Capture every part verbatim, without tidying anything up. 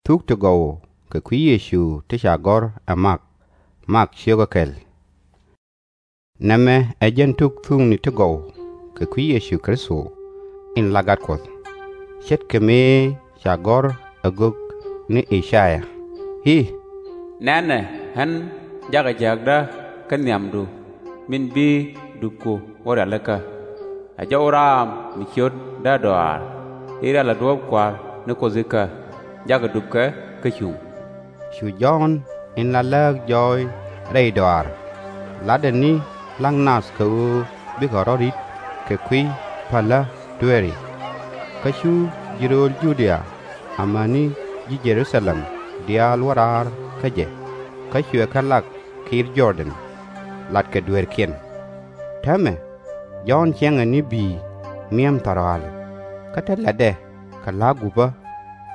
Thuk ti gɔw kɛ kui̱ Yecu ti ca gɔ̱r ɛ Mak. Mak ciökä kɛl. Nɛmɛ ɛ jɛn tuk thukni ti gɔw kɛ kui̱ Yecu Kritho in la Gat Kuɔth, ce̱tkɛ mëë ca gɔ̱r ɛ gök ni I-ca-yaa i̱, Nɛnɛ, ɣän jakɛ jääkdä kä nhiamdu min bi dupku wä rialikä. Ɛ jɔw raam mi ciöt dädɔaar i̱ rial ɛ duɔ̱ɔ̱p Kua̱r ni Kuoth ikä, jakɛ dupkɛ kä cuŋ. Cu Jɔ̱ɔ̱n in la lääk jɔɔc rɛy dɔaar latdɛ ni la̱k nath kɛ ɣöö bikɛ rɔ̱ ri̱t kɛ kui̱ päl dueeri. Kä cu ji̱ rööl Ju-dia amäni ji̱ Jɛ-ru-tha-lɛm diaal wä raar kä jɛ, kä cuɛ kɛ lak kiir Jɔr-dɛn latkɛ dueerkiɛn. Täämɛ Jɔ̱ɔ̱n ciɛŋɛ ni bi̱i̱ mi̱em thɔ̱rɔaal, kä te latdɛ kɛ la̱a̱k gupä,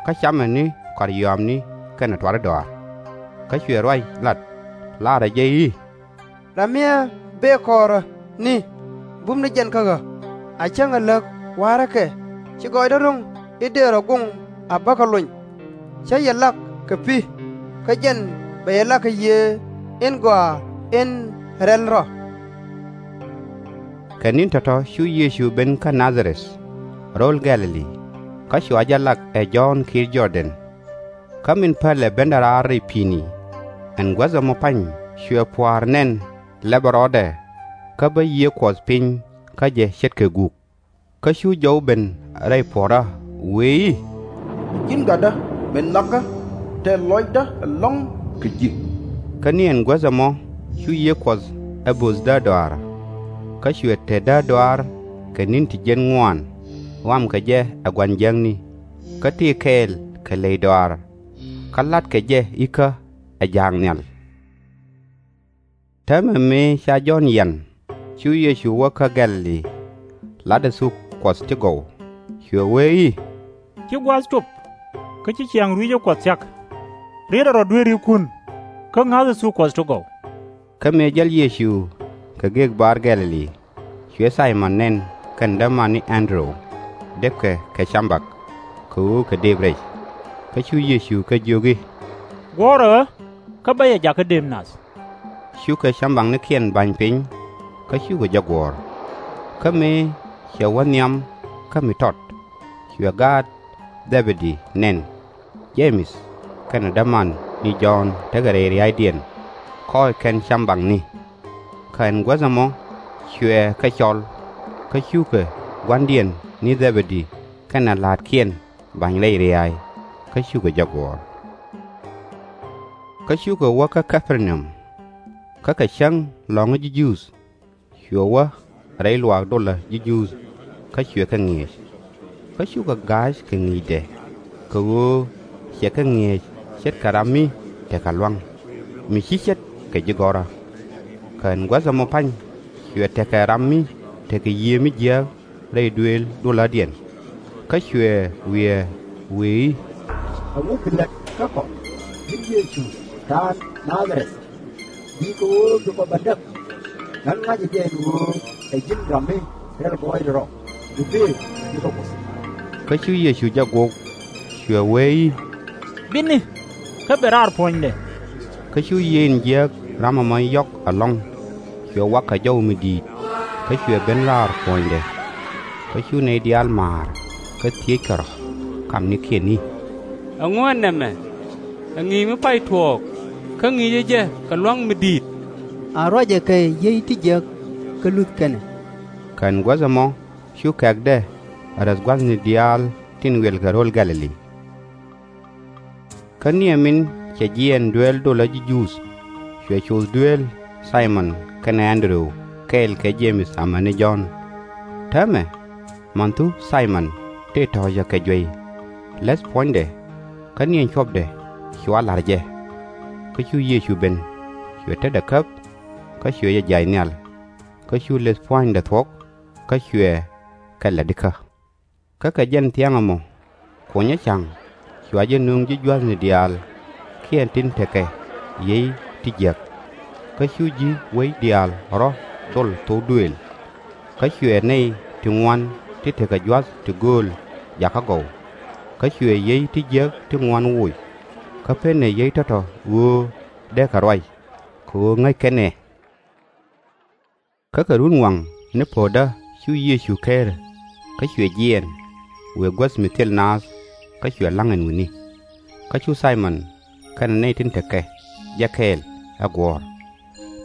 kä camɛ ni kɔaryɔaamni kɛnɛ tuari dɔaar. Kä cuɛ ruac lat, laarɛ jɛ i̱, Ram mi ɛ bëë kɔɔrä ni, bum ni jɛn kä ɣä, a cäŋɛ läk wa̱a̱rä kɛ, ci gɔɔydä ro̱ŋ i̱ dëë rɔ goŋ a bäkɛ lony. Cä yɛ lak kɛ pi̱, kä jɛn bɛ yɛ lak kɛ Yiëë in Gɔaa in Rɛl Rɔ. Kɛ ni̱n tɔ̱tɔ̱ cu Yecu ben kä Na-dha-rɛth, rööl Gɛ̈-lɛ-li, kä cua jɛ lak ɛ Jɔ̱ɔ̱n kiir Jɔr-dɛn. Kä min pälɛ bendɛ raar rɛy pi̱i̱ni, ɛn guäth ɛmɔ pa̱ny cuɛ pua̱a̱r nɛn lɛpɛ rɔɔdɛ, kä bä Yiëë Kuɔth piny kä jɛ ce̱tkɛ guk. Kä cu jɔw ben rɛy puɔ̱ɔ̱rä, wëë i̱, Ji̱n Gatdä min nhɔakä, tɛth lɔcdä ɛlɔ̱ŋ kɛ ji̱. Kä ni ɛn guäth ɛmɔ cu Yiëë Kuɔth ɛ bo̱th dädɔaar. Kä cuɛ te dädɔaar kɛ ni̱n ti jiɛn ŋuaan, ɣɔamkɛ jɛ ɛ gua̱n jiäkni, kä tëë kɛɛl kɛ ley dɔaar, kä la̱tkɛ jɛ ikä ɛ ja̱a̱k nhial. Täämɛ mëë ca Jɔ̱ɔ̱n yian, cu Yecu wä kä Gɛ̈-lɛ-li, latdɛ thuk Kuɔth ti gɔw, cuɛ wee i̱, Ci gua̱a̱th cop, kä ci ciaŋ rui̱cä Kuɔth cak. Rietdɛ rɔ dueerikun, kä ŋa̱thɛ thuk Kuɔth ti gɔw. Kä mëë jäl Yecu kɛ gëëk bar Gɛ̈-lɛ-li, cuɛ Thay-mɔn nɛn kɛnɛ dämani Ɛn-dɛ-ru, depkɛ kɛ cambak, kɛ ɣöö kɛ dëëp rɛc. Kä cu Yecu kɛ jiök i̱, Guɔ̱ɔ̱rɛ ɣä, kä bä yɛ jakä dëëp nath. Cukɛ cambaknikiɛn ba̱ny piny, kä cukɛ jɛ guɔ̱ɔ̱r. Kä mëë cɛ wä nhiam kä mi tɔt, cuɛ gaat Dhɛ-bɛ-di nɛn, Je-mɛth kɛnɛ dämani Jɔ̱ɔ̱n tekɛ rɛy ria̱a̱cdiɛn, kɔɔc kɛn cambakni. Kä ɛn guäth ɛmɔ cuɛ kɛ cɔl, kä cukɛ gua̱ndiɛn ni Dhɛ-bɛ-di kɛnɛ la̱a̱tkiɛn ba̱ny rɛy ria̱a̱c, kä cukɛ jɛ guɔ̱ɔ̱r. Kä cukɛ wä kä Kä-per-na-um. Kä kɛ cäŋ lɔ̱ŋä ji̱ Juudh, cuɛ wä rɛy luaak dolä ji̱ Juudh, kä cuɛ kɛ ŋi̱eec. Kä cukɛ ga̱a̱c kɛ ŋi̱i̱cdɛ, kɛ ɣöö cɛ kɛ ŋi̱eec ce̱tkɛ ram mi tekɛ lua̱ŋ, mi /ci ce̱t kɛ ji̱ gɔ̱rä. Kä ɛn guäth ɛmɔ pa̱ny cuɛ tekɛ ram mi tekɛ Yiëë mi jiääk rɛy duëël dolädiɛn. Kä cuɛ wiɛɛ wëë i̱, Ɛŋu bi lät kä kɔ, ji̱n Yecu raan Na-dha-rɛth? Bi kɛ ɣöö bi kɔ bä däk. Ɣän ŋa̱cä jɛ ɛn ɣöö ɛ ji̱n ram mi rɛl gɔɔydɛ rɔ, bi bëë bikɛ Kuoth. Kä cu Yecu jɛ guɔ̱k, cuɛ wee i̱, Bitni, kä ben raar puɔ̱nydɛ. Kä cu Yiëë in jiääk ram ɛmɔ yɔ̱k ɛlɔ̱ŋ, cuɛ wa̱k kɛ jɔw mi di̱i̱t, kä cuɛ ben raar puɔ̱nydɛ. Kä cu nɛy diaal ma̱a̱r, kä thiëëckɛ rɔ̱ kamnikiɛn i̱, Ɛŋu ɛ nɛmɛ? Ɛ ŋi̱i̱c mi pay tuɔɔk, kä ŋi̱i̱cɛ jɛ kɛ lua̱ŋ mi di̱i̱t. A ruacɛ kɛ yiey ti jiäk, kä luth kɛn ɛ. Kä ɛn guäth ɛmɔ cu kɛ̈kdɛ ɛ räth gua̱thni diaal tin wiɛlkɛ ro̱l Gɛ̈-lɛ-li. Kä niɛ min cɛ jiɛɛn dueel dolä ji̱ Juudh, cuɛ coth dueel Thay-mɔn kɛnɛ Ɛn-dɛ-ru kɛɛl kɛ Je-mɛth amäni Jɔ̱ɔ̱n. Täämɛ, manhu Thay-mɔn tëë tɔ̱ɔ̱cä kɛ juey, läth puɔ̱nydɛ, kä ni ɛn cuɔpdɛ cua la̱r jɛ. Kä cu Yecu ben, cuɛ tetdɛ käp, kä cuɛ jɛ jiac nhial. Kä cu läth pua̱nydɛ thuɔ̱k, kä cuɛ kɛ la̱t ikä. Kä kɛ jɛn thiaŋ ɛmɔ, kunyä ca̱ŋ cua jɛ nöŋ ji̱ gua̱thni diaal kiɛ tin tekɛ yiey ti jiäk. Kä cu ji̱ wec diaal rɔ̱ dhol thok duëël. Kä cuɛ nɛy ti ŋuan ti tekɛ gua̱th ti gööl jakä gɔw. Kä cuɛ yiey ti jiäk ti ŋuan woc, kä /penɛ yiey tɔ̱tɔ̱ ɣöö dee kɛ ruac, kɛ ɣöö ŋäc kɛn ɛ. Kä kɛ runwaŋ ni po̱o̱tdä cu Yecu ker, kä cuɛ jiɛɛn, wëë guäth mi thil naath, kä cuɛ la̱ŋ ɛn wi̱ni. Kä cu Thay-mɔn kɛnɛ nɛy tin tekɛ jɛ kɛɛl ɛ guɔ̱ɔ̱r.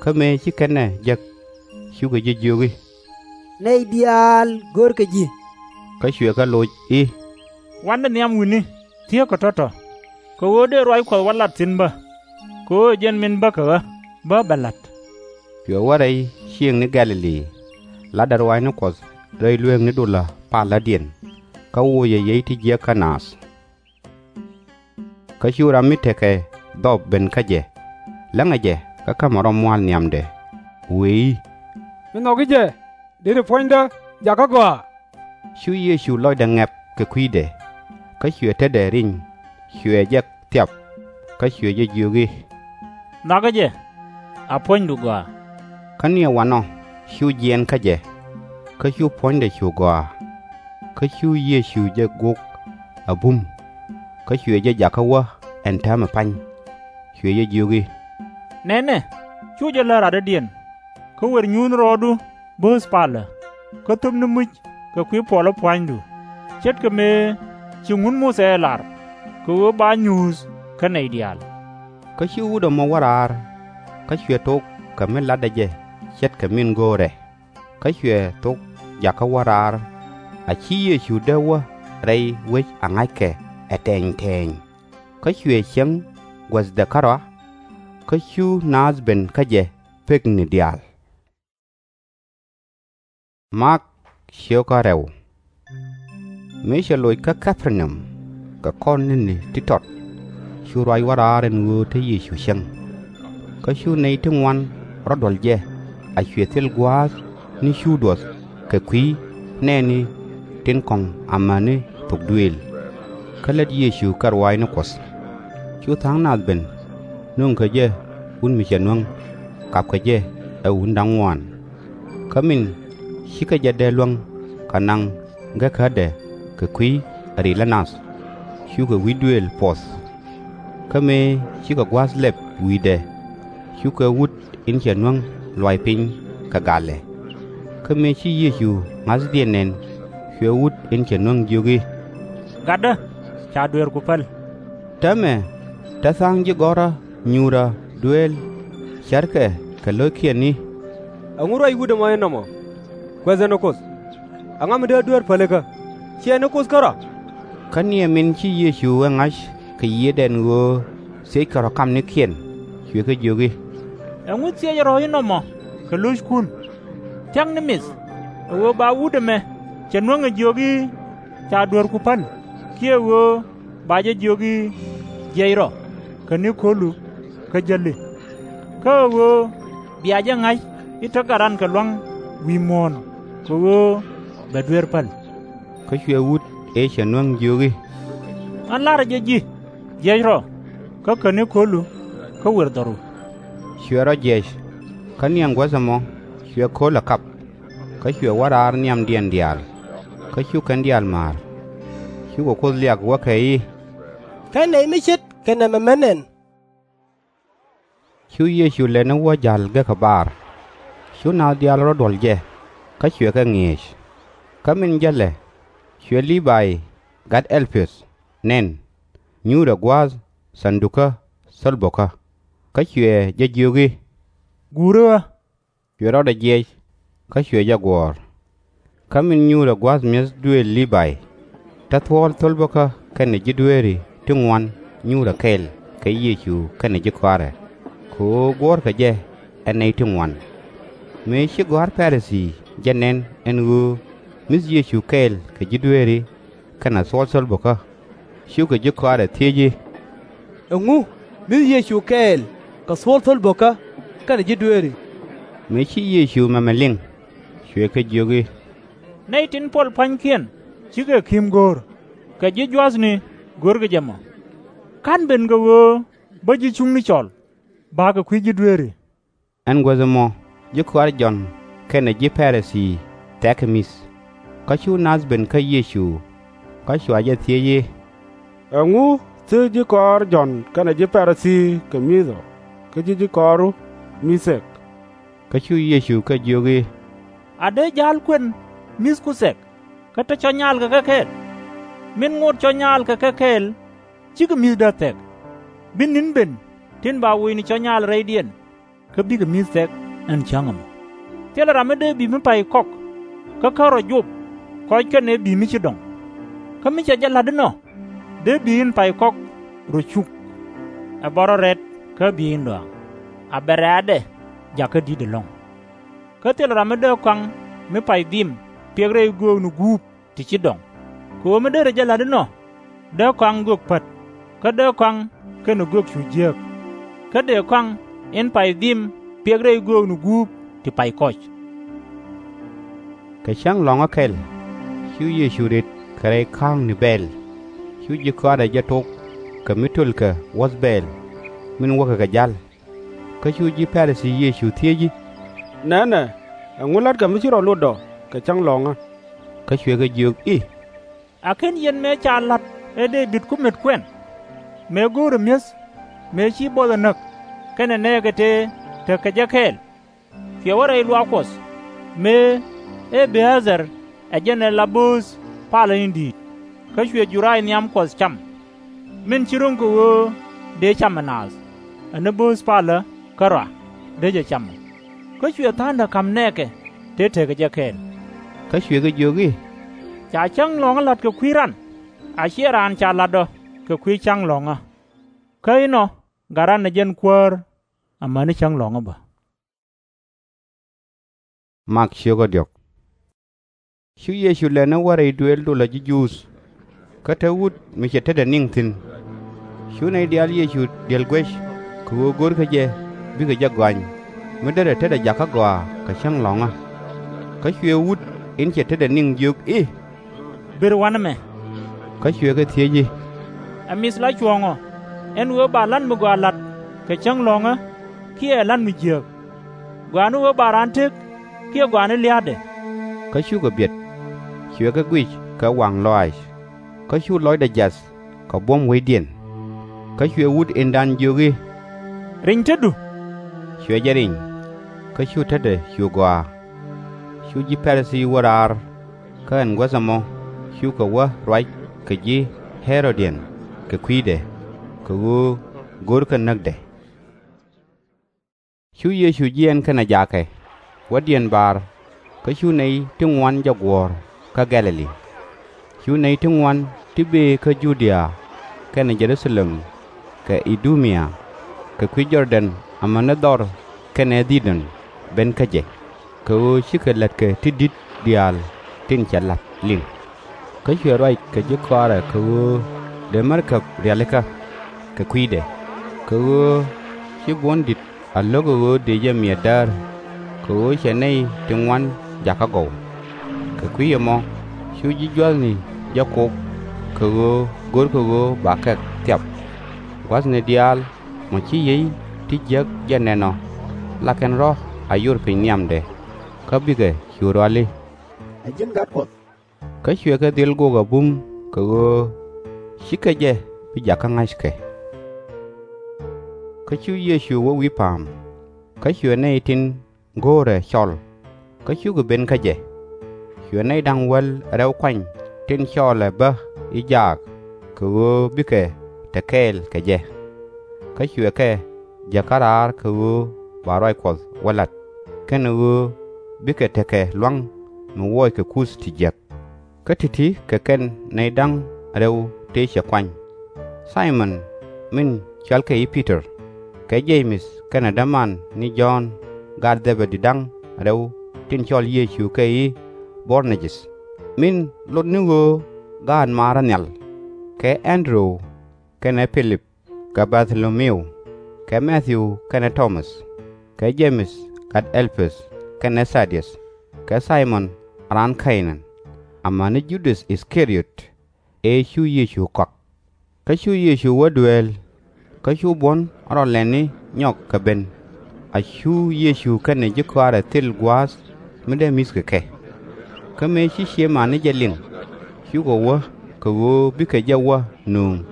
Kä mëë ci kɛn ɛ jek, cukɛ jɛ jiök i̱, Nɛy diaal görkɛ ji̱. Kä cuɛ kɛ loc i̱, Wa̱nɛ nhiam wi̱ni, thieekɛ tɔ̱tɔ̱, kɛ ɣöö dee ruac Kuɔth wä lat thi̱n bä, kɛ ɣöö ɛ jɛn min bäkɛ ɣä bä bɛ la̱t. Cuɛ wä rɛy ciëëŋni Gɛ̈-lɛ-li, la̱tdɛ ruaacni Kuɔth rɛy lueekni dulä pal lätdiɛn, kä wocɛ yiey ti jiäk kä naath. Kä cu ram mi tekɛ dhɔp ben kä jɛ, läŋɛ jɛ kä ka̱mɛ rɔ mua̱a̱l nhiamdɛ, wëë i̱, Mi nhɔki jɛ, deri puɔ̱nydä jakä gɔaa. Cu Yecu lɔcdɛ ŋɛp kɛ kui̱dɛ, kä cuɛ tetdɛ riny, cuɛ jɛ thiap, kä cuɛ jɛ jiök i̱, Nhɔakɛ jɛ, a puɔ̱nydu gɔaa. Kä ni ɛ wanɔ cu jiɛɛn kä jɛ, kä cu puɔ̱nydɛ cu gɔaa. Kä cu Yecu jɛ gok a bum, kä cuɛ jɛ jakä wä ɛn täämɛ pa̱ny, cuɛ jɛ jiök i̱, Nɛnɛ, cu jɛ lär radɔ̱diɛn, kä wër nyuuthni rɔɔdu bööth palä, kä thöpni muc kɛ kui̱ puɔlä pua̱nydu, ce̱tkɛ mëë ci ŋun Muthɛ ɛ lar, kɛ ɣöö ba nyuuth kä nɛy diaal. Kä cu wut ɛmɔ wä raar, kä cuɛ thok kɛ mi la̱tdɛ jɛ ce̱tkɛ min go̱o̱rɛ. Kä cuɛ thok jakä wä raar, a ci Yecu dee wä rɛy wec a ŋa̱ckɛ ɛ tɛɛny tɛɛny. Kä cuɛ cieŋ guäthdɛ kärɔa, kä cu naath ben kä jɛ pekni diaal. Mak ciökä rɛw. Mëë cɛ loc kä Kɛp-ɛ-naum kɛ kɔn ni̱ni ti tɔt, cu ruac wä raar ɛn ɣöö te Yecu cieŋ. Kä cu nɛy ti ŋuan rɔ duɔl jɛ, a cuɛ thil gua̱a̱th ni cu duɔth kɛ kui̱ nɛɛni tin kɔ̱ŋ amäni thok duëël. Kä lät Yecu kɛ ruaacni Kuɔth. Cu tha̱a̱ŋ nath ben, nöŋkɛ jɛ wut mi cɛ nuäŋ, kapkɛ jɛ ɛ wutni da̱ŋ ŋuan. Kä min cikɛ jɛ dee luäŋ kɛ naŋ gekädɛ kɛ kui̱ ɛ rilä nath, cukɛ wi̱c duëël puɔth. Kä mëë cikɛ gua̱a̱th lɛp wi̱i̱dɛ, cukɛ wut in cɛ nuäŋ luay piny kɛ galɛ. Kä mëë ci Yecu ŋa̱thdiɛn nɛn, cuɛ wut in cɛ nuäŋ jiök i̱, Gatdä, ca dueerku päl. Täämɛ te tha̱a̱ŋ ji̱ gɔ̱rä nyuurä dueel cärkɛ kɛ lo̱ckiɛn i̱, Ɛŋu ruac wut ɛmɔ inɔmɔ? Guäth ɛ ni Kuoth. Ɛŋa mi dee dueer pälikä? /Ciɛ ni Kuoth kärɔa? Kä niɛ min ci Yecu ɛ ŋa̱c kɛ yiëëdɛ ɛn ɣöö thiëckɛ rɔ̱ kamnikiɛn, cuɛ kɛ jiök i̱, Ɛŋu thiecɛ rɔ̱ inɔmɔ kɛ lo̱ckun? Thia̱kni mith, ɛ ɣöö ba wut ɛmɛ cɛ nuäŋ ɛ jiök i̱, Ca dueerku päl, kiɛ ɣöö ba jɛ jiök i̱, Jiɛc rɔ, käni ko̱lu, kä jäli? Kä ɛ ɣöö bia jɛ ŋa̱c i̱ te gat ran kɛ lua̱ŋ wi̱i̱ muɔ̱ɔ̱n, kɛ ɣöö bɛ dueer päl. Kä cuɛ wut ëë cɛ nuäŋ jiök i̱, Ɣän la̱rä jɛ ji̱, jiɛc rɔ, kä käni ko̱lu, kä wër dhɔru. Cuɛ rɔ jiɛc. Kä niɛ guäth ɛmɔ cuɛ ko̱l ɛ kap, kä cuɛ wä raar nhiamdiɛn diaal. Kä cu kɛn diaal ma̱a̱r, cukɛ Kuoth liak, wäkɛ i̱, Kä nɛy mi ce̱tkɛ nɛmɛ män ɛn. Cu Yecu lɛni wä ja̱l gekä bar. Cu naath diaal rɔ duɔ̱l jɛ, kä cuɛ kɛ ŋi̱eec. Kä min jälɛ, cuɛ Lii-bay gat Ɛl-piɔth nɛn, nyuurɛ gua̱a̱th tha̱a̱ŋdukä thöl bo̱kä. Kä cuɛ jɛ jiök i̱, Guuri ɣä. Cuɛ rɔɔdɛ jiɛc, kä cuɛ jɛ guɔ̱ɔ̱r. Kä min nyuurɛ gua̱a̱th mi̱eth duëël Lii-bay, te thuɔ̱ɔ̱l thöl bo̱kä kɛnɛ ji̱ dueeri ti ŋuan nyuurɛ kɛɛl kɛ Yecu kɛnɛ ji̱ kɔaarɛ, kɛ ɣöö guɔ̱ɔ̱rkɛ jɛ ɛ nɛy ti ŋuan. Mëë ci gɔ̱a̱r Pa-ri-thii jɛ nɛn ɛn ɣöö mi̱th Yecu kɛɛl kɛ ji̱ dueeri kɛnɛ thuɔ̱ɔ̱l thöl bo̱kä, cukɛ ji̱ kɔaarɛ thiec i̱, Ɛŋu mi̱th Yecu kɛɛl kɛ thuɔ̱ɔ̱l thöl bo̱kä kɛnɛ ji̱ dueeri? Mëë ci Yecu mɛmɛ liŋ, cuɛ kɛ jiök i̱, Nɛy tin puɔl pua̱nykiɛn cikɛ ki̱m go̱o̱r, kɛ ji̱ jua̱thni görkɛ jɛ mɔ. /Ka̱n ben kɛ ɣöö bä ji̱ cuŋni cɔl, bakɛ kui̱ ji̱ dueeri. Ɛn guäth ɛmɔ ji̱ kɔaar Jɔ̱ɔ̱n kɛnɛ ji̱ Pa-ri-thii thɛ̈kɛ mi̱th. Kä cu naath ben kä Yecu, kä cua jɛ thiec i̱, Ɛŋu Thieek ji̱ kɔɔr Jɔ̱ɔ̱n kɛnɛ ji̱ Pa-ri-thii kɛ mi̱th ɔ, kä /ci ji̱ kɔɔru mi̱th thɛk. Kä cu Yecu kɛ jiök i̱, A dee ja̱a̱l kuën mi̱thku thɛk, kä te cɔ̱ nyaalkɛ kɛ kɛɛl? Min ŋot cɔ̱ nyaalkɛ kɛ kɛɛl /cikɛ mi̱th däth thɛk. Bi ni̱n ben tin ba woc ni cɔ̱ nyaal rɛydiɛn, kä bikɛ mi̱th thɛk ɛn cäŋ ɛmɔ. Thilɛ ram mi dee bi̱i̱ mi pay kɔk kä /ken rɔ jop kɔc kɛnɛ bi̱i̱ mi ci dɔŋ. Kä mi cɛ jɛ la̱t inɔ, dee bi̱i̱ in pay kɔk rɔ cuk, ɛ bä rɔ rɛt kä bi̱i̱ in dɔaaŋ, a bɛ rɛ̈ɛ̈dɛ jakä di̱t ɛlɔ̱ŋ. Kä thilɛ ram mi dee kɔaŋ mi pay dhim piɛk rɛy göökni guup ti ci dɔŋ. Kɛ ɣöö mi derɛ jɛ la̱t inɔ, dee kɔaŋ göök pät, kä dee kɔaŋ kɛnɛ göök cu jiääk. Kä dëë kɔaŋ in pay dhim piɛk rɛy göökni guup ti pay kɔc. Kɛ cäŋ lɔ̱ŋä kɛl, cu Yecu rët kɛ rɛy ka̱a̱kni bɛɛl. Cu ji̱ kɔaarɛ jɛ tok kɛ mi tölkɛ wuɔ̱th bɛɛl, min wäkɛ kɛ ja̱l. Kä cu ji̱ Pa-ri-thii Yecu thiec i̱, Nɛnɛ, ɛŋu la̱tkɛ mi ci rɔ lot ɔ kɛ cäŋ lɔ̱ŋä? Kä cuɛ kɛ jiök i̱, A /ken yɛn mëë ca la̱t ɛ Dee-bid ku met kuɛn? Mëë go̱o̱rɛ mi̱eth, mëë ci buɔth ɛ näk, kɛnɛ nɛɛkɛ tëë tekɛ jɛ kɛɛl? Cuɛ wä rɛy luaak Kuɔth, mëë Ɛb-ya-thar ɛ jɛn ɛ la bööth palä in di̱i̱t, kä cuɛ juray nhiam Kuɔth cam, min ci ro̱ŋ kɛ ɣöö dëë cam ɛ naath, ɛ ni bööth palä kärɔa dee jɛ cam ɔ. Kä cuɛ tha̱a̱ŋdɛ ka̱m nɛɛkɛ tëë tekɛ jɛ kɛɛl. Kä cuɛ kɛ jiök i̱, Ca cäŋ lɔ̱ŋä la̱t kɛ kui̱ ran, a /ciɛ raan ca la̱t ɔ kɛ kui̱ cäŋ lɔ̱ŋä. Kä inɔ gat ran ɛ jɛn kuäär amäni cäŋ lɔ̱ŋä bä. Mak ciökä diɔ̱k. Cu Yecu lɛni wä rɛy duëël dolä ji̱ Juudh. Kä te wut mi cɛ tetdɛ niŋ thi̱n. Cu nɛy diaal Yecu diɛl guec kɛ ɣöö görkɛ jɛ bikɛ jɛ gɔany, mi derɛ tetdɛ jakä gɔaa kɛ cäŋ lɔ̱ŋä. Kä cuɛ wut in cɛ tetdɛ niŋ jiök i̱, Bër wa̱nɛ mɛ. Kä cuɛ kɛ thiec i̱, Ɛ mi̱th la cuɔ̱ɔ̱ŋ ɔ, ɛn ɣöö ba la̱t mi gɔaa la̱t kɛ cäŋ lɔ̱ŋä, kiɛ ɛ la̱t mi jiääk? Gɔaa ni ɣöö ba raan tëk, kiɛ gɔaa ni lia̱a̱dɛ? Kä cukɛ biɛt, cuɛ kɛ guic kɛ waŋ lɔaac. Kä cu lɔcdɛ jiath kɛ buɔ̱m wecdiɛn. Kä cuɛ wut indan jiök i̱, Riny tetdu. Cuɛ jɛ riny, kä cu tetdɛ cu gɔaa. Cu ji̱ Pa-ri-thii wä raar, kä ɛn guäth ɛmɔ cukɛ wä ruac kɛ ji̱ Ɣɛ-rod-diɛn kɛ kui̱dɛ, kɛ ɣöö görkɛ näkdɛ. Cu Yecu jiɛɛn kɛnɛ jaakɛ wädiɛn baar, kä cu nɛy ti ŋuan jɛ guɔ̱ɔ̱r kä Gɛ̈-lɛ-li. Cu nɛy ti ŋuan ti bëë kä Ju-dia kɛnɛ Jɛ-ru-tha-lɛm kɛ I-du-mia kɛ kui̱ Jɔr-dɛn amäni dhɔr kɛnɛ dhi̱i̱dɔn ben kä jɛ, kɛ ɣöö cikɛ la̱tkɛ ti di̱t diaal tin cɛ la̱t liŋ. Kä cuɛ ruac kɛ ji̱ kɔaarɛ kɛ ɣöö dëë märkäb rialikä kɛ kui̱dɛ, kɛ ɣöö ci buɔ̱n di̱t a lo̱k ɛ ɣöö dëë jɛ miɛt däär, kɛ ɣöö cɛ nɛy ti ŋuan jakä gɔw. Kɛ kui̱ ɛmɔ cu ji̱ jua̱thni jɛ kok, kɛ ɣöö görkɛ ɣöö ba kɛ thiap. Gua̱thni diaal mɔ ci yiey ti jiäk jɛ nɛn ɔ, la kɛn rɔ̱ a yor piny nhiamdɛ, kä bikɛ cu ruali, Ɛ ji̱n Gat Kuɔth. Kä cuɛ kɛ dhil gok a bum kɛ ɣöö /cikɛ jɛ bi jakä ŋa̱ckɛ. Kä cu Yecu wä wi̱i̱ pa̱a̱m, kä cuɛ nɛy tin go̱o̱rɛ cɔl, kä cukɛ ben kä jɛ. Cuɛ nɛy da̱ŋ wäl rɛw kuany tin cɔɔlɛ bä i̱ jaak, kɛ ɣöö bikɛ te kɛɛl kɛ jɛ. Kä cuɛ kɛ jäkä raar kɛ ɣöö ba ruac Kuɔth wä la̱t, kɛnɛ ɣöö bikɛ tekɛ lua̱ŋ mi wuɔckɛ kuth ti jiäk. Kä ti̱ti̱ kɛ kɛn nɛy da̱ŋ rɛw tëë cɛ kuany: Thay-mɔn min cɔalkɛ i̱ Pi-tɔr, kɛ Je-mɛth kɛnɛ däman ni Jɔ̱ɔ̱n, gaat Dhɛ-bɛ-di da̱ŋ rɛw tin cɔl Yecu kɛ i̱ Bɔ-a-nɛr-jɛth, min lot ni ɣöö gaat maarä nhial, kɛ Ɛn-dri-wu kɛnɛ Pi-lip, kɛ Bar-thi-lo-mi-u, kɛ Mɛ-thiw kɛnɛ Tɔ-mäth, kɛ Jɛ-mɛth gat Ɛl-pɛth kɛnɛ Tha-di-äth, kɛ Thay-mɔn raan Kɛ-naan, amäni Ju-däth Is-ka-riɔt, ëë cu Yecu kɔak. Kä cu Yecu wä dueel, kä cu buɔ̱n rɔ lɛni nyɔk kɛ ben. A cu Yecu kɛnɛ ji̱ kɔaarɛ thil gua̱a̱th mi dee mi̱thkɛ kɛ. Kä mëë ci ciëmani jɛ liŋ, cukɛ wä kɛ ɣöö bikɛ jɛ wä nööŋ.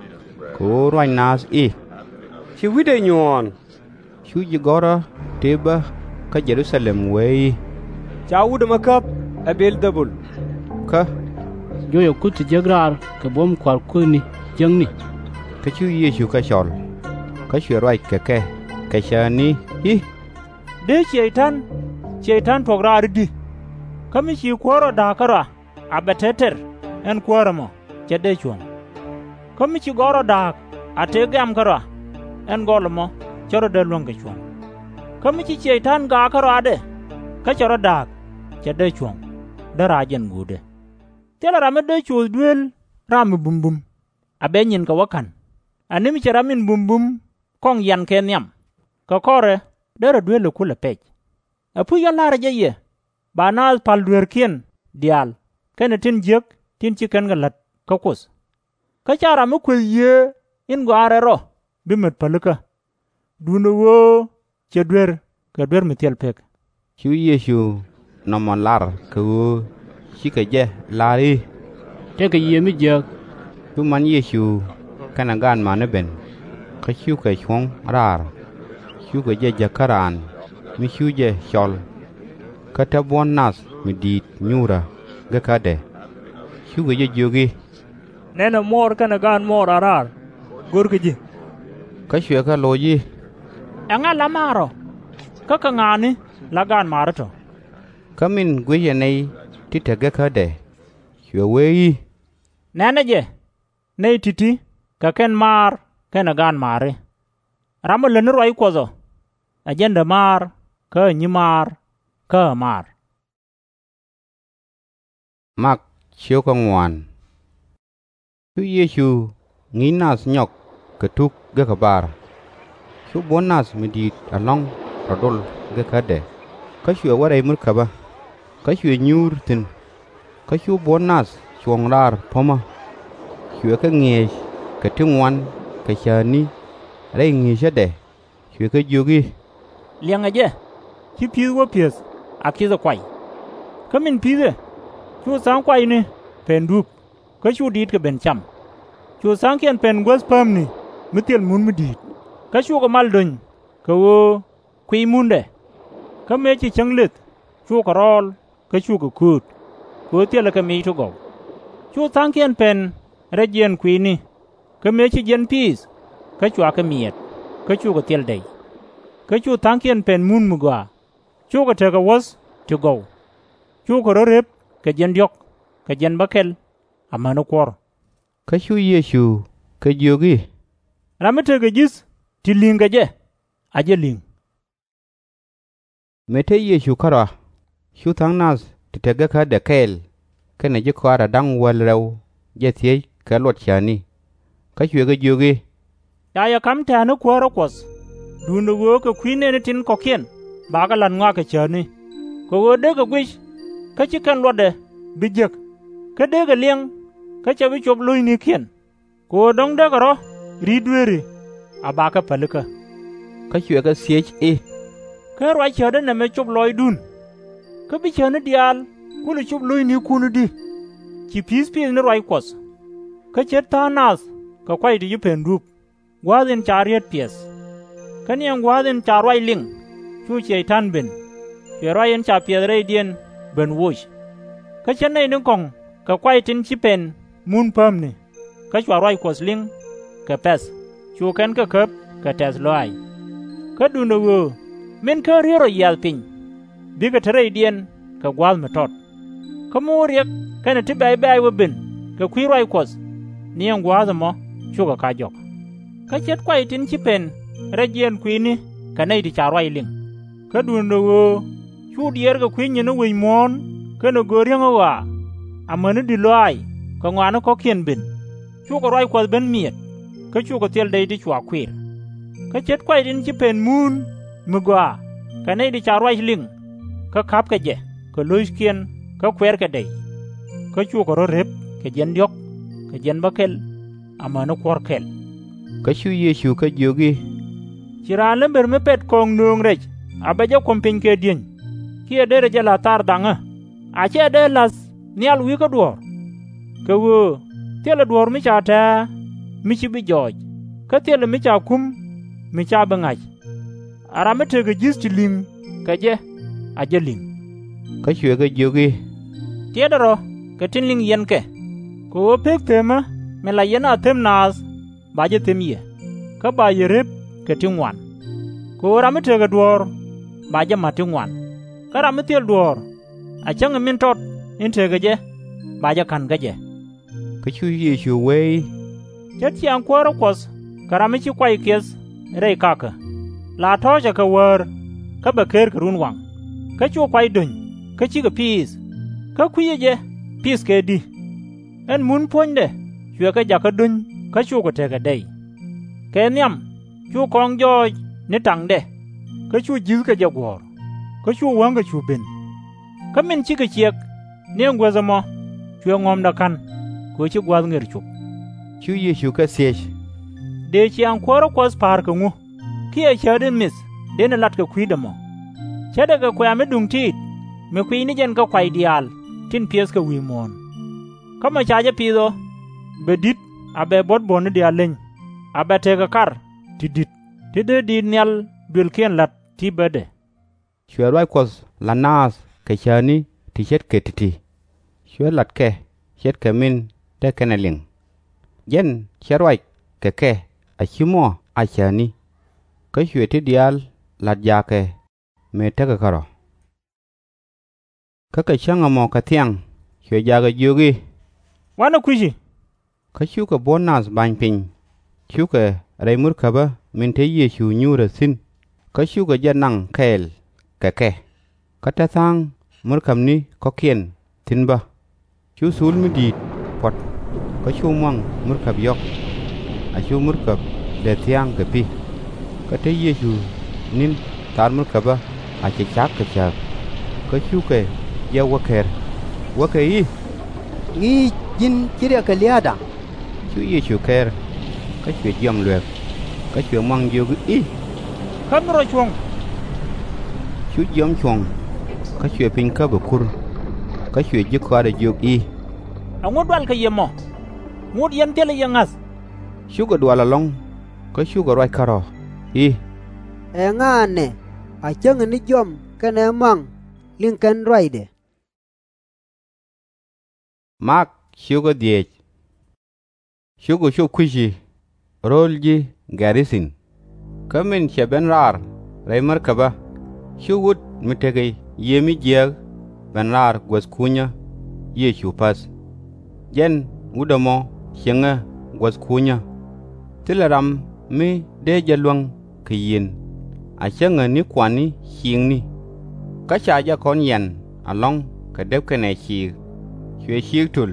Kɛ ɣöö ruac naath i̱, Ci wi̱cdɛ nyuɔ̱ɔ̱n. Cu ji̱ gɔ̱rä tëë bä kä Jɛ-ru-tha-lɛm wee i̱, Ca wut ɛmɛ käp ɛ Bɛ̈ɛ̈l-dhɛ-bul. Kä, Juɔcɛ kuth ti jek raar kɛ buɔ̱m kua̱r kueethni jiäkni. Kä cu Yecu kɛ cɔl, kä cuɛ ruac kɛ kɛ kɛ cäätni i̱, Dee cɛy-tan cɛy-tan tuɔ̱k raar i̱di? Kä mi ci kuäär rɔ da̱a̱k kärɔa, a bɛ te tɛr ɛn kuäär ɛmɔ, /cɛ dee cuɔ̱ŋ. Kä mi ci gɔl rɔ da̱a̱k a tëë gɛ̈m kärɔa, ɛn gɔl ɛmɔ /cɛ rɔ dee luäŋ kɛ cuɔ̱ŋ. Kä mi ci cɛy-tan gaak kärɔadɛ, kä cɛ rɔ da̱a̱k, /cɛ dee cuɔ̱ŋ, däär a jɛn guutdɛ. Thilɛ ram mi dee coth dueel ram mi bumbum, a bɛ nyinkɛ wä ka̱n, ɛ ni mi cɛ ram in bumbum kɔŋ yiankɛ nhiam, kɛ kɔrɛ derɛ duel ɛ kulɛ pɛc. Ɛpuc ɣä la̱rä jɛ yɛ, ba naath pa̱l dueerkiɛn diaal kɛnɛ tin jiäk tin ci kɛn kɛ la̱t kä Kuoth. Kä /ca ram mi kueth Yiëë in Gɔaa in Rɛl Rɔ bi met pälikä, duundɛ ɣöö cɛ duer kɛ duer mi thil pek. Cu Yecu nɔmɔ lar kɛ ɣöö cikɛ jɛ lar i̱, Tëëkɛ Yiëë mi jiääk. Cu man Yecu kɛnɛ gaatma̱a̱ni ben, kä cukɛ cuɔ̱ŋ raar, cukɛ jɛ jäk kä raan mi cu jɛ cɔl. Kä te buɔ̱n nath mi di̱i̱t nyuurä gekädɛ, cukɛ jɛ jiök i̱, Nɛnɛ muɔɔr kɛnɛ gaatmuɔɔr a raar, görkɛ ji̱. Kä cuɛ kɛ loc i̱, Ɛŋa la maar ɔ? Kä kɛ ŋa̱a̱ni la gaatmaari tɔ̱? Kä min gui̱cɛ nɛy ti te gekädɛ, cuɛ wee i̱, Nɛnɛ jɛ, nɛy ti̱ti̱ kɛ kɛn maar kɛnɛ gaatmaari. Ram ɔ lät ni ruac Kuɔth ɔ, ɛ jɛn dämaar kä ɛ nyimaar kä ɛ maar. Cu Yecu ŋi̱i̱c nath nyɔk kɛ tuk gekä bar. Cu buɔ̱n nath mi di̱i̱t ɛlɔ̱ŋ rɔ dol gekädɛ, kä cuɛ wä rɛy murkäbä, kä cuɛ nyuur thi̱n. Kä cu buɔ̱n nath cuɔ̱ŋ raar po̱mä, cuɛ kɛ ŋi̱eec kɛ ti ŋuan kɛ cäätni rɛy ŋi̱eecädɛ, cuɛ kɛ jiök i̱, Liɛŋɛ jɛ, ci pi̱i̱th wä pi̱eth a ki̱thɛ kuay. Kä min pi̱i̱thɛ, cu tha̱a̱ŋ kuayni pɛn dup, kä cu diit kɛ ben cam. Cu tha̱a̱ŋkiɛn pɛn guäth päämni mi thil mun mi di̱i̱t, kä cukɛ mal do̱ny kɛ ɣöö kuiy mundɛ. Kä mëë ci cäŋ lëth, cukɛ rɔɔl kä cukɛ kööt, kɛ ɣöö thilɛ kɛ mic ti gɔw. Cu tha̱a̱ŋkiɛn pɛn rɛc jiɛɛn kui̱ni, kä mëë ci jiɛn piith, kä cua kɛ miɛt, kä cukɛ thil dɛy. Kä cu tha̱a̱ŋkiɛn pɛn mun mi gɔaa, cukɛ tekɛ wuɔ̱th ti gɔw, cukɛ rɔ̱ rep kɛ jiɛn diɔ̱k kɛ jiɛn bäkɛl amäni kuɔ̱r. Kä cu Yecu kɛ jiök i̱, Ram mi tekɛ ji̱th ti li̱ŋ kɛ jɛ, a jɛ li̱ŋ. Mëë te Yecu kärɔa, cu tha̱a̱ŋ nath ti te gekädɛ kɛɛl kɛnɛ ji̱ kɔaarɛ da̱ŋ wäl rɛw jɛ thiec kɛ luɔt cäätni. Kä cuɛ kɛ jiök i̱, Ca yɛ ka̱m tɛ̈ɛ̈ni kuäärä Kuɔth, duundɛ ɣöö kɛ kui̱ nɛɛni tin kɔ̱kiɛn bakɛ la̱t ŋɔak kɛ cäätni. Kɛ ɣöö dee kɛ guic, kä /ci kɛn luɔtdɛ bi jek, kä dee kɛ liɛŋ, kä /cɛ bi cop lo̱cnikiɛn. Kɛ ɣöö dɔ̱ŋ dee kɛ rɔ̱ ri̱t dueeri, a bakɛ pälikä. Kä cuɛ kɛ thiec i̱, Kä ruac cäätdä nɛmɛ cop lɔcdun? Kä bi cäätni diaal kulɛ cop lo̱cnikun i̱di? Ci pi̱i̱th pith ni ruac Kuɔth. Kä ce̱t tha̱a̱ŋ nath kɛ kuay ti ji̱ pɛn dup, gua̱a̱th in ca riet piɛth. Kä ni ɛn gua̱a̱th in ca ruac liŋ, cu Cɛy-tan ben, cuɛ ruac in ca piɛth rɛydiɛn ben woc. Kä ce̱t nɛy ni kɔ̱ŋ kɛ kuay tin ci pɛn mun päämni, kä cua ruac Kuɔth liŋ kɛ pɛ̈th, cu kɛn kɛ käp kɛ tɛ̈th lɔaac. Kä duundɛ ɣöö min kä riet rɔ yiath piny, bikɛ te rɛydiɛn kɛ gua̱a̱th mi tɔt. Kä mi wä riɛk kɛnɛ ti bɛ̈c bɛ̈ɛ̈c wä ben kɛ kui̱ ruac Kuɔth, ni ɛn gua̱a̱th ɛmɔ cukɛ ka̱c jɔk. Kä ce̱t kuay tin ci pɛn rɛc jiɛɛn kui̱ni kɛ nɛy ti ca ruac liŋ. Kä duundɛ ɣöö cu diɛɛr kɛ kui̱ nyin ni wi̱c muɔ̱ɔ̱n kɛnɛ göök riäŋ ɣɔaa, amäni di̱t lɔaac kɛ ŋɔakni kɔ̱kiɛn ben, cukɛ ruac Kuɔth ben miɛt, kä cukɛ thil dɛy ti cua kuir. Kä ce̱t kuay tin ci pɛn muun mi gɔaa kɛ nɛy ti ca ruac liŋ, kä ka̱pkɛ jɛ kɛ lo̱ckiɛn kä kuɛrkɛ dɛy. Kä cukɛ rɔ̱ rep kɛ jiɛn diɔ̱k kɛ jiɛn bäkɛl amäni kuɔ̱r kɛl. Kä cu Yecu kɛ jiök i̱, Ci raan lämbär mi pɛt kɔ̱ɔ̱ŋ nööŋ rɛc a bɛ jɛ kuɔ̱m piny kɛ dieny, kiɛ derɛ jɛ la̱th thar dhaŋä, a /cɛ dee la̱th nhial wi̱i̱ kä duɔ̱ɔ̱r? Kɛ ɣöö thilɛ duɔ̱ɔ̱r mi ca tɛ̱̈ɛ̱̈ mi /ci bi jɔɔc. kä thilɛ mi ca kum mi /ca bi ŋa̱c. A ram mi tekɛ ji̱th ti li̱ŋ kɛ jɛ, a jɛ li̱ŋ. Kä cuɛ kɛ jiök i̱, Tiɛtdɛ rɔ kɛ tin liŋ yɛn kɛ, kɛ ɣöö pek themä min la yɛn a them naath ba jɛ them yɛ, kä ba yɛ rep kɛ ti ŋuan. Kɛ ɣöö ram mi tekɛ duɔ̱ɔ̱r ba jɛ ma̱t ti ŋuan, kä ram mi thil duɔ̱ɔ̱r, a cäŋ ɛ min tɔt in tekɛ jɛ ba jɛ ka̱n kä jɛ. Kä cu Yecu wee i̱, Ce̱t ciaaŋ kuäärä Kuɔth kɛ ram mi ci kuay kiɛth rɛy kakä. La tɔ̱ɔ̱cɛ kɛ wäär, kä bɛ ker kɛ runwaŋ, kä cu kuay do̱ny, kä /cikɛ piith, kä kui̱cɛ jɛ piith kɛ di̱. Ɛn mun puɔ̱nydɛ cuɛ kɛ jakä do̱ny kä cukɛ tekɛ dɛy. Kɛ nhiam cu kɔŋ jɔɔc ni taŋdɛ, kä cu ji̱thkɛ jɛ guɔ̱ɔ̱r, kä cu wäŋkɛ cu ben. Kä min cikɛ ciɛk ni ɛn guäth ɛmɔ, cuɛ ŋɔ̱mdɛ ka̱n, kɛ ɣöö ci gua̱a̱th ŋër cop. Cu Yecu kɛ thiec, Dëë ciaaŋ kuäärä Kuɔth pa̱a̱r kɛ ŋu, kiɛ cäätdi mith dënɛ lat kɛ kui̱dɛ mɔ? Cäätdɛ kɛ kuɛ̈ɛ̈ mi duŋ tiit, mi kuiy ni jɛn kä kuay diaal tin piɛth kɛ wi̱i̱ muɔ̱ɔ̱n. Kä mɔ ca jɛ pith ɔ, bɛ di̱t a bɛ buɔ̱t buɔ̱ni diaal leny, a bɛ tekɛ kar ti di̱t ti dee diit nhial duëlkiɛn la̱t ti̱pädɛ. Cuɛ ruac Kuɔth la̱t naath kɛ cäätni ti ce̱tkɛ ti̱ti̱, cuɛ la̱t kɛ ce̱tkɛ min te kɛn ɛ liŋ. Jɛn cɛ ruac kɛ kɛ a /ci mɔ a cäätni. Kä cuɛ ti diaal la̱t jaakɛ mëë tekɛ kärɔ̱. Kä kɛ cäŋ ɛmɔ kɛ thiaŋ cuɛ jaakɛ jiök i̱, Wanɛ kui̱ci. Kä cukɛ buɔ̱n nath ba̱ny piny, cukɛ rɛy murkäbä min te Yecu nyuurä thi̱n, kä cukɛ jɛ naŋ kɛɛl kɛ kɛ. Kä te tha̱a̱ŋ murkäbni kɔ̱kiɛn thi̱n bä. Cu thul mi di̱i̱t puɔ̱t, kä cu muaŋ murkäb yɔ̱k. A cu murkäb dee thia̱a̱ŋ kɛ pi̱. Kä te Yecu ni̱n thaar murkäbä a cɛ ca̱k kɛ cääk. Kä cukɛ jɛ wä ker, wäkɛ i̱, Ŋi̱i̱c, ji̱n ci riɛk kɛ lia̱a̱da. Cu Yecu ker, kä cuɛ jiɔam luek, kä cuɛ muaŋ jiök i̱, Käm ni rɔ cuɔ̱ŋ. Cu jiɔam cuɔ̱ŋ, kä cuɛ piny käp ɛ kur. Kä cuɛ ji̱ kɔaarɛ jiök i̱, Ɛŋu dualkɛ yɛ mɔ? Ŋot yɛn thilɛ yɛ ŋa̱th. Cukɛ dual ɛlɔ̱ŋ, kä cukɛ ruac kärɔ̱ i̱, Ɛŋa ɛnɛ a cäŋɛ ni jiɔam kɛnɛ muaŋ liŋ kɛn ruacdɛ? Mak cukɛ dhieec. Cukɛ cop kui̱ci ro̱o̱l ji̱ Gɛ̈r-ri-thin. Kä min cɛ ben raar rɛy märkäbä, cu wut mi tekɛ yiëë mi jiääk ben raar guäth kunyä Yecu päth. Jɛn wut ɛmɔ cieŋɛ guäth kunyä. Thilɛ ram mi dee jɛ luäŋ kɛ yiëën, a cäŋɛ ni kuan ni ciikni. Kä ca jɛ kɔn yian ɛlɔ̱ŋ kɛ dep kɛnɛ ciik, cuɛ ciik to̱l,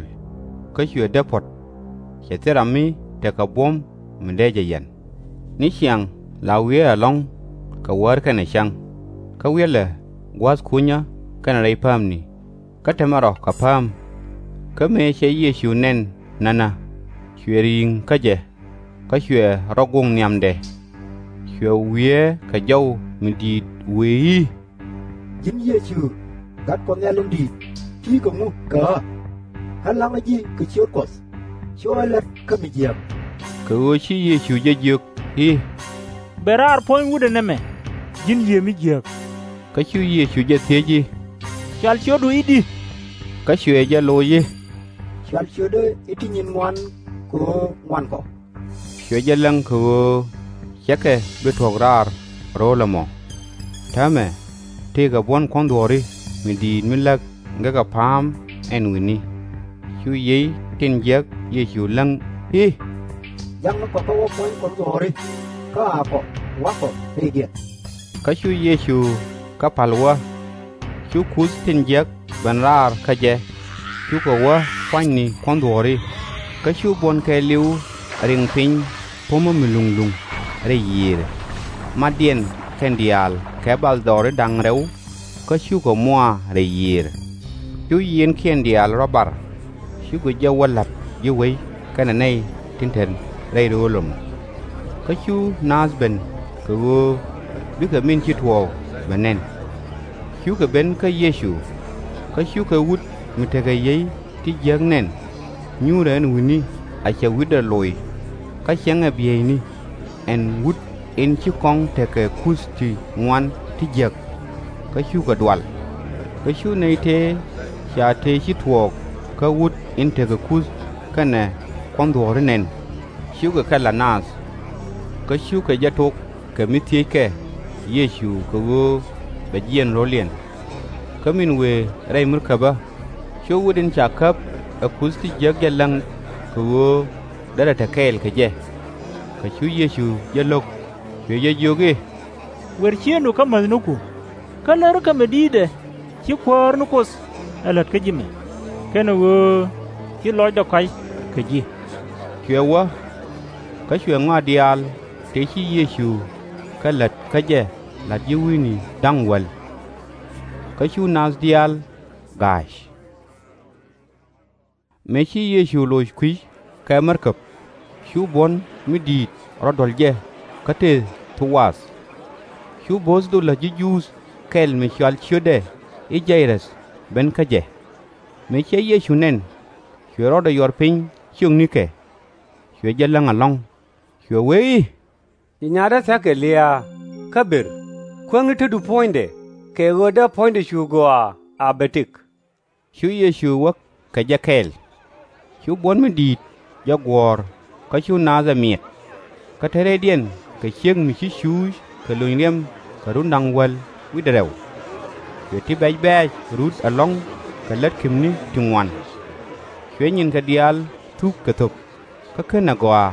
kä cuɛ dep puɔ̱t. Cɛ thil ram mi tekɛ buɔ̱m mi dee jɛ yian. Ni ciaŋ la wiee ɛlɔ̱ŋ kɛ wäär kɛnɛ cäŋ, kä wiɛlɛ gua̱a̱th kunyä kɛnɛ rɛy päämni, kä temɛ rɔ kɛ pääm. Kä mëë cɛ Yecu nɛn nänä, cuɛ ri̱i̱ŋ kä jɛ, kä cuɛ rɔ goŋ nhiamdɛ. Cuɛ wiee kɛ jɔw mi di̱i̱t wëë i̱, Ji̱n Yecu, Gat Kuɔth Nhial in Di̱i̱t, ti̱i̱ kɛ ŋu kɛ ɣä? Ɣän la̱ŋä ji̱ kɛ ciöt Kuɔth, cu ɣä la̱t kä mi jiääk. Kɛ ɣöö ci Yecu jɛ jiök i̱, Ben raar puɔ̱ny wutdä nɛmɛ, ji̱n yiëë mi jiääk. Kä cu Yecu jɛ thiec i̱, Cɔal ciötdu i̱di? Kä cuɛ jɛ loc i̱, Cɔal ciötdä i̱ Ti Nyin Ŋuan kɛ ɣöö ŋuan kɔ. Cuɛ jɛ läŋ kɛ ɣöö /cɛ kɛ bi tuɔ̱k raar ro̱o̱l ɛmɔ. Täämɛ tëëkɛ buɔ̱n kuɔ̱n dhuɔ̱ɔ̱ri mi di̱i̱t mi läk gekä pa̱a̱m ɛn wi̱ni. Cu yiey tin jiäk Yecu läŋ i̱, Jakni kɔ kä wä puɔ̱ny kuɔ̱n dhuɔ̱ɔ̱ri, kä akɔ, wa̱kɔ rɛydiɛn. Kä cu Yecu kɛ pa̱l wä. Cu kuth tin jiäk ben raar kä jɛ, cukɛ wä pua̱nyni kuɔ̱n dhuɔ̱ɔ̱ri. Kä cu buɔ̱n kɛɛliw riŋ piny po̱mä mi luŋ luŋ rɛy yiëërɛ. Matdiɛn kɛn diaal kɛ bathdɔɔri da̱ŋ rɛw, kä cukɛ muaar rɛy yiëërɛ. Cu yieenkiɛn diaal rɔ bar, cukɛ jɛ wä la̱t ji̱ wec kɛnɛ nɛy tin te rɛy ro̱o̱l ɛmɔ. Kä cu naath ben kɛ ɣöö bikɛ min ci tuɔɔk bɛ nɛn. Cukɛ ben kä Yecu, kä cukɛ wut mi tekɛ yiey ti jiäk nɛn. Nyuurɛ ɛn wi̱ni a cɛ wi̱cdɛ loc, kä ciɛŋɛ bieyni. ɛn wut in ci kɔŋ tekɛ kuth ti ŋuan ti jiäk, kä cukɛ dual. Kä cu nɛy tëë ca tëë ci tuɔɔk kä wut in tekɛ kuth kɛnɛ kuɔnh dhuɔ̱ɔ̱ri nɛn, cukɛ kɛ la̱t naath. Kä cukɛ jɛ tok kɛ mi thiëckɛ Yecu kɛ ɣöö bɛ jiɛɛn ro̱liɛn. Kä min wëë rɛy mirkäbä, cu wut in ca käp ɛ kuth ti jiäk jɛ läŋ kɛ ɣöö derɛ te kɛɛl kɛ jɛ. Kä cu Yecu jɛ lo̱k, cuɛ jɛ jiök i̱, Wer ciëëŋdu kä mäthniku, kä lärkɛ mi di̱i̱tdɛ ci Kuäär ni Kuoth ɛ la̱t kä ji̱ mɛ, kɛnɛ ɣöö ci lɔcdɛ kɔ̱a̱c kɛ ji̱. Cuɛ wä, kä cuɛ ŋɔak diaal tëë ci Yecu kɛ lät kä jɛ la̱t ji̱ wi̱i̱ni da̱ŋ wäl. Kä cu naath diaal ga̱a̱c. Mëë ci Yecu loc kui̱c kɛ märkäb, cu buɔ̱n mi di̱i̱t rɔ duɔ̱l jɛ kä tëë Thowaath. Cu bo̱o̱th dhol la̱t ji̱ Juudh kɛl mi cɔal ciötdɛ i̱ Jay-rɛth ben kä jɛ. Mëë cɛ Yecu nɛn, cuɛ rɔɔdɛ yuɔr piny ciöknikɛ, cuɛ jɛ läŋ ɛlɔ̱ŋ, cuɛ wee i̱, Ci nyaatdä thia̱k kɛ lia̱a̱, kä ber, kuäŋni tetdu puɔ̱nydɛ, kɛ ɣöö dee puɔ̱nydɛ cu gɔaa a bɛ tëk. Cu Yecu wä kɛ jɛ kɛɛl. Cu buɔ̱n mi di̱i̱t jɛ guɔ̱ɔ̱r, kä cu naath ɛ miɛt. Kä te rɛydiɛn kɛ ciek mi ci cuuc kɛ lony riɛm kɛ run da̱ŋ wäl wi̱cdɛ rɛw. Cuɛ ti bɛ̈c bɛ̈ɛ̈c rut ɛlɔ̱ŋ kɛ lät kepni ti ŋuan. Cuɛ nyinkɛ diaal thuk kɛ thöp, kä /kenɛ gɔaa,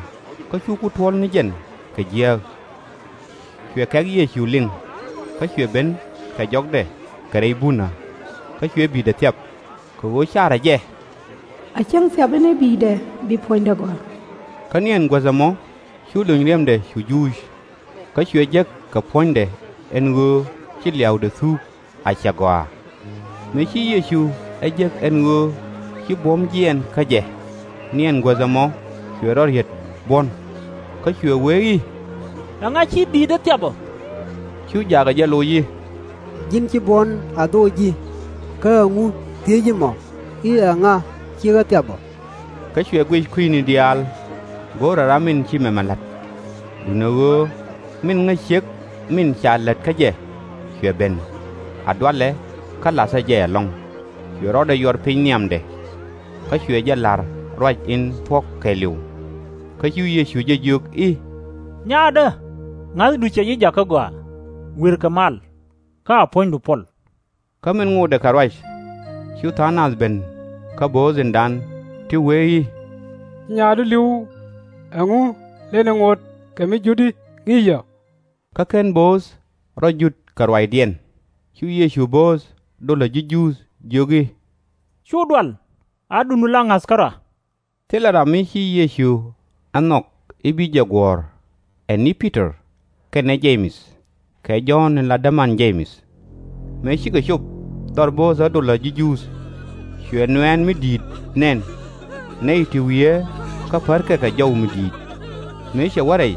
kä cu ku tuɔ̱l ni jɛn kɛ jiääk. Cuɛ kɛ̈k Yecu liŋ, kä cuɛ ben kɛ jɔkdɛ kɛ rɛy bunä, kä cuɛ bi̱i̱dɛ thiap, kɛ ɣöö carɛ jɛ, A cäŋ thiapɛ ni bi̱i̱dɛ bi puɔ̱nydɛ gɔaa. Kä ni ɛn guäth ɛmɔ cu lony riɛmdɛ cu juuc, kä cuɛ jek kɛ puɔ̱nydɛ ɛn ɣöö ci lia̱wdɛ thuuk a cɛ gɔaa. Mëë ci Yecu ɛ jek ɛn ɣöö ci buɔ̱m jiɛɛn kä jɛ, ni ɛn guäth ɛmɔ cuɛ rɔ riet buɔ̱n, kä cuɛ wee i̱, Ɛŋa ci bi̱i̱dä thiap ɔ? Cu jaakɛ jɛ loc i̱, Ji̱n ci buɔ̱n a dhoc ji̱, kä ɛŋu thiec ji̱ mɔ i̱, Ɛŋa ci ɣä thiap ɔ? Kä cuɛ guic kui̱ni diaal, go̱o̱rɛ ram in ci mɛmɛ la̱t. Duundɛ ɣöö min ŋäc ciek min ca lät kä jɛ cuɛ ben, a dualɛ kä la̱thä jɛ ɛlɔ̱ŋ. Cuɛ rɔɔdɛ yuɔr piny nhiamdɛ, kä cuɛ jɛ la̱r ruac in thuɔ̱k kɛɛliw. Kä cu Yecu jɛ jiök i̱, Nyaatdä, ŋa̱thdu cɛ ji̱ jakä gɔaa, wi̱rkɛ mal, kä a puɔ̱nydu puɔl. Kä min ŋotdɛ kɛ ruac, cu tha̱a̱ŋ nath ben kä bo̱o̱th in dan ti wee i̱, Ci nyaatdu li̱w, ɛŋu lenɛ ŋot kɛ mi jut i̱ ŋi̱i̱c ɔ? Kä /ken bo̱o̱th rɔ jut kɛ ruacdiɛn. Cu Yecu bo̱o̱th dhol la̱t ji̱ Juudh jiök i̱, Cu dual, a duundu la ŋa̱th kärɔa. Thilɛ ram mi ci Yecu ɛ nhɔk i̱ bi jɛ guɔ̱ɔ̱r, ɛ ni Pi-tɔr, kɛnɛ Je-mɛth, kɛ Jɔ̱ɔ̱n in la däman Je-mɛth. Mëë cikɛ cop dhɔr bo̱o̱thä dhol la̱t ji̱ Juudh, cuɛ nuɛ̈ɛ̈n mi di̱i̱t nɛn, nɛy ti wiee kä pärkɛ kɛ jɔw mi di̱i̱t. Mëë cɛ wä rɛy,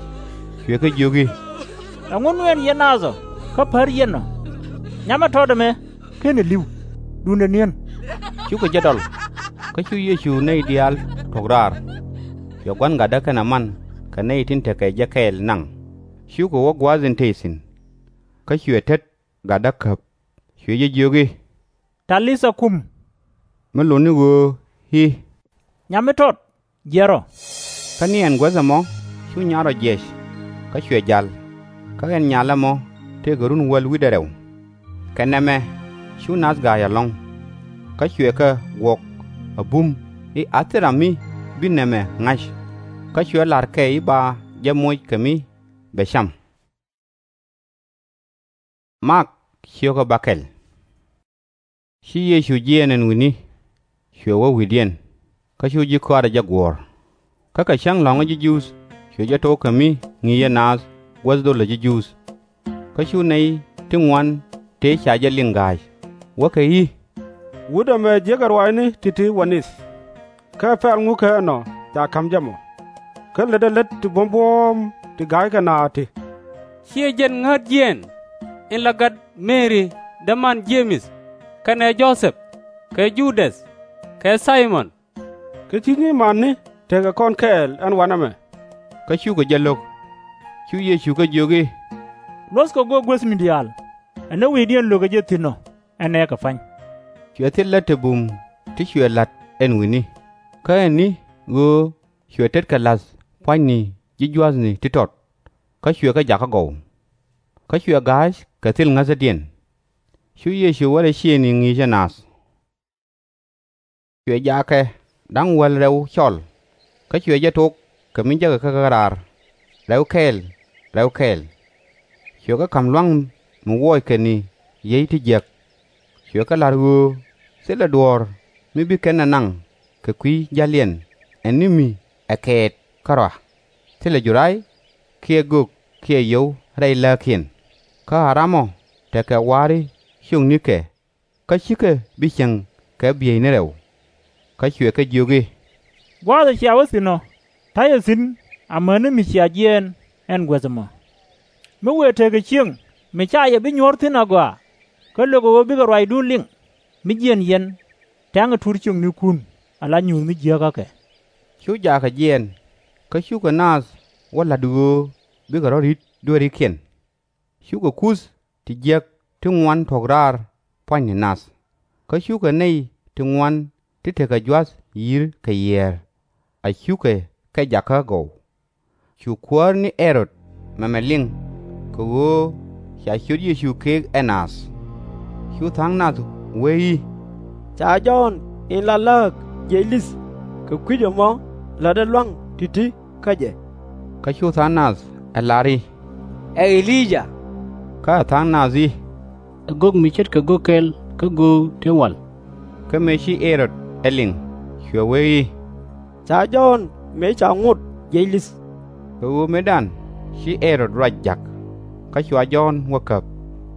cuɛ kɛ jiök i̱, Ɛŋu nuɛɛn yɛn naath ɔ kä pär yɛn ɔ? Nyamɛ tɔt ɛmɛ /kenɛ li̱w, duundɛ ni̱en. Cukɛ jɛ dɔl. Kä cu Yecu nɛy diaal tuɔ̱k raar. Cuɛ gua̱n gatdä kɛnɛ man kɛ nɛy tin tekɛ jɛ kɛɛl naŋ, cukɛ wä gua̱a̱th in tëë thi̱n. Kä cuɛ tet gatdä käp, cuɛ jɛ jiök i̱, Talitha kum, mi lot ni ɣöö i̱, Nyam mi tɔt, jiɛɛr ɔ. Kä ni ɛn guäth ɛmɔ cu nyaat rɔ jiɛc, kä cuɛ ja̱l. Kä ɛn nyalä mɔ tëëkɛ run wäl wi̱cdɛ rɛw. Kɛ nɛmɛ cu nath ga̱a̱c ɛlɔ̱ŋ. Kä cuɛ kɛ guɔk a bum i̱ a thil ram mi bi nɛmɛ ŋa̱c. Kä cuɛ la̱r kɛ i̱ ba jɛ moc kɛ mi bɛ cam. Mak ciökä bäkɛl. Ci Yecu jiɛɛn ɛn wi̱ni, cuɛ wä wi̱i̱diɛn, kä cu ji̱ kɔaarɛ jɛ guɔ̱ɔ̱r. Kä kɛ cäŋ lɔ̱ŋä ji̱ Juudh cuɛ jɛ tok kɛ mi ŋi̱i̱cɛ naath guäth dhol la̱t ji̱ Juudh. Kä cu nɛy ti ŋuan tëë ca jɛ liŋ ga̱a̱c, wäkɛ i̱, Wut ɛmɛ jiäkɛ ruaacni ti̱ti̱ wä nith. Kä ɛ pɛl ŋu kä ɛnɔ ca ka̱m jɛ mɔ? Kä lätdɛ lät ti buɔ̱m buɔ̱ɔ̱m ti ga̱ykɛ naath ti, Ciɛ jɛn ŋäät jiɛɛn, in la gat Mɛri däman Je-mɛth, kɛnɛ Jo-thɛp, kɛ Ju-däth, kɛ Thay-mɔn? Kä /ci nyimanni tekɛ kɔn kɛɛl ɛn wanɛ mɛ? Kä cukɛ jɛ lo̱k. Cu Yecu kɛ jiök i̱, Luɔ̱thkɛ guäth guäthni diaal, ɛ ni wi̱i̱diɛn lökɛ jɛ thi̱n ɔ, ɛn ɛ kɛ pa̱ny. Cuɛ thil lät te bum ti cuɛ la̱t ɛn wi̱ni. Kä ɛn ni ɣöö cuɛ tetkɛ la̱th pua̱nyni ji̱ jua̱thni ti tɔt, kä cuɛ kɛ jakä gɔw. Kä cuɛ ga̱a̱c kɛ thil ŋäthädiɛn. Cu Yecu wä rɛy ciëëŋni ŋi̱i̱cɛ naath. Cuɛ jaakɛ da̱ŋ wäl rɛw cɔl, kä cuɛ jɛ tok kɛ mi jäkɛ kä raar, rɛw kɛɛl, rɛw kɛɛl. Cuɛ kɛ ka̱m lua̱ŋ mi wuɔckɛ ni yiey ti jiäk. Cuɛ kɛ la̱r ɣöö thilɛ duɔ̱ɔ̱r mi bi kɛn ɛ naŋ kɛ kui̱ ja̱liɛn ɛ ni mi ɛ kɛɛt kärɔa, thilɛ juray kiɛ gök kiɛ yio̱w rɛy lääkiɛn. Kä a ram ɔ tekɛ wa̱a̱ri ciöknikɛ, kä /cikɛ bi cieŋ kɛ bieyni rɛw. Kä cuɛ kɛ jiök i̱, Gua̱a̱th ɛ cia wä thi̱n ɔ, ta̱yɛ thi̱n amäni mi cia jiɛɛn ɛn guäth ɛmɔ. Mi wëë tekɛ ciëŋ mi /ca yɛ bi nyuɔ̱ɔ̱r thi̱n agɔaa, kä lökɛ ɣöö bikɛ ruacdun liŋ, mi jiɛn yɛn, tɛ̈ŋɛ tuur ciöknikun ala nyuuth mi jiääkä kɛ. Cu jaakɛ jiɛɛn, kä cukɛ naath wä la̱t ɣöö bikɛ rɔ̱ ri̱t dueerikiɛn. Cukɛ kuth ti jiäk ti ŋuan tuɔ̱k raar pua̱nyni nath, kä cukɛ nɛy ti ŋuan ti tekɛ jua̱th yi̱r kɛ yiɛɛr, a cukɛ kɛ jakä gɔw. Cu kuäär ni Ɛrod mɛmɛ liŋ, kɛ ɣöö ca ciöt Yecu keek ɛ naath. Cu tha̱a̱ŋ nath wee i̱, Ca Jɔ̱ɔ̱n in la lääk jiɛc li̱th kɛ kui̱c ɛmɔ la̱tdɛ lua̱ŋ ti̱ti̱ kä jɛ. Kä cu tha̱a̱ŋ nath ɛ la̱r i̱, Ɛ E-li-yaa. Kä ɛ tha̱a̱ŋ nath i̱, Ɛ gök mi ce̱tkɛ gök kɛl kä göök tin wal. Kä mëë ci Ɛ-rod ɛ liŋ, cuɛ wee i̱, Ca Jɔ̱ɔ̱n mëë ca ŋot jiɛc li̱th. Kɛ ɣöö mëëdan ci Ɛ-rod ruac ja̱k, kä cua Jɔ̱ɔ̱n wä käp,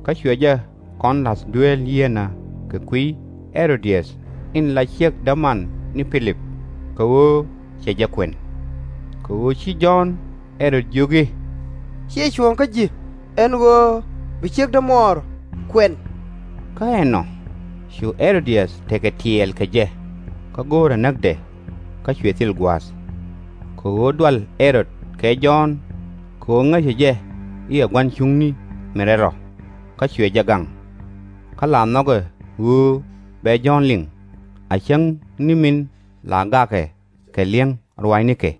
kä cuɛ jɛ kɔn la̱th dueel yieenä kɛ kui̱ Ɛ-ro-di-yäth in la ciek däman ni Pi-lip, kɛ ɣöö cɛ jɛ kuɛn. Kɛ ɣöö ci Jɔ̱ɔ̱n Ɛ-rod jiök i̱, Ciɛ cuɔ̱ɔ̱ŋ kä ji̱ ɛn ɣöö bi ciek dämuɔɔr kuɛn. Kä ɛnɔ cu Ɛ-ro-di-yäth tekɛ tiɛɛl kɛ jɛ, kä go̱o̱rɛ näkdɛ, kä cuɛ thil gua̱a̱th. Kɛ ɣöö dual Ɛ-rod kɛ Jɔ̱ɔ̱n, kɛ ɣöö ŋäcɛ jɛ i̱ ɛ gua̱n cuŋni min rɛl rɔ, kä cuɛ jɛ gaŋ. Kä la nhɔkɛ ɣöö bɛ Jɔ̱ɔ̱n liŋ, a cäŋ ni min la gakɛ kɛ li̱eŋ ruaacnikɛ.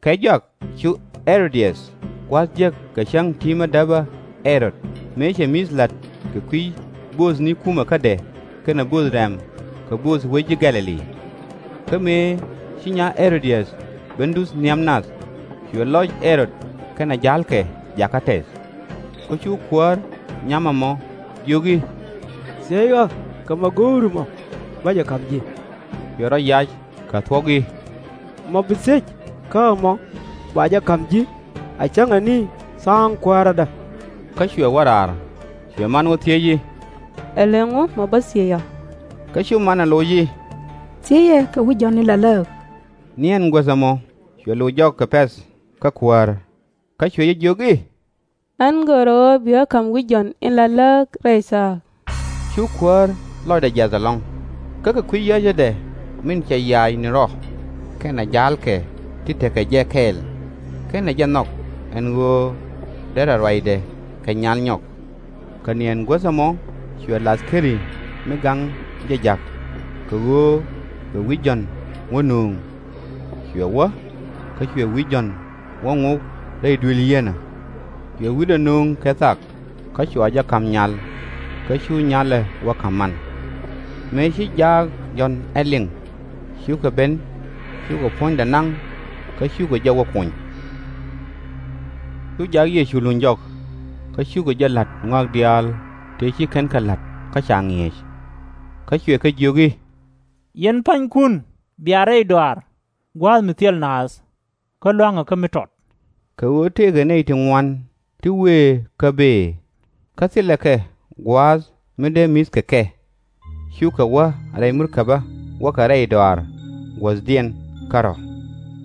Kɛ jɔak cu Ɛ-ro-di-yäth gua̱a̱th jek kɛ cäŋ ti̱i̱ mi däpä Ɛ-rod mëë cɛ mi̱th la̱t kɛ kui̱ bööthni kumɛkädɛ kɛnɛ bööth rɛ̈m kɛ bööth wec ji̱ Gɛ̈-lɛ-li. Kä mëë ci nya Ɛ-ro-di-yäth ben duth nhiam nath, cuɛ lɔc Ɛ-rod kɛnɛ ja̱lkɛ jakä tɛth. Kä cu kuäär nyam ɛmɔ jiök i̱, Thiec ɣä kɛ ma go̱o̱ri mɔ, bä jɛ ka̱m ji̱. Cuɛ rɔ yac kɛ thuɔ̱k i̱, Mɔ bi thiec kä ɛmɔ ba jɛ ka̱m ji̱, a cäŋɛ ni tha̱a̱ŋ kuäärädä. Kä cuɛ wä raar, cuɛ man wä thiec i̱, Ɛlɛŋ ɣöö mɔ bä thiec ɔ? Kä cu manɛ loc i̱, Thiecɛ kɛ wi̱c Jɔ̱ɔ̱n in la lääk. Ni ɛn guäth ɛmɔ cuɛ loc jɔk kɛ pɛ̈th kä kuäär. Kä cuɛ jɛ jiök i̱, Ɣän görä ɣöö bi ɣä ka̱m wi̱c Jɔ̱ɔ̱n in la lääk rɛy thaak. Cu kuäär lɔcdɛ jiath ɛlɔ̱ŋ, kä kɛ kui̱ yäcädɛ min cɛ ya̱a̱c ni rɔ, kɛnɛ ja̱a̱lkɛ ti tekɛ jɛ kɛɛl, /kenɛ jɛ nhɔk ɛn ɣöö derɛ ruacdɛ kɛ nyal nyɔk. Kɛ ni ɛn guäth ɛmɔ cuɛ lath keri mi gaŋ jɛ ja̱k, kɛ ɣöö cuɛ wi̱c Jɔ̱ɔ̱n wä nööŋ. Cuɛ wä, kä cuɛ wi̱c Jɔ̱ɔ̱n wä ŋok rɛy duëël yieenä. Cuɛ wi̱cdɛ nööŋ kɛ thak, kä cua jɛ ka̱m nyal, kä cu nyalɛ wä ka̱m man. Mëë ci jaak Jɔ̱ɔ̱n ɛ liŋ, cukɛ ben, cukɛ puɔ̱nydɛ naŋ, kä cukɛ jɛ wä kuny. Cu jaak Yecu luny jɔk, kä cukɛ jɛ la̱t ŋɔak diaal tëë ci kɛn kɛ la̱t kä ca ŋi̱eec. Kä cuɛ kɛ jiök i̱, Yɛn pa̱nykun bia rɛy dɔaar gua̱a̱th mi thil naath, kä lua̱ŋɛ kä mi tɔt. Kɛ ɣöö tëëkɛ nɛy ti ŋuan ti wëë kä bëë, kä thilɛ kɛ gua̱a̱th mi dee mi̱th kɛ kɛ. Cukɛ wä rɛy murkäbä wäkɛ rɛy dɔaar guäthdiɛn kärɔ̱.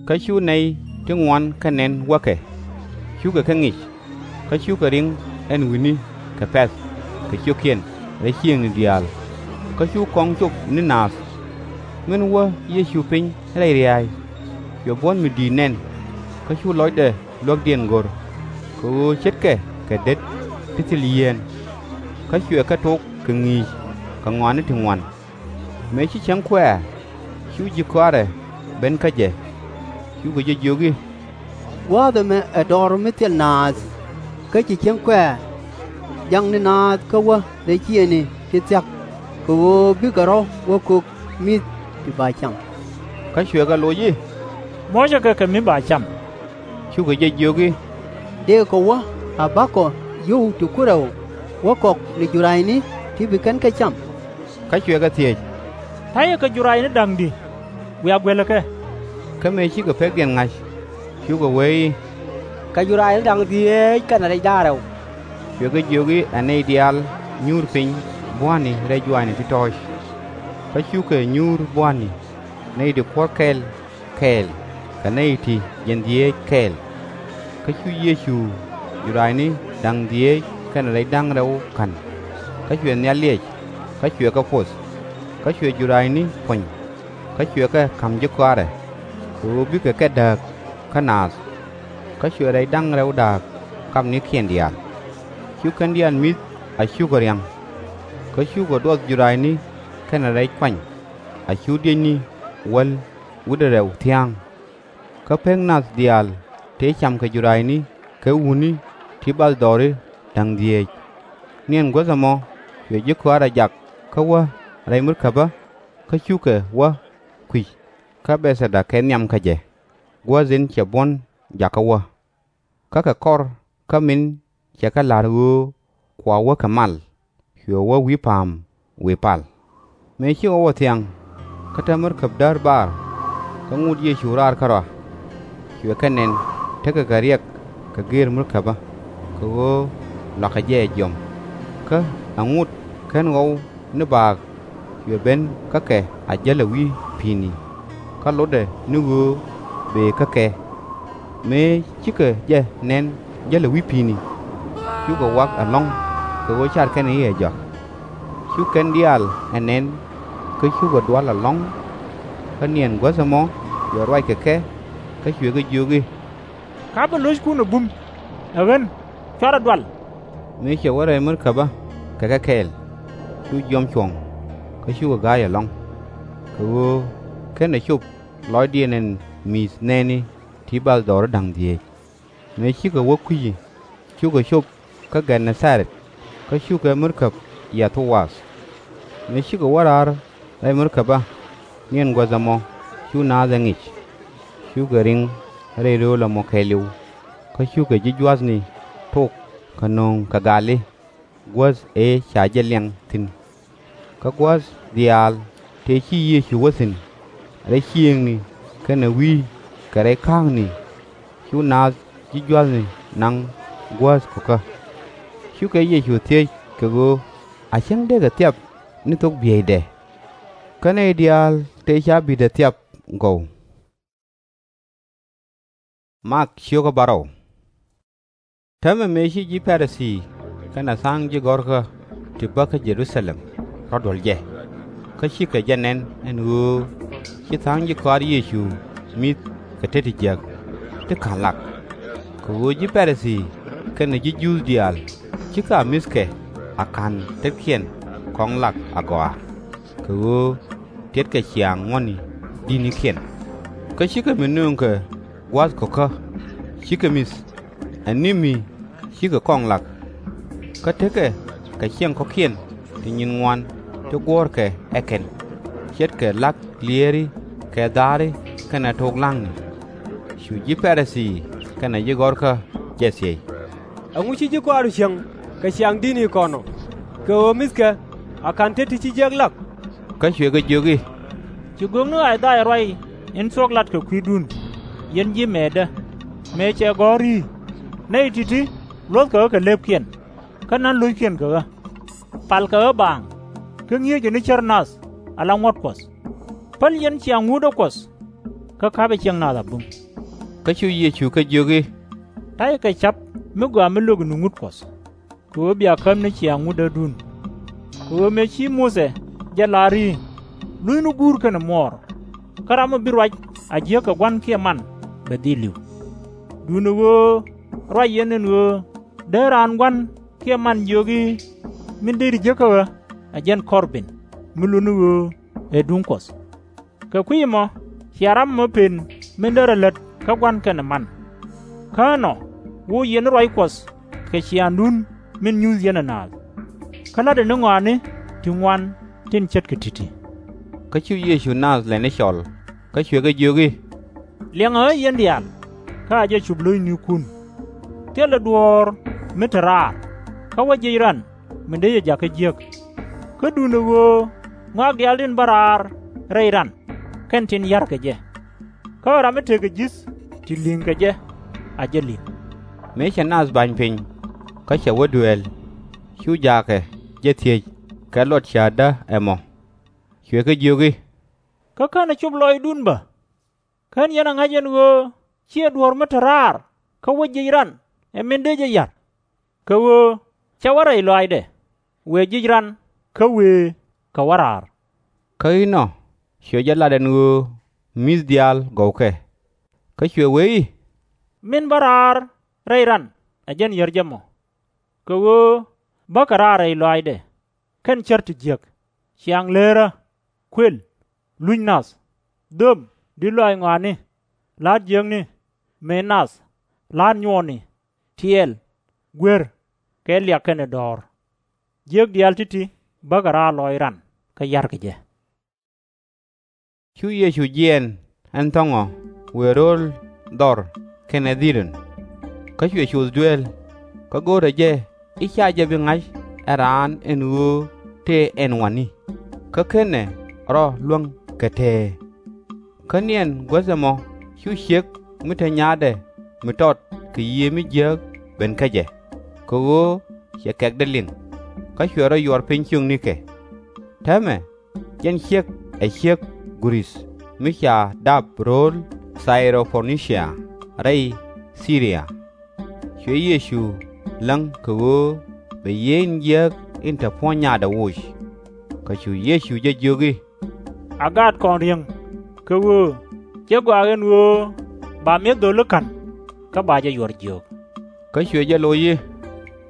Kä cu nɛy ti ŋuan kä nɛn wäkɛ, cukɛ kɛ ŋic, kä cukɛ ri̱ŋ ɛn wi̱ni kɛ pɛ̈th kɛ ciökiɛn rɛy ciëëŋni diaal, kä cu kɔŋ cop ni naath. Min wä Yecu piny rɛy ria̱a̱y, cuɛ buɔ̱n mi di̱i̱t nɛn, kä cu lɔcdɛ luäkdiɛn go̱r. kɛ ɣöö ce̱tkɛ kɛ det ti thil yieen. Kä cuɛ kɛ tok kɛ ŋi̱i̱c kɛ ŋɔaani ti ŋuan. Mëë ci cäŋ kuɛ̈ɛ̈, cu ji̱ kɔaarɛ ben kä jɛ, cukɛ jɛ jiök i̱, Gua̱a̱th ɛmɛ ɛ dɔ̱r mi thil naath, kä ci cäŋ kuɛ̈ɛ̈. Jakni naath kä wä rɛy ciëŋni ti thia̱k, kɛ ɣöö bikɛ rɔ̱ wä kök mi̱th ti ba cam. Kä cuɛ kɛ loc i̱, Muɔ̱cɛ kɛ kɛ mi ba cam. Cukɛ jɛ jiök i̱, Dëëkɛ wä a ba̱kɔ yio̱w ti ku rɛw wä kɔk ni jurayni ti bi kɛn kɛ cam? Kä cuɛ kɛ thiec, Ta̱yɛ kɛ jurayni da̱ŋ di̱? Wiaa guɛlɛ kɛ. Kä mëë cikɛ pekdiɛn ŋa̱c, cukɛ wee i̱, Kɛ jurayni da̱ŋ dhieec kɛnɛ rɛc da̱ŋ rɛw. Cuɛ kɛ jiök i̱, Ɛ nɛy diaal nyuur piny bua̱a̱ni rɛy juaacni ti tɔ̱ɔ̱c. Kä cukɛ nyuur bua̱a̱ni, nɛy ti kuɔ̱r kɛl kɛɛl kɛ nɛy ti jiɛn dhieec kɛɛl. Kä cu Yecu jurayni da̱ŋ dhieec kɛnɛ rɛc da̱ŋ rɛw ka̱n, kä cuɛ nhial liɛc, kä cuɛ kɛ poth. Kä cuɛ jurayni puɔ̱ny, kä cuɛ kɛ ka̱m ji̱ kɔaarɛ, kɛ ɣöö bikɛ kɛ dääk kä naath. Kä cuɛ rɛc da̱ŋ rɛw da̱a̱k kamnikiɛn diaal. Cu kɛn diaal mi̱th a cukɛ ria̱ŋ. Kä cukɛ duɔth jurayni kɛnɛ rɛc kuany, a cu diecni wäl wi̱cdɛ rɛw thia̱a̱ŋ. Kä pek nath diaal tëë camkɛ jurayni kɛ wutni ti bathdɔɔri da̱ŋ dhieec. Niɛn guäth ɛmɔ cuɛ ji̱ kɔaarɛ jak kä wä rɛy murkäbä, kä cukɛ wä kui̱c kä Bɛ̈thɛda kɛ nhiam kä jɛ, guäth in cɛ buɔ̱n jakä wä. Kä kɛ kɔr kä min cɛ kɛ la̱r ɣöö kua wä kɛ mal, cuɛ wä wi̱i̱ pa̱a̱m wëë pal. Mëë cikɛ wä thiaŋ, kä te murkäb däär bar, kä ŋot Yecu raar kärɔa. Cuɛ kɛ nɛn tekɛ kɛ riɛk kɛ gëër murkäbä, kɛ ɣöö lua̱kɛ jɛ ɛ jiɔam. Kä ɛ ŋot /ken ɣɔw ni baak cuɛ ben kä kɛ a jäl ɛ wi̱i̱ pi̱i̱ni, kä lotdɛ ni ɣöö bëë kä kɛ. Mëë cikɛ jɛ nɛn jäl ɛ wi̱i̱ pi̱i̱ni, cukɛ wak ɛlɔ̱ŋ kɛ ɣöö car kɛn i̱ ɛ jɔak. Cu kɛn diaal ɛ nɛn, kä cukɛ dual ɛlɔ̱ŋ. Kä niɛn guäth ɛmɔ cuɛ ruac kɛ kɛ, kä cuɛ kɛ jiök i̱, Ka̱pɛ lo̱ckun ɛ bum, ɛ ɣän, cuarɛ dual. Mëë cɛ wä rɛy murkäbä kɛ kɛ kɛɛl, cu jiɔam cuɔ̱ŋ, kä cukɛ ga̱a̱c ɛlɔ̱ŋ, kɛ ɣöö /kenɛ cop lɔcdiɛn ɛn mi̱i̱th nɛɛni ti bathdɔɔri da̱ŋ dhieec. Mëë cikɛ wä kui̱ci, cukɛ cop kä Gɛn-nɛ-tha-rɛt, kä cukɛ murkäb yiath wath. Mëë cikɛ wä raar rɛy murkäbä, niɛn guäth ɛmɔ cu naath ɛ ŋic. Cukɛ riŋ rɛy rööl ɛmɔ kɛɛliw, kä cukɛ ji̱ jua̱thni tok kɛ nööŋ kɛ gali guäth ëë ca jɛ liɛŋ thi̱n. Kä gua̱a̱th diaal tëë ci Yecu wä thi̱n, rɛy ciëëŋni kɛnɛ wi̱i̱ kɛ rɛy ka̱a̱kni, cu naath ji̱ jua̱thni naŋ guäth kɔ̱kä. Cukɛ Yecu thiec kɛ ɣöö a cäŋ dëëkɛ thiap ni thok bieyda, kä nɛy diaal tëë ca bi̱i̱dɛ thiap gɔw. Täämɛ mëë ci ji̱ Pa-ri-thii kɛnɛ tha̱a̱ŋ ji̱ gɔ̱rkä ti bä kä Jɛ-ru-tha-lɛm rɔ̱ duɔ̱l jɛ, kä cikɛ jɛ nɛn ɛn ɣöö ci tha̱a̱ŋ ji̱ kɔaar Yecu mi̱th kɛ tet ti jiäk ti /ka̱n lak. Kɛ ɣöö ji̱ Pa-ri-thii kɛnɛ ji̱ Juudh diaal /cikɛ a mi̱thkɛ a /ka̱n tetkiɛn kɔŋ lak agɔaa, kɛ ɣöö tiɛtkɛ ciaŋ ŋuɔ̱tni di̱tnikiɛn. Kä /cikɛ mi nööŋkɛ gua̱a̱th kɔ̱kä, /cikɛ mi̱th, ɛ ni mi /cikɛ kɔŋ lak. Kä tekɛ kɛ ciɛŋ kɔ̱kiɛn ti nyin ŋuan ti guɔ̱ɔ̱rkɛ ɛ kɛn, ce̱tkɛ la̱k lieeri kɛ dha̱a̱ri kɛnɛ to̱k la̱ŋni. Cu ji̱ Pa-ri-thii kɛnɛ ji̱ gɔ̱rkä jɛ thiec, Ɛŋu ci ji̱ kɔaaru cieŋ kɛ ciaŋ di̱tni kɔn ɔ, kɛ ɣöö mi̱thkɛ a /ka̱n tet ti ci jiäk lak? Kä cuɛ kɛ jiök i̱, Ci gökni I-ca-yaa ruac in thuɔ̱k lat kɛ kui̱dun, yɛn ji̱ mɛɛtdä, mëë cɛ gɔ̱r i̱, Nɛy ti̱ti̱ luɔ̱thkɛ ɣä kɛ lëëpkiɛn, kä na̱n lo̱ckiɛn kɛ ɣä. Palkɛ ɣä baaŋ, kä ŋi̱eeckɛ ni cär nath ala ŋuɔ̱t Kuɔth. Päl yɛn ciaŋ ŋutdä Kuɔth, kä ka̱pɛ ciɛŋ nath a bum. Kä cu Yecu kɛ jiök i̱, Ta̱yɛ kɛ ca̱p mi gɔaa mi lökɛ ni ŋut Kuɔth, kɛ ɣöö bia käm ni ciaŋ ŋutdädun. Kɛ ɣöö mëë ci Muthɛ jɛ lar i̱, Luthni guur kɛnɛ muɔɔr, kä ram mi bi ruac a jiäk kɛ gua̱n kiɛ man bɛ dhil li̱w. Duundɛ ɣöö Ruac yɛn ɛn ɣöö dee raan gua̱n kiɛ man jiök i̱, min deri jek kä ɣä ɛ jɛn Kɔrbin, mi lot ni ɣöö ɛ duŋ Kuɔth. Kɛ kui̱ ɛmɔ cia ram ɛmɔ pen min derɛ lät kä gua̱n kɛnɛ man. Kä ɛnɔ woc yɛn ni ruac Kuɔth kɛ ciaaŋdun min nyuuth yɛn ɛ naath. Kä la̱tdɛ ni ŋɔaani ti ŋuan tin ce̱tkɛ ti̱ti̱. Kä cu Yecu naath lɛni cɔl, kä cuɛ kɛ jiök i̱, Liɛŋɛ ɣä yɛn diaal, kä a jɛ cop lo̱cnikun. Thilɛ duɔ̱ɔ̱r mi te raar, kä wä jiɛc ran, min dee jɛ jakä jiäk. Kä duundɛ ɣöö ŋɔak diaal tin bä raar rɛy ran, kɛn tin ya̱rkɛ jɛ. Kä ram mi tekɛ ji̱th ti li̱ŋ kɛ jɛ, a jɛ li̱ŋ. Mëë cɛ naath ba̱ny piny, kä cɛ wä dueel, cu jaakɛ jɛ thiec kɛ luɔt cäätdä ɛmɔ. Cuɛ kɛ jiök i̱, Kä /kenɛ cop lɔcdun bä? /Ken yɛn ɛ ŋa̱c ɛn ɣöö /ciɛ duɔ̱ɔ̱r mi te raar kä wä jiɛc ran ɛ min dee jɛ ya̱r? Kɛ ɣöö /cɛ wä rɛy lɔaacdɛ, wëë jiɛc ran kä wëë kɛ wä raar. Kä inɔ cuɛ jɛ lat ɛn ɣöö mi̱th diaal gɔwkɛ. Kä cuɛ wee i̱, Min bä raar rɛy ran ɛ jɛn yär jɛ mɔ. Kɛ ɣöö bäkɛ raar rɛy lɔaacdɛ. Kɛn cär ti jiäk: ciaŋ leerä, kuël, luc nath, dhöm, di̱t lɔaac ŋɔaani, la̱t jiäkni, mëë nath, la̱t nyuɔɔni, tiɛɛl, guer, kɛ liak kɛnɛ dɔ̱ɔ̱r. Jiäk diaal ti̱ti̱ bäkɛ raar lɔc ran, kä ya̱rkɛ jɛ. Cu Yecu jiɛɛn ɛn thɔ̱ŋɔ wëë ro̱o̱l dhɔr kɛnɛ Dhidɔn. Kä cuɛ coth dueel, kä go̱o̱rɛ jɛ i̱ /ca jɛ bi ŋa̱c ɛ raan ɛn ɣöö tëë ɛn wa̱ni, kä /kenɛ rɔ luäŋ kɛ tëë. Kä niɛn guäth ɛmɔ cu ciek mi te nyaatdɛ mi tɔt kɛ yiëë mi jiääk ben kä jɛ, kɛ ɣöö cɛ kɛ̈kdɛ liŋ, kä cuɛ rɔ yuɔr piny ciöknikɛ. Täämɛ jɛn ciek ɛ ciek Gurith mi ca dap ro̱o̱l Thay-ro-po-ni-cia rɛy Thi-ri-ya. Cuɛ Yecu läŋ kɛ ɣöö bɛ yiëë in jiääk in te puɔ̱ny nyaatdɛ woc. Kä cu Yecu jɛ jiök i̱, A gaat kɔn riäŋ, kɛ ɣöö /cɛ gɔaa ɛn ɣöö ba mi̱eth dho̱li ka̱n, kä ba jɛ yuɔr jiök. Kä cuɛ jɛ loc i̱,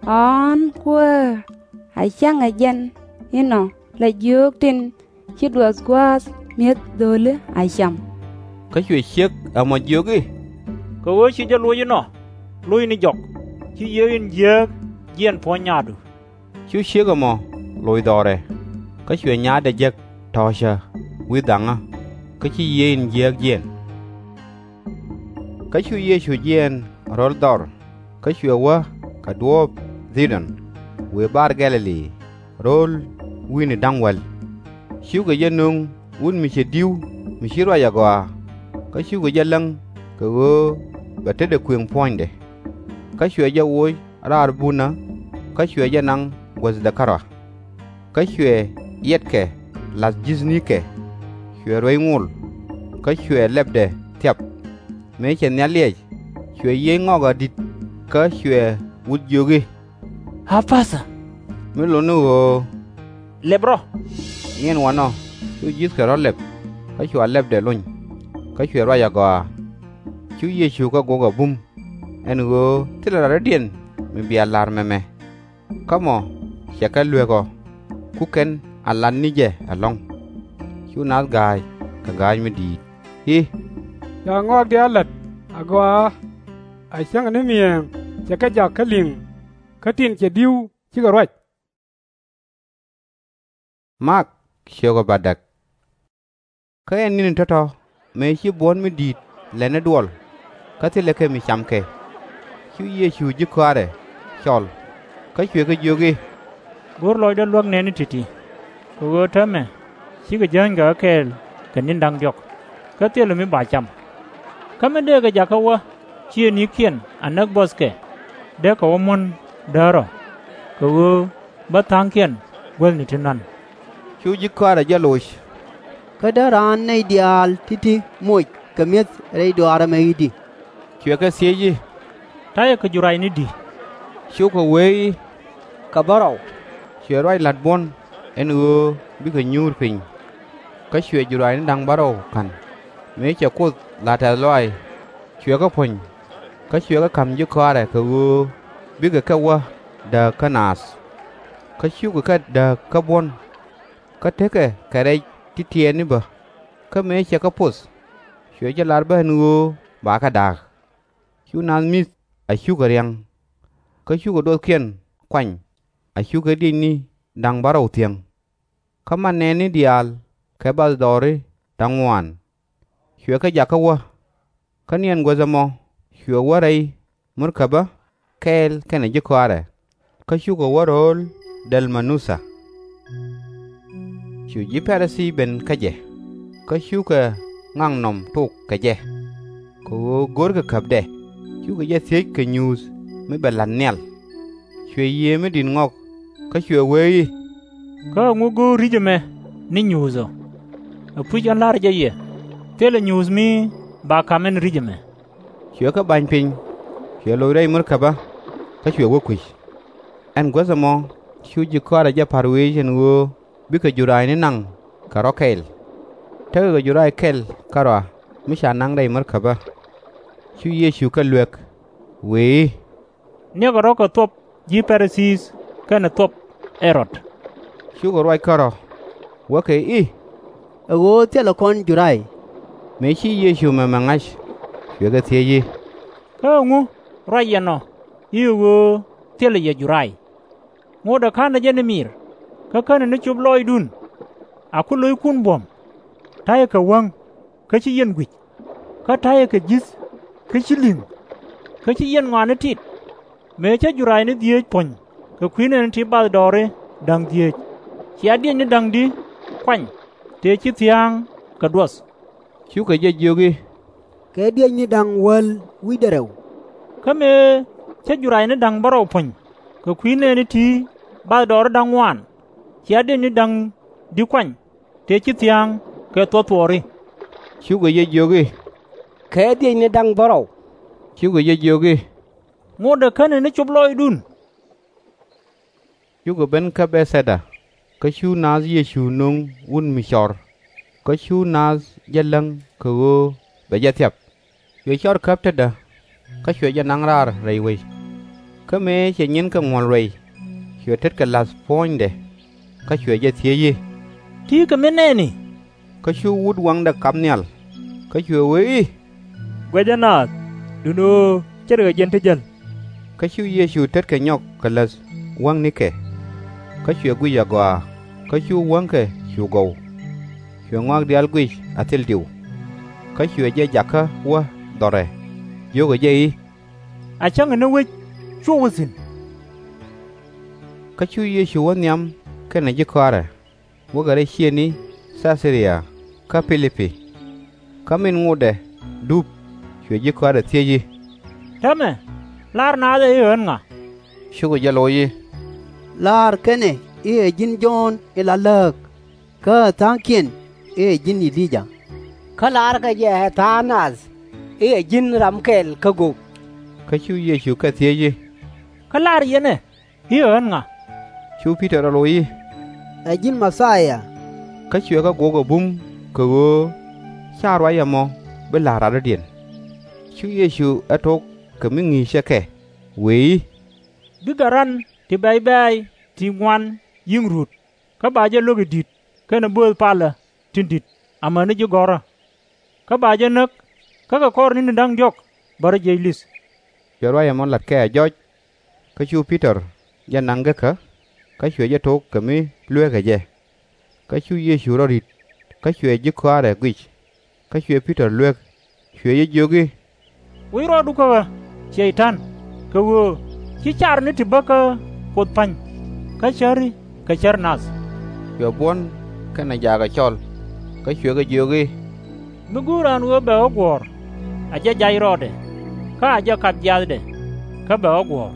Ɣɔ̱ɔ̱n Kuäär, a cäŋ ɛ jɛn inɔ la jiök tin ci duɔth gua̱a̱th mi̱eth dho̱li a cam. Kä cuɛ ciek ɛmɔ jiök i̱, Kɛ ɣöö ci jɛ loc inɔ, loc ni jɔk, ci yiëë in jiääk jiɛɛn puɔ̱ny nyaatdu. Cu ciek ɛmɔ loc dhɔrɛ, kä cuɛ nyaatdɛ jek tɔ̱ɔ̱cä wi̱i̱ dhaŋä, kä ci yiëë in jiääk jiɛɛn. Kä cu Yecu jiɛɛn ro̱l dhɔr, kä cuɛ wä kɛ duɔ̱ɔ̱p Dhidɔn, wëë bar Gɛ̈-lɛ-li, ro̱l wi̱i̱ni da̱ŋ wäl. Cukɛ jɛ nöŋ wut mi cɛ di̱w mi ci ruac agɔaa, kä cukɛ jɛ läŋ kɛ ɣöö bɛ tetdɛ kuëŋ puɔ̱nydɛ. Kä cuɛ jɛ woc raar bunä, kä cuɛ jɛ naŋ guäthdɛ kärɔa. Kä cuɛ yɛtkɛ la̱th ji̱thnikɛ, cuɛ ruec ŋol, kä cuɛ lɛpdɛ thiap. Mëë cɛ nhial liɛc, cuɛ yiëë ŋɔak di̱t, kä cuɛ wut jiök i̱, Ɣapathä! Mi lot ni ɣöö, Lɛp rɔ! Niɛn wanɔ cu ji̱thkɛ rɔ̱ lɛp, kä cua lɛpdɛ lony, kä cuɛ ruac agɔaa. Cu Yecu kɛ gok a bum, ɛn ɣöö thilɛ rɔ̱diɛn mi bia la̱r mɛmɛ. Kä mɔ cɛ kɛ luek ɔ, ku kɛn a lat ni jɛ ɛlɔ̱ŋ. Cu naath ga̱a̱c kɛ ga̱a̱c mi di̱i̱t i̱, Ca ŋɔak diaal la̱t agɔaa, a cäŋ ni mi̱eeŋ cɛ kɛ jak kä li̱ŋ, kä tin cɛ di̱w cikɛ ruac. Mak ciökɛ bädäk. Kä ɛ ni̱ni tɔ̱tɔ̱ mëë ci buɔ̱n mi di̱i̱t lɛni duɔl, kä thilɛ kɛ mi cam kɛ, cu Yecu ji̱ kɔaarɛ cɔl, kä cuɛ kɛ jiök i̱, Go̱r lɔcdä luäk nɛɛni ti̱ti̱, kɛ ɣöö täämɛ cikɛ jääny kɛ ɣä kɛɛl kɛ ni̱n da̱ŋ diɔ̱k, kä thilɛ mi ba cam. Kä min dee kɛ jakä wä, /ciɛ ni̱i̱kiɛn a näk buɔthkɛ, dee kɛ wä muɔ̱n däär ɔ, kɛ ɣöö bä tha̱a̱ŋkiɛn guäthni ti nɔ̱a̱n. Cu ji̱ kɔaarɛ jɛ loc, Kä dee raan nɛy diaal ti̱ti̱ moc kɛ mi̱eth rɛy dɔaar ɛmɛ i̱di? Cuɛ kɛ thiec i̱, Ta̱yɛ kɛ jurayni di? Cukɛ wee i̱, Kɛ bärɔw. Cuɛ ruac la̱t buɔ̱n ɛn ɣöö bikɛ nyuur piny. Kä cuɛ jurayni da̱ŋ bärɔw ka̱n, mëë cɛ Kuoth la tɛ̈th lɔaac, cuɛ kɛ puɔ̱ny, Kä cuɛ kɛ ka̱m ji̱ kɔaarɛ kɛ ɣöö bikɛ kɛ wä dääk kä naath. Kä cukɛ kɛ dääk kä buɔ̱n. Kä tekɛ kɛ rɛc ti tiɛɛni bä. Kä mëë cɛ kɛ poth, cuɛ jɛ lar bä ɛn ɣöö bakɛ da̱a̱k. Cu naath mi̱th a cukɛ ria̱ŋ. Kä cukɛ duɔthkiɛn kuany a cukɛ diëcni da̱ŋ bärɔw thiäŋ. Kä man nɛɛni diaal kɛ bathdɔɔri da̱ŋ ŋuaan. Cuɛ kɛ jakä wä. Kä ni ɛn guäth ɛmɔ cuɛ wä rɛy murkäbä kɛɛl kɛnɛ ji̱ kɔaarɛ. Kä cukɛ wä ro̱o̱l Dɛl-ma-nutha. Cu ji̱ Pa-ri-thii ben kä jɛ. Kä cukɛ ŋaknɔm tok kɛ jɛ, kɛ ɣöö görkɛ käpdɛ. Cukɛ jɛ thiec kɛ nyuuth mi bɛ la̱t nhial. Cuɛ Yiëë mi Di̱t ŋɔk kä cuɛ wee i̱, Kä ɛŋu go̱o̱r ri̱c ɛmɛ ni nyuuth ɔ? Ɛpuc ɣän la̱rä jɛ yɛ, thilɛ nyuuth mi ba ka̱m ɛn ri̱c ɛmɛ. Cuɛ kɛ ba̱ny piny, cuɛ loc rɛy murkäbä, kä cuɛ wä kui̱c. Ɛn guäth ɛmɔ cu ji̱ kɔaarɛ jɛ pa̱r wec ɛn ɣöö bikɛ jura̱a̱cni naŋ kɛ rɔ̱ kɛl. Tekɛ kɛ jura̱a̱c kɛl kärɔa mi ca naŋ rɛy murkäbä. Cu Yecu kɛ luek, wëë i̱, Niɛkɛ rɔ̱ kɛ thuɔ̱p ji̱ Pa-ri-thii kɛnɛ thuɔ̱p Ɛ-rɔd. Cukɛ ruac kärɔ̱, wäkɛ i̱, Ɛ ɣöö thilɛ kɔn jura̱a̱c. Mëë ci Yecu mɛmɛ ŋa̱c, cuɛ kɛ thiec i̱, Kä ɛŋu ruac yɛn ɔ i̱ ɛ ɣöö thilɛ yɛ jura̱a̱c? Ŋotdɛ ka̱nɛ jɛ ni miir, kä känɛ ni cop lɔɔcdun? A ku lo̱ckun buɔ̱m. Ta̱yɛ kɛ wäŋ, kä ci yɛn gui̱c. Kä ta̱yɛ kɛ ji̱th, kä ci li̱ŋ. Kä ci yɛn ŋɔaani tit. Mëë cä jura̱a̱cni dhieec puɔ̱ny kɛ kui̱ nɛɛni ti bathdɔɔri da̱ŋ dhieec, cia diëcni da̱ŋ di kuany tëë ci thia̱a̱ŋ kɛ duɔth? Cukɛ jɛ jiök i̱, Kɛ diëcni da̱ŋ wäl wi̱cdɛ rɛw. Kä mëë cä jura̱a̱cni da̱ŋ bärɔw puɔ̱ny kɛ kui̱ nɛɛni ti bathdɔɔri da̱ŋ ŋuaan, cia diëcni da̱ŋ di kuany tëë ci thia̱a̱ŋ kɛ thuɔ̱thuɔɔri? Cukɛ jɛ jiök i̱, Kɛ diëcni da̱ŋ bärɔw. Cukɛ jɛ jiök i̱, Ŋotdɛ känɛ ni cop lɔɔcdun. Cukɛ ben kä Bɛ̈th-thɛ-da, kä cu naath Yecu nöŋ wut mi cɔr. Kä cu naath jɛ läŋ kɛ ɣöö bɛ jɛ thiap. Cuɛ cɔr käp tetdä, kä cuɛ jɛ naŋ raar rɛy wec. Kä mëë cɛ nyinkɛ ŋuɔ̱l ruɛy, cuɛ tetkɛ la̱th puɔ̱ɔ̱nydɛ, kä cuɛ jɛ thiec i̱, Ti̱i̱ kɛ mi nɛɛni? Kä cu wut waŋdɛ kap nhial, kä cuɛ wee i̱, Guɛcä naath, duundɛ ɣöö ce̱tkɛ jɛn ti jäl. Kä cu Yecu tetkɛ nyɔk kɛ läth wäŋnikɛ. Kä cuɛ guic agɔaa, kä cu wäŋkɛ cu gɔw. Cuɛ ŋɔak diaal guic a thil diw. Kä cuɛ jɛ jakä wä dhɔrɛ, jiökɛ jɛ i̱, A cäŋɛ ni wec cuɔp wä thi̱n. Kä cu Yecu wä nhiam kɛnɛ ji̱ kɔaarɛ, wäkɛ rɛy ciëëŋni Thɛ̈th-cä-ria kä Pi-lip-pi. Kä min ŋotdɛ dup, cuɛ ji̱ kɔaarɛ thiec i̱, Täämɛ, lar naath ɛ i̱ ɛ ɣän ŋa? Cukɛ jɛ loc i̱, Laarkɛ nɛ i̱ ɛ ji̱n Jɔ̱ɔ̱n in la lääk, kä ɛ tha̱a̱ŋkiɛn i̱ ɛ ji̱n E-li-jaa, kä laarkɛ jɛ ɛ tha̱a̱ŋ nath i̱ ɛ ji̱n ram kɛl kä gök. Kä cu Yecu kɛ thiec i̱, Kä lar yɛn ɛ i̱ ɛ ɣän ŋa? Cu Pi-tɔr ɛ loc i̱, Ɛ ji̱n Mɛ-thia. Kä cuɛ kɛ guɔk ɛ bum kɛ ɣöö /ca ruac ɛmɔ bi la̱r radɔ̱diɛn. Cu Yecu ɛ tok kɛ mi ŋi̱i̱cɛ kɛ, wëë i̱, Bikɛ ran ti bɛ̈c bɛ̈ɛ̈c ti ŋuan yi̱ŋ ruut, kä ba jɛ lo̱k i̱ di̱t kɛnɛ bööth palä tin di̱t amäni ji̱ gɔ̱rä. Kä ba jɛ näk, kä kɛ kɔr ni̱ni da̱ŋ diɔ̱k bä rɔ jiɛc li̱th. Cuɛ ruac ɛmɔ la̱t kɛ a jɔc. Kä cu Pi-tɔr jɛ naŋ gekä, kä cuɛ jɛ tok kɛ mi lueekɛ jɛ. Kä cu Yecu rɔ ri̱t, kä cuɛ ji̱ kɔaarɛ guic. Kä cuɛ Pi-tɔr luek, cuɛ jɛ jiök i̱, Wi̱i̱ rɔɔdu kä ɣä, Cɛy-tan, kɛ ɣöö /ci car ni ti bä kä Kuoth pa̱ny, kä cäri kɛ cär nath. Cuɛ buɔ̱n kɛnɛ jaakɛ cɔl, kä cuɛ kɛ jiök i̱, Mi go̱o̱r raan ɣöö bɛ ɣä guɔ̱ɔ̱r, a jɛ jac rɔɔdɛ, kä a jɛ kap jiathdɛ, kä bɛ ɣä guɔ̱ɔ̱r.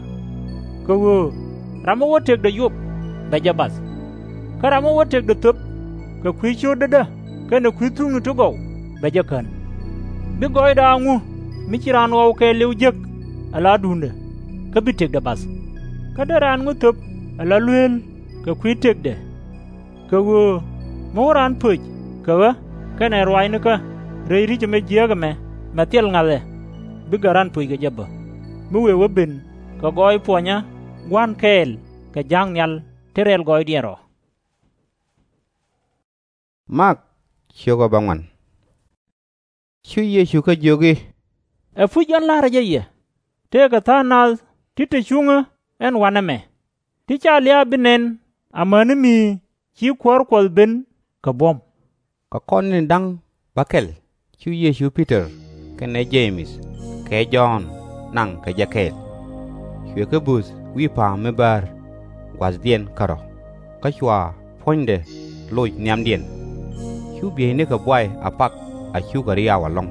Kɛ ɣöö ram mi wä tëkdɛ yop, bɛ jɛ bath. Kä ram mi wä tëkdɛ thöp kɛ kui̱ cio̱tädä kɛnɛ kui̱ thukni ti gɔw, bɛ jɛ kän. Bi gɔɔydɛ a ŋu mi ci raan ɣɔw kɛɛliw jek ala duundɛ, kä bi tëkdɛ bath? Kä dee raan ŋu thöp ala lueel kɛ kui̱ tëkdɛ? Kɛ ɣöö mi wä raan pöc kɛ ɣä kɛnɛ ruaacnikä rɛy ri̱c ɛmɛ jiääk ɛmɛ, mɛ thil ŋa̱th ɛ, bikɛ raan pöc kɛ jɛ bä. mi wëë wä ben kɛ gɔɔy puɔnyä gua̱n kɛɛl kɛ ja̱a̱ŋ nhial ti rɛl gɔɔydiɛn rɔ. Mak ciökɛ bäŋuan. Cu Yecu kä jiök i̱, Ɛpuc jɔn la̱rä jɛ yɛ, tëëkɛ tha̱a̱ŋ nath ti te cuŋä ɛn wanɛ mɛ, ti /ca lia̱a̱ bi nɛn amäni mi ci Kuäär Kuɔth ben kɛ buɔ̱m. Kɛ kɔn tin da̱ŋ bäkɛl cu Yecu Pi-tɔr kɛnɛ Je-mɛth kɛ Jɔ̱ɔ̱n naŋ kɛ jɛ kɛɛl. Cuɛ kɛ böth wi̱i̱ pa̱a̱m mi bäär gua̱thdiɛn kärɔ̱, kä cua puɔ̱nydɛ loc nhiamdiɛn. Cu bieynikɛ buay a pak a cukɛ riaw ɛlɔ̱ŋ,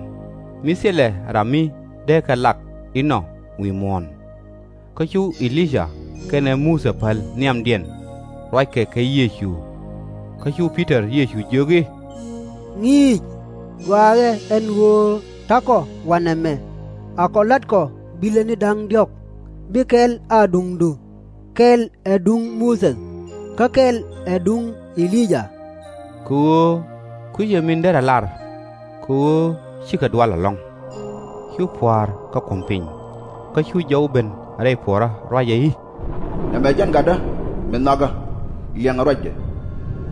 mi thilɛ ram mi dee kɛ lak inɔ wi̱i̱ muɔ̱ɔ̱n. Kä cu E-li-yaa kɛnɛ Muthɛ päl nhiamdiɛn ruackɛ kɛ Yecu. Kä cu Pi-tɔr Yecu jiök i̱, Ŋi̱i̱c, gɔaaɛ ɛn ɣöö ta̱kɔ wanɛ mɛ, a kɔ la̱tkɔ bilɛni da̱ŋ diɔ̱k, bi kɛl a duŋdu, kɛl ɛ duŋ Muthɛ, kä kɛl ɛ duŋ E-li-yaa. Kɛ ɣöö kui̱cɛ min derɛ lar, kɛ ɣöö cikɛ dual ɛlɔ̱ŋ. Cu pua̱a̱r kɛ kuɔ̱m piny, kä cu jɔw ben rɛy puɔ̱ɔ̱rä ruacɛ i̱, Nɛmɛ jɛn Gatdä min nhɔakä, liɛŋɛ ruacdɛ.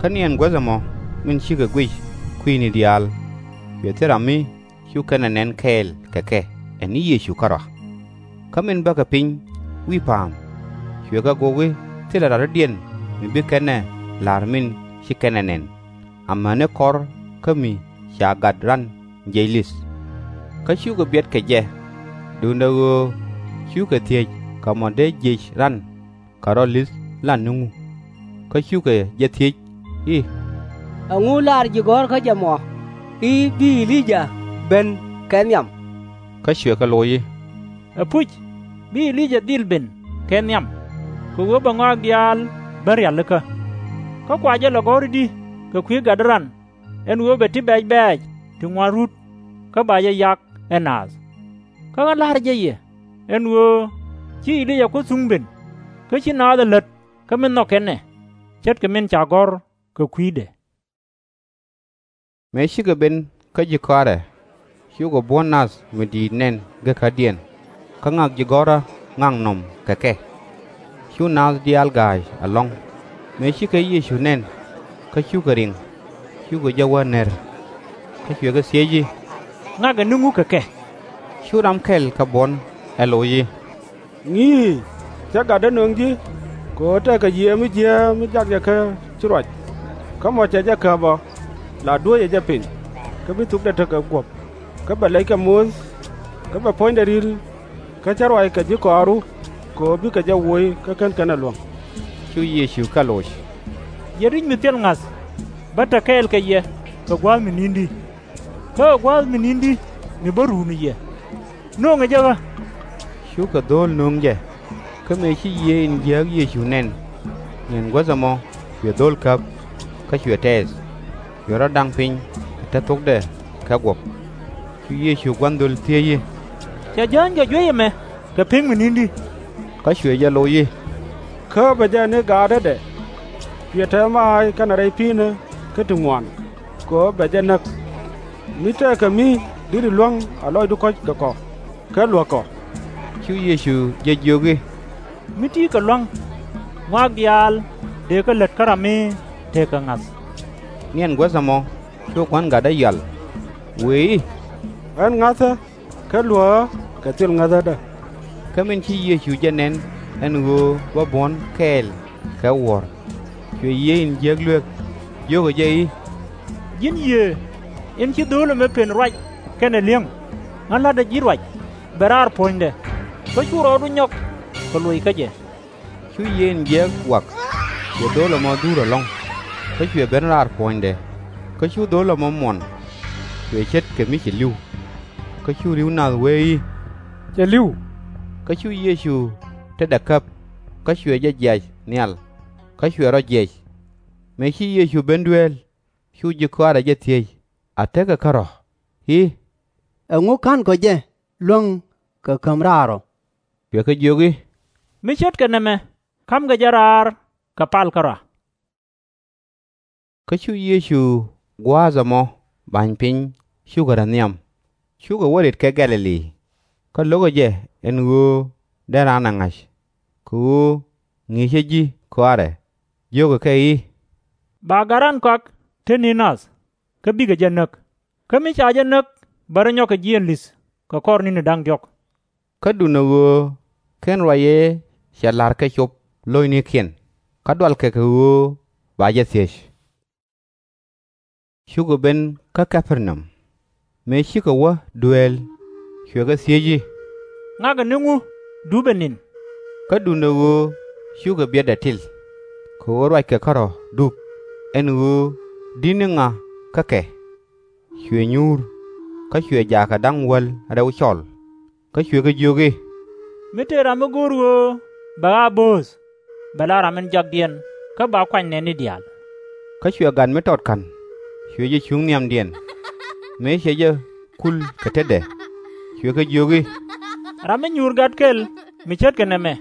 Kä niɛn guäth ɛmɔ min cikɛ guic kui̱ni diaal, cuɛ thil ram mi cu kɛn ɛ nɛn kɛɛl kɛ kɛ ɛ ni Yecu kärɔa. Kä min bäkɛ piny wi̱i̱ pa̱a̱m, cuɛ kɛ gok i̱ thilɛ ram dɔ̱diɛn mi bi kɛn ɛ la̱r min ci kɛn ɛ nɛn, amäni kɔr kä mi ca gat ran jiɛc li̱th. Kä cukɛ biɛt kɛ jɛ, duundɛ ɣöö cukɛ thiec kɛ mɔ dee jiɛc ran kɛ rɔ li̱th la ni ŋu. Kä cukɛ jɛ thiec i̱, Ɛŋu lar ji̱ gɔ̱rkä jɛ mɔ i̱ bi E-li-yaa ben kɛ nhiam? Kä cuɛ kɛ loc i̱, Ɛpuc, bi E-li-yaa dhil ben kɛ nhiam, kɛ ɣöö bɛ ŋɔak diaal ben rialikä. Kä kua jɛ lɛ gɔ̱r i̱di kɛ kui̱ gatdä ran ɛn ɣöö bɛ ti bɛ̈c bɛ̈ɛ̈c ti ŋuan rut, kä ba jɛ yak ɛ naath? Kä ɣän la̱rä jɛ yɛ ɛn ɣöö ci E-li-yaa Kuoth thuŋ ben, kä ci naath ɛ lät kä mi nhɔk kɛn ɛ, ce̱tkɛ min ca gɔ̱r kɛ kui̱dɛ. Mëë cikɛ ben kä ji̱ kɔaarɛ, cukɛ buɔ̱n nath mi di̱i̱t nɛn gekädiɛn, kä ŋak ji̱ gɔ̱rä ŋaknɔm kɛ kɛ. Cu naath diaal ga̱a̱c ɛlɔ̱ŋ. Mëë cikɛ Yecu nɛn, kä cukɛ riŋ, cukɛ jɛ wä ner. Kä cuɛ kɛ thiec i̱, Ŋakɛ ni ŋu kɛ kɛ? Cu ram kɛl kɛ buɔ̱n ɛ loc i̱, Ŋi̱i̱c, /cɛ gatdä nöŋ ji̱, kɛ ɣöö tëëkɛ yiëë mi jiääk mi jak jɛ kä ci ruac. Kä mɔ cɛ jɛ käp ɔ, la duäcɛ jɛ piny, kä bi thokdɛ tekɛ guɔ̱p, kä bɛ lɛckɛ moth, kä bɛ puɔ̱nydɛ ri̱l, kä /cɛ ruac kɛ ji̱ kɔaaru, kɛ ɣöö bikɛ jɛ woc kä /ken kɛn ɛ luäŋ. Cu Yecu kɛ loc, Yɛn ri̱c mi thil ŋa̱th, bä te kɛɛl kɛ yɛ kɛ gua̱a̱th mi ni̱n di? Kä ɛ gua̱a̱th mi ni̱n di mi bä ruun yɛ? Nööŋɛ jɛ ɣä. Cukɛ dho̱o̱l nöŋ jɛ. Kä mëë ci yiëë in jiääk Yecu nɛn, niɛn guäth ɛmɔ cuɛ dho̱o̱l käp, kä cuɛ tɛɛth, cuɛ rɔ daŋ piny kɛ te thokdɛ kɛ guɔ̱p. Cu Yecu gua̱n dhöl thiec i̱, Cɛ jääny kɛ juey ɛmɛ kɛ pek mi ni̱n di? Kä cuɛ jɛ loc i̱, Kä bɛ jɛ ni gaatädɛ, cuɛ te maac kɛnɛ rɛy pi̱i̱ni kä ti ŋuan, kɛ ɣöö bɛ jɛ näk. Mi tëëkɛ mi deri luäŋ a lɔcdu kɔ̱c kɛ kɔ, kä luäk kɔ. Cu Yecu jɛ jiök i̱, Mi ti̱i̱ kɛ lua̱ŋ, ŋɔak diaal dëë kɛ lät kä ram mi tëëkɛ ŋa̱th. Niɛn guäth ɛmɔ cu gua̱n gatdä yɔal, wëë i̱, Ɣän ŋa̱thä, kä luäk ɣä kɛ thil ŋäthädä. Kä min ci Yecu jɛ nɛn ɛn ɣöö bä buɔ̱n kɛɛl kɛ wuɔ̱ɔ̱r, cuɛ yiëë in jiääk luek, jiökɛ jɛ i̱, Ji̱n yiëë in ci dho̱o̱l ɛmɛ pen ruac kɛnɛ li̱eŋ, ɣän la̱tdä ji̱ ruac, bɛ raar puɔ̱nydɛ, kä cu rɔɔdu nyɔk kɛ loc kä jɛ. Cu yiëë in jiääk wak, cuɛ dho̱o̱l ɛmɔ dhuur ɛlɔ̱ŋ, kä cuɛ ben raar puɔ̱nydɛ. Kä cu dho̱o̱l ɛmɔ muɔn, cuɛ ce̱tkɛ mi cɛ li̱w. Kä cu ri̱w nath wee i̱, Cɛ li̱w. Kä cu Yecu tetdɛ käp, kä cuɛ jɛ jiac nhial, kä cuɛ rɔ jiɛc. Mëë ci Yecu ben dueel, cu ji̱ kɔaarɛ jɛ thiec a tekɛ kärɔ̱ i̱, Ɛŋu /ka̱nkɔ jɛ luäŋ kɛ käm raar ɔ? Cuɛ kɛ jiök i̱, Mi ce̱tkɛ nɛmɛ ka̱mkɛ jɛ raar kɛ pal kärɔa. Kä cu Yecu gua̱a̱th ɛmɔ ba̱ny piny cukɛ rɔ nhiam, cukɛ wä rit kɛ Gɛ̈-lɛ-li. Kä lo̱kɛ jɛ ɛn ɣöö dee raan ɛ ŋa̱c, kɛ ɣöö ŋi̱i̱cä ji̱ kɔaarɛ, jio̱kɛ kɛ i̱, Ba gat raan kɔak te ni̱n nath, kä bikɛ jɛ näk. Kä mi ca jɛ näk, bɛ rɔ nyɔk kɛ jiɛn li̱th kɛ kɔr ni̱ni da̱ŋ diɔ̱k. Kä duundɛ ɣöö /ken ruac ëë cɛ la̱r kɛ cop lo̱cnikiɛn, kä dualkɛ kɛ ɣöö ba jɛ thiec. Cukɛ ben kä Kɛpɛrnam. Mëë cikɛ wä dueel, cuɛ kɛ thiec i̱, Ŋakɛ ni ŋu dupɛ ni̱n? Kä duundɛ ɣöö cukɛ biɛtdɛ til, kɛ ɣöö ruackɛ kärɔ̱ dup, ɛn ɣöö di̱t ni ŋa kä kɛ. Cuɛ nyuur, kä cuɛ jaakɛ da̱ŋ wäl rɛw cɔl. Kä cuɛ kɛ jiök i̱, Mi tëë ram mi go̱o̱r ɣöö bɛ ɣä a bööth, bɛ la ram in jakdiɛn, kä ba kuany nɛɛni diaal. Kä cuɛ gat mi tɔt ka̱n, cuɛ jɛ cuŋ nhiamdiɛn. Mëë cɛ jɛ kul kɛ tetdɛ, cuɛ kɛ jiök i̱, Ram mi nyuur gat kɛl mi ce̱tkɛ nɛmɛ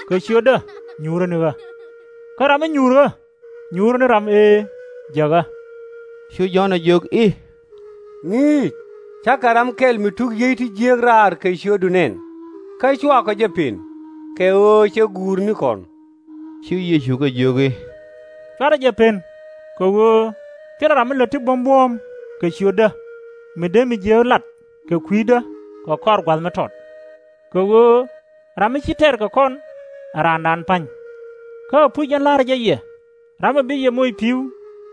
kɛ ciötdä, nyuurä ni ɣä. Kä ram mi nyuur ɣä, nyuurä ni ram ëë jek ɣä. Cu Jɔ̱ɔ̱n ɛ jiök i̱, Ŋi̱i̱c, cakɛ ram kɛl mi tuk yiey ti jiääk raar kɛ ciötdu nɛn, kä cuakɔ jɛ pën, kɛ ɣöö cɛ guur ni kɔn. Cu Yecu kɛ jiök i̱, Cuarɛ jɛ pën, kɛ ɣöö thilɛ ram mi lät ti buɔ̱m buɔ̱ɔ̱m kɛ ciötdä, mi dee mi jiääk lat kɛ kui̱dä kɛ kɔr gua̱th mi tɔt. Kɛ ɣöö ram mi ci tɛr kɛ kɔn ɛ raandan pa̱ny. Kä ɛpuc ɛn la̱rä jɛ yɛ, ram ɛ bi yɛ moc pi̱w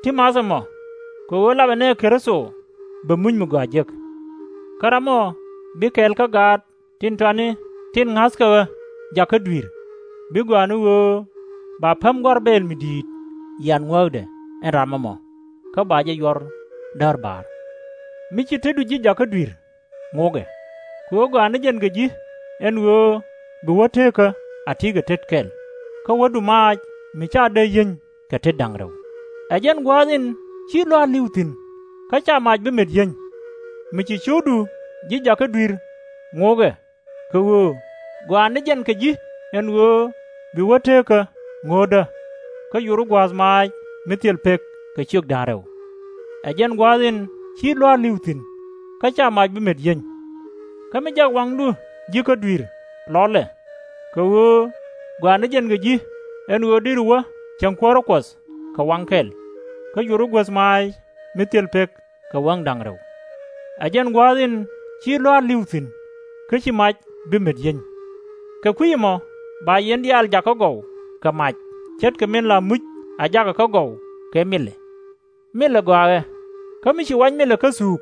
ti math ɛmɔ, kɛ ɣöö lapɛ nɛ Kritho bɛ muc mi gɔaa jek. Kä ram ɔ bi kɛɛl kä gaat tin tɔatni tin ŋa̱thkɛ ɣä jakä dui̱r, bi gɔaa ni ɣöö ba päm gɔ̱a̱r bɛɛl mi di̱i̱t yian ŋuääkdɛ ɛn ram ɛmɔ, kä ba jɛ yuɔr däär ba̱a̱r. Mi ci tetdu ji̱ jakä dui̱r, ŋokɛ. Kɛ ɣöö gɔaa ni jɛn kɛ ji̱ ɛn ɣöö bi wä teekä a ti̱i̱ kɛ tet kɛl, kä wädu maac mi ca dee yieny kɛ tet da̱ŋ rɛw. Ɛ jɛn gua̱a̱th in ci lua̱a̱r li̱w thi̱n, kä /ca mac bi met yieny. Mi ci ciökdu ji̱ jakä dui̱r, ŋokɛ. Kɛ ɣöö gɔaa ni jɛn kɛ ji̱ ɛn ɣöö bi wä teekä ŋo̱o̱tdä, kä yuri gua̱a̱th maac mi thil pek kɛ ciök da̱ŋ rɛw. Ɛ jɛn gua̱a̱th in ci lua̱a̱r li̱w thi̱n, kä /ca mac bi met yieny. Kä mi jak waŋdu ji̱ kä dui̱r lɔlɛ, kɛ ɣöö gɔaa ni jɛn kɛ ji̱ ɛn ɣöö deri wä cieŋ kuäärä Kuɔth kɛ waŋ kɛl, kä yuri guäth maac mi thil pek kɛ waŋ da̱ŋ rɛw. Ɛ jɛn gua̱a̱th in ci lua̱a̱r li̱w thi̱n, kä /ci mac bi met yieny. Kɛ kui̱ ɛmɔ ba yɛn diaal jak kä gɔw kɛ mac, ce̱tkɛ min la muc a jakɛ kä gɔw kɛ milɛ. Milɛ gɔaa ɣɛ, kä mi ci wac milɛ kä thuuk,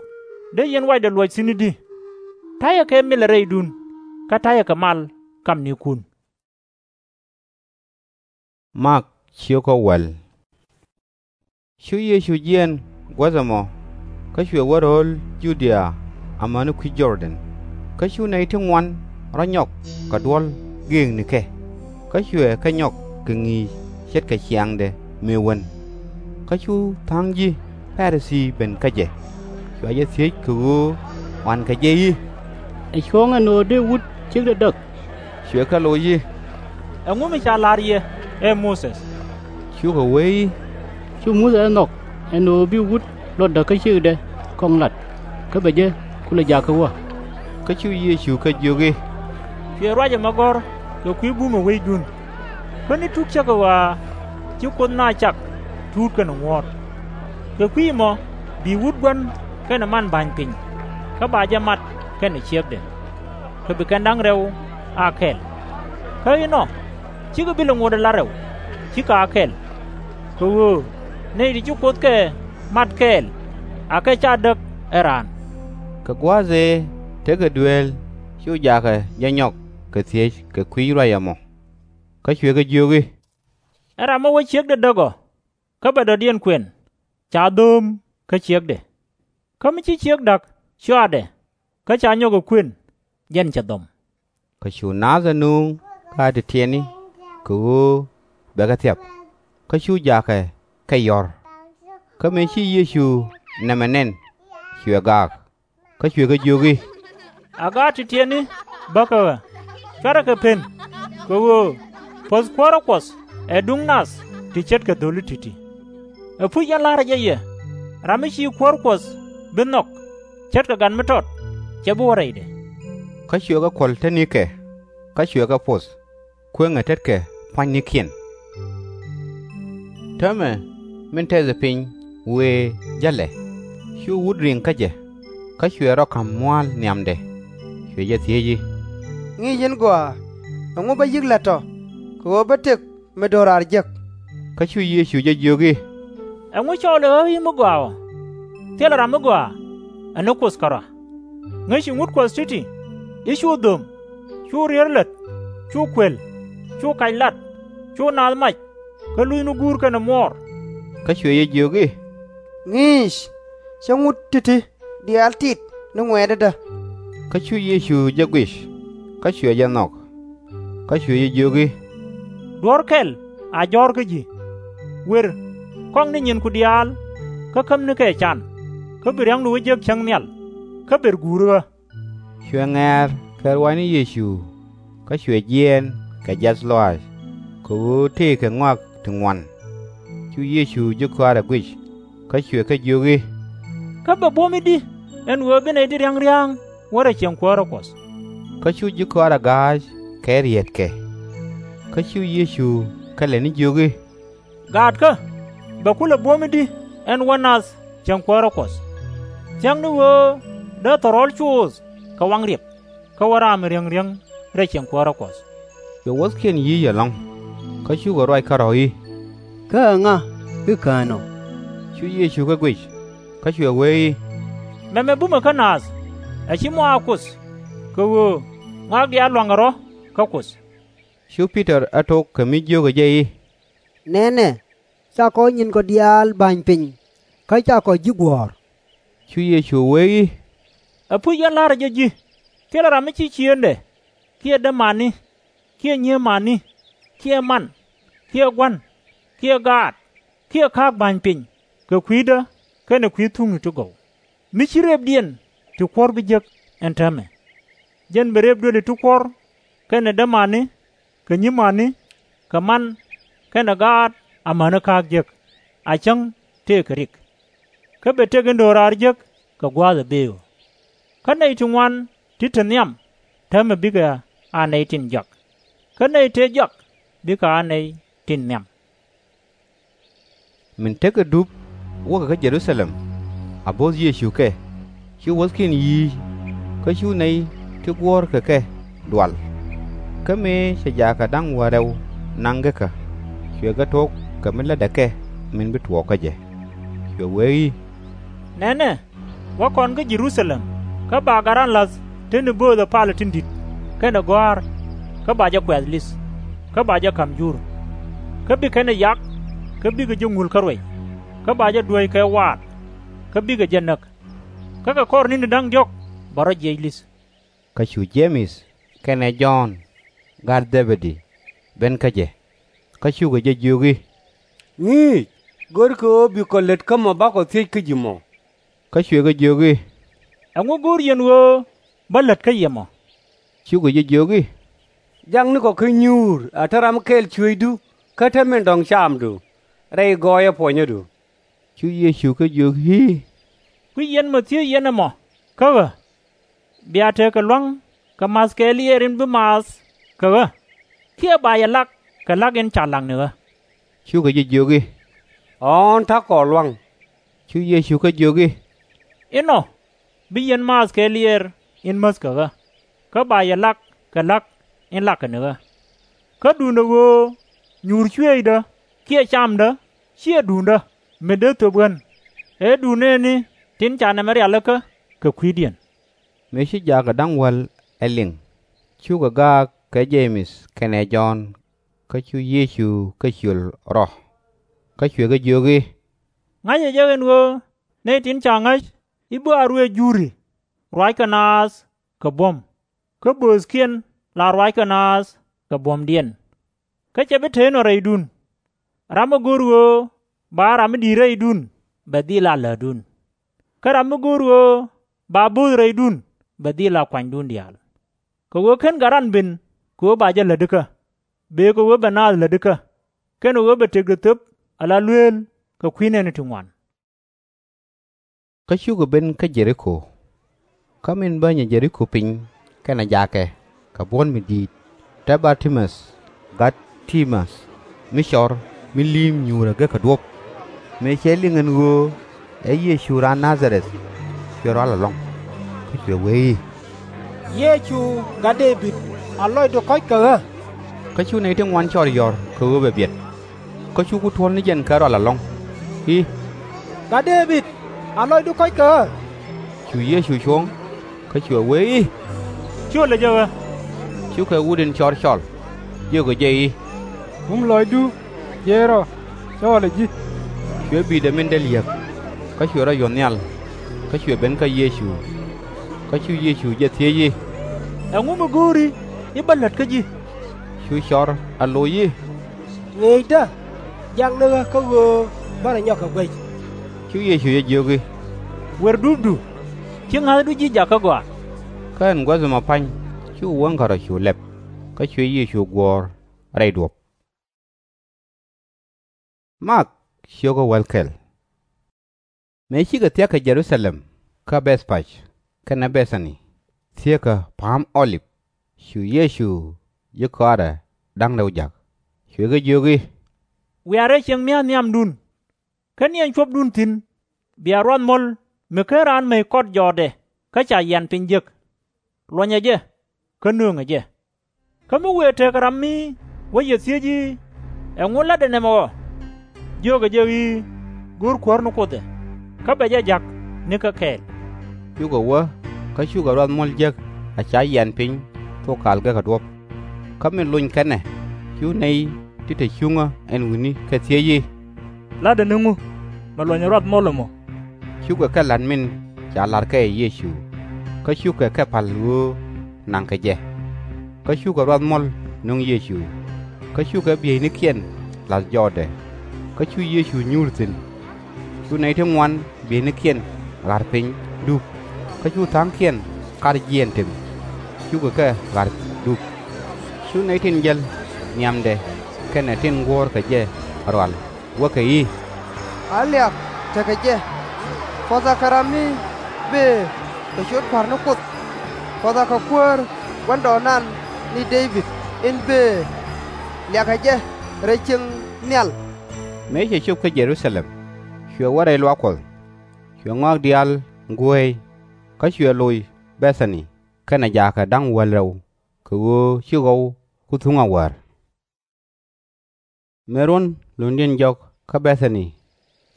dee yɛn wacdɛ luɔc thi̱n i̱di? Ta̱yɛ kɛ milɛ rɛydun, kä ta̱yɛ kɛ mal kamnikun. Mak ciökä wäl. Cu Yecu jiɛɛn guäth ɛmɔ, kä cuɛ wä ro̱o̱l Ju-dia amäni kui̱c Jɔr-dɛn. Kä cu nɛy ti ŋuan rɔ nyɔk kɛ duɔ̱l gëëknikɛ, kä cuɛ kɛ nyɔk kɛ ŋi̱i̱c ce̱tkɛ ciaŋdɛ mëë wän. Kä cu tha̱a̱ŋ ji̱ Pa-ri-thii ben kä jɛ, cua jɛ thiec kɛ ɣöö ɣɔankɛ jɛ i̱, Ɛ cuɔ̱ɔ̱ŋ ɛn ɣöö dee wut ciekdɛ däk? Cuɛ kɛ loc i̱, Ɛŋu mi ca la̱r yɛ ɛ Muthɛ? Cukɛ wee i̱, Cu Muthɛ ɛ nhɔk ɛn ɣöö bi wut luɔtdä kä ciekdɛ kɔŋ lat, kä bɛ jɛ kulɛ jakä wä. Kä cu Yecu kɛ jiök i̱, Cuɛ ruac ɛmɔ gɔ̱r kɛ kui̱ bumɛ weydun. Kuäär ni tuk cäkä ɣɔaa, ci Kuoth naath cak tuut kɛnɛ ŋuɔ̱ɔ̱t. Kɛ kui̱ ɛmɔ bi wut gua̱n kɛnɛ manba̱ny piny, kä ba jɛ mat kɛnɛ ciekdɛ, kɛ bi kɛn da̱ŋ rɛw a kɛl. Kä inɔ, /cikɛ bi lɛ ŋot ala rɛw, /cikɛ a kɛl. Kɛ ɣöö nɛy ti ci Kuoth kɛ mat kɛɛl akɛ /ca däk ɛ raan. Kɛ gua̱a̱th ëë tekɛ dueel cu jaakɛ jɛ nyɔk kɛ thiec kɛ kui̱ ruac ɛmɔ. Kä cuɛ kɛ jiök i̱, Ɛ ram mi wä ciekdɛ däk ɔ, kä bɛ dɔ̱diɛn kuɛn, ca dho̱o̱m kä ciekdɛ. Kä mi ci ciek da̱k cɔaadɛ, kä ca nyɔk ɛ kuën, jɛn cɛ dhɔm. Kä cu naath ɛ nööŋ gaat ti tiɛtni, kɛ ɣöö bɛ kɛ thiap. Kä cu jaakɛ kɛ yɔ̱r. Kä mëë ci Yecu nɛmɛ nɛn, cuɛ gaak. Kä cuɛ kɛ jiök i̱, A gaat ti tiɛtni bäkɛ ɣä, cuarɛ kɛ pen, kɛ ɣöö puɔ̱th kuäärä Kuɔth ɛ duŋ nath ti ce̱tkɛ dho̱li ti̱ti̱. Ɛpuc ɛn la̱rä jɛ yɛ, ram mi ci kuäär Kuɔth bi nhɔk ce̱tkɛ gat mi tɔt, /cɛ bi wä rɛydɛ. Kä cuɛ kɛ kuɔl te nikɛ. kä cuɛ kɛ poth, kueŋɛ tetkɛ pua̱nynikiɛn. Täämɛ min tɛthɛ piny wëë jälɛ, cu wut riŋ kä jɛ, kä cuɛ rɔ ka̱m mua̱a̱l nhiamdɛ, cuɛ jɛ thiec i̱, Ŋi̱i̱c yɛn gɔaa, ɛŋu bä yi̱k la̱t tɔ̱, kɛ ɣöö bä tëk mi do̱raar jek? Kä cu Yecu jɛ jiök i̱, Ɛŋu cɔɔlɛ ɣä i̱ mi gɔaa ɔ? Thilɛ ram mi gɔaa, ɛ ni Kuoth kärɔa. Ŋäci ŋut Kuɔth ti̱ti̱, i̱ cu dho̱m, cu rier lät, cu kuël, cu kac lat, cu naath mac, kä luthni guur kɛnɛ muɔɔr. Kä cuɛ jɛ jiök i̱, Ŋi̱i̱c, cä ŋut ti̱ti̱ diaal tit ni ŋuɛ̈tdädä. Kä cu Yecu jɛ guic, kä cuɛ jɛ nhɔk. Kä cuɛ jɛ jiök i̱, Duɔ̱ɔ̱r kɛl a jɔ̱ɔ̱r kä ji̱. Wer, kɔŋni nyinku diaal, kä kämnikɛ can, kä bi riäŋdu wä jek cäŋ nhial, kä ber guuri ɣä. Cuɛ ŋɛ̈ɛ̈r kɛ ruaacni Yecu, kä cuɛ jiɛɛn kɛ jiath lɔaac, kɛ ɣöö tëëkɛ ŋɔak ti ŋuan. Cu Yecu ji̱ kɔaarɛ guic, kä cuɛ kɛ jiök i̱, Kä bɛ buɔ̱m i̱di ɛn ɣöö bi nɛy ti ria̱ŋ ria̱a̱ŋ wä rɛy ciɛŋ kuäärä Kuɔth? Kä cu ji̱ kɔaarɛ ga̱a̱c kɛ rietkɛ. Kä cu Yecu kɛ lɛni jiök i̱, Gaatkä, bɛ kulɛ buɔ̱m i̱di ɛn wä nath ciɛŋ kuäärä Kuɔth? Thia̱kni ɣöö dee thɔrɔl coth kɛ waŋ riɛk, kä wä ram mi riäŋ riäŋ rɛy ciɛŋ kuäärä Kuɔth. Cuɛ wuɔ̱thkiɛn yi̱c ɛlɔ̱ŋ, kä cukɛ ruac kärɔ̱ i̱, Kä ɛŋa i̱ kään ɔ? Cu Yecu kɛ guic, kä cuɛ wee i̱, Mɛmɛ bumɛ kä naath, ɛ /ci mɔ a Kuoth, kɛ ɣöö ŋɔak diaal lua̱ŋkɛ rɔ̱ kä Kuoth. Cu Pi-tɔr ɛ tok kɛ mi jiökɛ jɛ i̱, Nɛnɛ, cakɔ nyinkɔ diaal ba̱ny piny, kä cakɔ ji̱ guɔ̱ɔ̱r. Cu Yecu wee i̱, Ɛpuc yɛn la̱rä jɛ ji̱, thilɛ ram mi ci ciëëŋdɛ, kiɛ dämani, kiɛ nyiëëmani, kiɛ man, kiɛ gua̱n, kiɛ gaat, kiɛ ka̱a̱k ba̱ny piny kɛ kui̱dä kɛnɛ kui̱ thuŋni ti gɔw, mi /ci rëpdiɛn ti kuɔ̱r bi jek ɛn täämɛ. Jɛn bɛ rëp duëli ti kuɔ̱r kɛnɛ dämani, kɛ nyi̱mani, kɛ man, kɛnɛ gaat amäni ka̱a̱k jek, a cäŋ tëëkɛ rik. Kä bɛ tëk in do̱raar jek kɛ gua̱a̱th ɛ bëë ɣöö, Kä nɛy ti ŋuan ti te nhiam täämɛ bikɛ a nɛy tin jɔak, kä nɛy tëë jɔak bikɛ a nɛy tin nhiam. Min tekɛ dup wäkɛ kä Jɛ-ru-tha-lɛm, a bo̱o̱th Yecu kɛ, cu wuɔ̱thkiɛn yi̱i̱c, kä cu nɛy ti guɔ̱ɔ̱rkɛ kɛ dual. Kä mëë cɛ jaakɛ da̱ŋ wäl rɛw naŋ gekä, cuɛ kɛ tok kɛ mi lätdɛ kɛ min bi tuɔɔk kä jɛ. Cuɛ wee i̱, Nɛnɛ, wä kɔn kä Jɛ-ru-tha-lɛm, kä ba gat ran la̱th te ni bööthɛ palä tin di̱t, kɛnɛ gɔ̱a̱r, kä ba jɛ kuɛth li̱th, kä ba jɛ ka̱m jur. Kä bi kɛn ɛ yak, kä bikɛ jɛ ŋul kä ruëc, kä ba jɛ duäc kɛ waat, kä bikɛ jɛ näk. Kä kɛ kɔr ni̱ni da̱ŋ diɔ̱k bɛ rɔ jiɛc li̱th. Kä cu Je-mɛth kɛnɛ Jɔ̱ɔ̱n, gat Dhɛ-bɛ-di, ben kä jɛ, kä cukɛ jɛ jiök i̱, Ŋi̱i̱c, görkɛ ɣöö bi kɔ lät kä mɔ bakɔ thiec kä ji̱ mɔ. Kä cuɛ kɛ jiök i̱, Ɛŋu go̱o̱r yɛn ɣöö bä lät kä yɛ mɔ? Cukɛ jɛ jiök i̱, Jaknikɔ kä nyuur a te ram kɛl cuëëcdu kä te min dɔ̱ŋ camdu, rɛy gɔɔyä puɔnyädu. Cu Yecu kɛ jiök i̱, Kui̱c yɛn mɔ thiec yɛn ɛmɔ kä ɣä, bia tekɛ lua̱ŋ kɛ ma̱th kɛɛliɛɛr in bi maath kɛ ɣä, kiɛ ba yɛ lak kɛ la̱k in ca la̱k ni ɣä? Cukɛ jɛ jiök i̱, Ɣɔ̱ɔ̱n, ta̱kɔ lua̱ŋ. Cu Yecu kɛ jiök i̱, Inɔ bi yɛn maath kɛɛliɛɛr in mäth kɛ ɣä, kä ba yɛ lak kɛ la̱k in lakɛ ni ɣä. Kä duundɛ ɣöö nyuur cuëëcdä kiɛ camdä /ciɛ duundä, mi dee thöp ɣän, ëë duundɛ ni tin ca nɛmɛ rialikä kɛ kui̱diɛn. Mëë ci jaakɛ da̱ŋ wäl ɛ liŋ, cukɛ gaak kɛ Je-mɛth kɛnɛ Jɔ̱ɔ̱n, kä cu Yecu kɛ ciöl rɔ. Kä cuɛ kɛ jiök i̱, Ŋa̱cɛ jɛ ɛn ɣöö nɛy tin ca ŋa̱c i̱ bä a ruëëc juri, ruackɛ naath kɛ buɔ̱m, kä bööthkiɛn la ruackɛ naath kɛ buɔ̱mdiɛn. Kä /cɛ bi te inɔ rɛydun. Ram mi go̱o̱r ɣöö ba ram mi di̱i̱t rɛydun bɛ dhil a lätdun, kä ram mi go̱o̱r ɣöö ba bööth rɛydun bɛ dhil a kuanydun diaal. Kɛ ɣöö /ken gat ran ben kɛ ɣöö ba jɛ lätikä, bëë kɛ ɣöö bɛ naath lätikä, kɛnɛ ɣöö bɛ tëkdɛ thöp ala lueel kɛ kui̱ nɛɛni ti ŋuan. Kä cukɛ ben kä Jɛ-ri-ko. Kä min bänyɛ Jɛ-ri-ko piny kɛnɛ jakɛ kɛ buɔ̱n mi di̱i̱t, Tɛ Bar-ti-mäth, gat Ti-mäth, mi cɔr mi li̱i̱m nyuurɛ gekä duɔ̱p, mëë cɛ liŋ ɛn ɣöö ɛ Yecu raan Na-dha-rɛth, cuɛ rual ɛlɔ̱ŋ, kä cuɛ wee i̱, Yecu, Gat Dee-bid, a lɔcdu kɔ̱c kɛ ɣä! Kä cu nɛy ti ŋuan cɔɔr yɔ̱r kɛ ɣöö bɛ biɛt. Kä cu ku tuɔ̱l ni jɛn kɛ rual ɛlɔ̱ŋ i̱, Gat Dee-bid, a lɔcdu kɔ̱c kɛ ɣä! Cu Yecu cuɔ̱ŋ, kä cuɛ wee i̱, Cio̱lɛ jɛ ɣä! Cukɛ wut in cɔr cɔl, jiökɛ jɛ i̱, Bum lɔcdu jiɛc rɔ, cɔɔlɛ ji̱! Cuɛ bi̱i̱dɛ min dee li̱äk, kä cuɛ rɔ yuɔth nhial, kä cuɛ ben kä Yecu. Kä cu Yecu jɛ thiec i̱, Ɛŋu mi go̱o̱ri i̱ bä lät kä ji̱? Cu cɔr a loc i̱, Ŋi̱i̱cdä, jak ni ɣä kä ɣöö bä rɔ nyɔk kɛ guɛc. Cu Yecu jɛ jiök i̱, Wer dupdu, /ci ŋa̱thdu ji̱ jakä gɔaa. Kä ɛn guäth ɛmɔ pa̱ny cu wäŋkä rɔ cu lɛp, kä cuɛ Yecu guɔ̱ɔ̱r rɛy duɔ̱p. Mak, ciökä wäl kɛl. Mëë cikɛ thia̱k kɛ Jɛ-ru-tha-lɛm kä Bɛ̈th-pec kɛnɛ Bɛ-tha-ni, thieekä Pa̱a̱m Ɔ-lip, cu Yecu ji̱ kɔaarɛ da̱ŋ rɛw ja̱k, cuɛ kɛ jiök i̱, Wiaa rɛy cieŋ mi̱eth nhiamdun, kä ni ɛn cuɔ̱pdun thi̱n, bia ruath muɔ̱l mi /ken raan mec kɔt jɔɔtdɛ kä ca yian piny jek. Luɔ̱nyɛ jɛ, kä nööŋɛ jɛ. Kä mi wëë tekɛ ram mi wä yɛ thiec i̱, Ɛŋu la̱tdɛ nɛmɛ ɔ? jiökɛ jɛ i̱, Go̱o̱r Kuäär ni Kuoth ɛ, kä bɛ jɛ ja̱k nikä kɛɛl. Cukɛ wä kä cukɛ ruath muɔ̱l jek a ca yian piny thok kal gekä duɔ̱p. Kä min lony kɛn ɛ, cu nɛy ti te cuŋä ɛn wi̱ni kɛ thiec i̱, La̱tdɛ ni ŋu mi luɔ̱nyɛ ruath muɔ̱l ɛmɔ? Cukɛ kɛ la̱t min ca la̱r kɛ ɛ Yecu, kä cukɛ kɛ pa̱l ɣöö naŋkɛ jɛ. Kä cukɛ ruath muɔ̱l nöŋ Yecu, kä cukɛ bieynikiɛn la̱th jɔɔtdɛ. Kä cu Yecu nyuur thi̱n. Cu nɛy ti ŋuan bieynikiɛn ɣa̱r piny dup, kä cu tha̱a̱ŋkiɛn kar jiɛɛn tëk, cukɛ kɛ ɣa̱r dup. Cu nɛy tin jäl nhiamdɛ kɛnɛ tin guɔ̱ɔ̱rkɛ jɛ rual wäkɛ i̱, A liak tekɛ jɛ, puɔ̱thakɛ ram mi bëë kɛ ciöt Kua̱r ni Kuoth! Puɔ̱thakɛ Kuäär, Gua̱ndɔɔŋnan ni Dee-bid in bëë! Liakɛ jɛ rɛy cieŋ nhial! Mëë cɛ cop kä Jɛ-ru-tha-lɛm, cuɛ wä rɛy luaak Kuɔth, cuɛ ŋɔak diaal guääy, kä cuɛ loc Bɛ-tha-ni kɛnɛ jaakɛ da̱ŋ wäl rɛw, kɛ ɣöö ci ɣɔw ku thuŋ a wäär. Mëë ruɔ̱n lo̱ndiɛn jɔk kä Bɛ-tha-ni,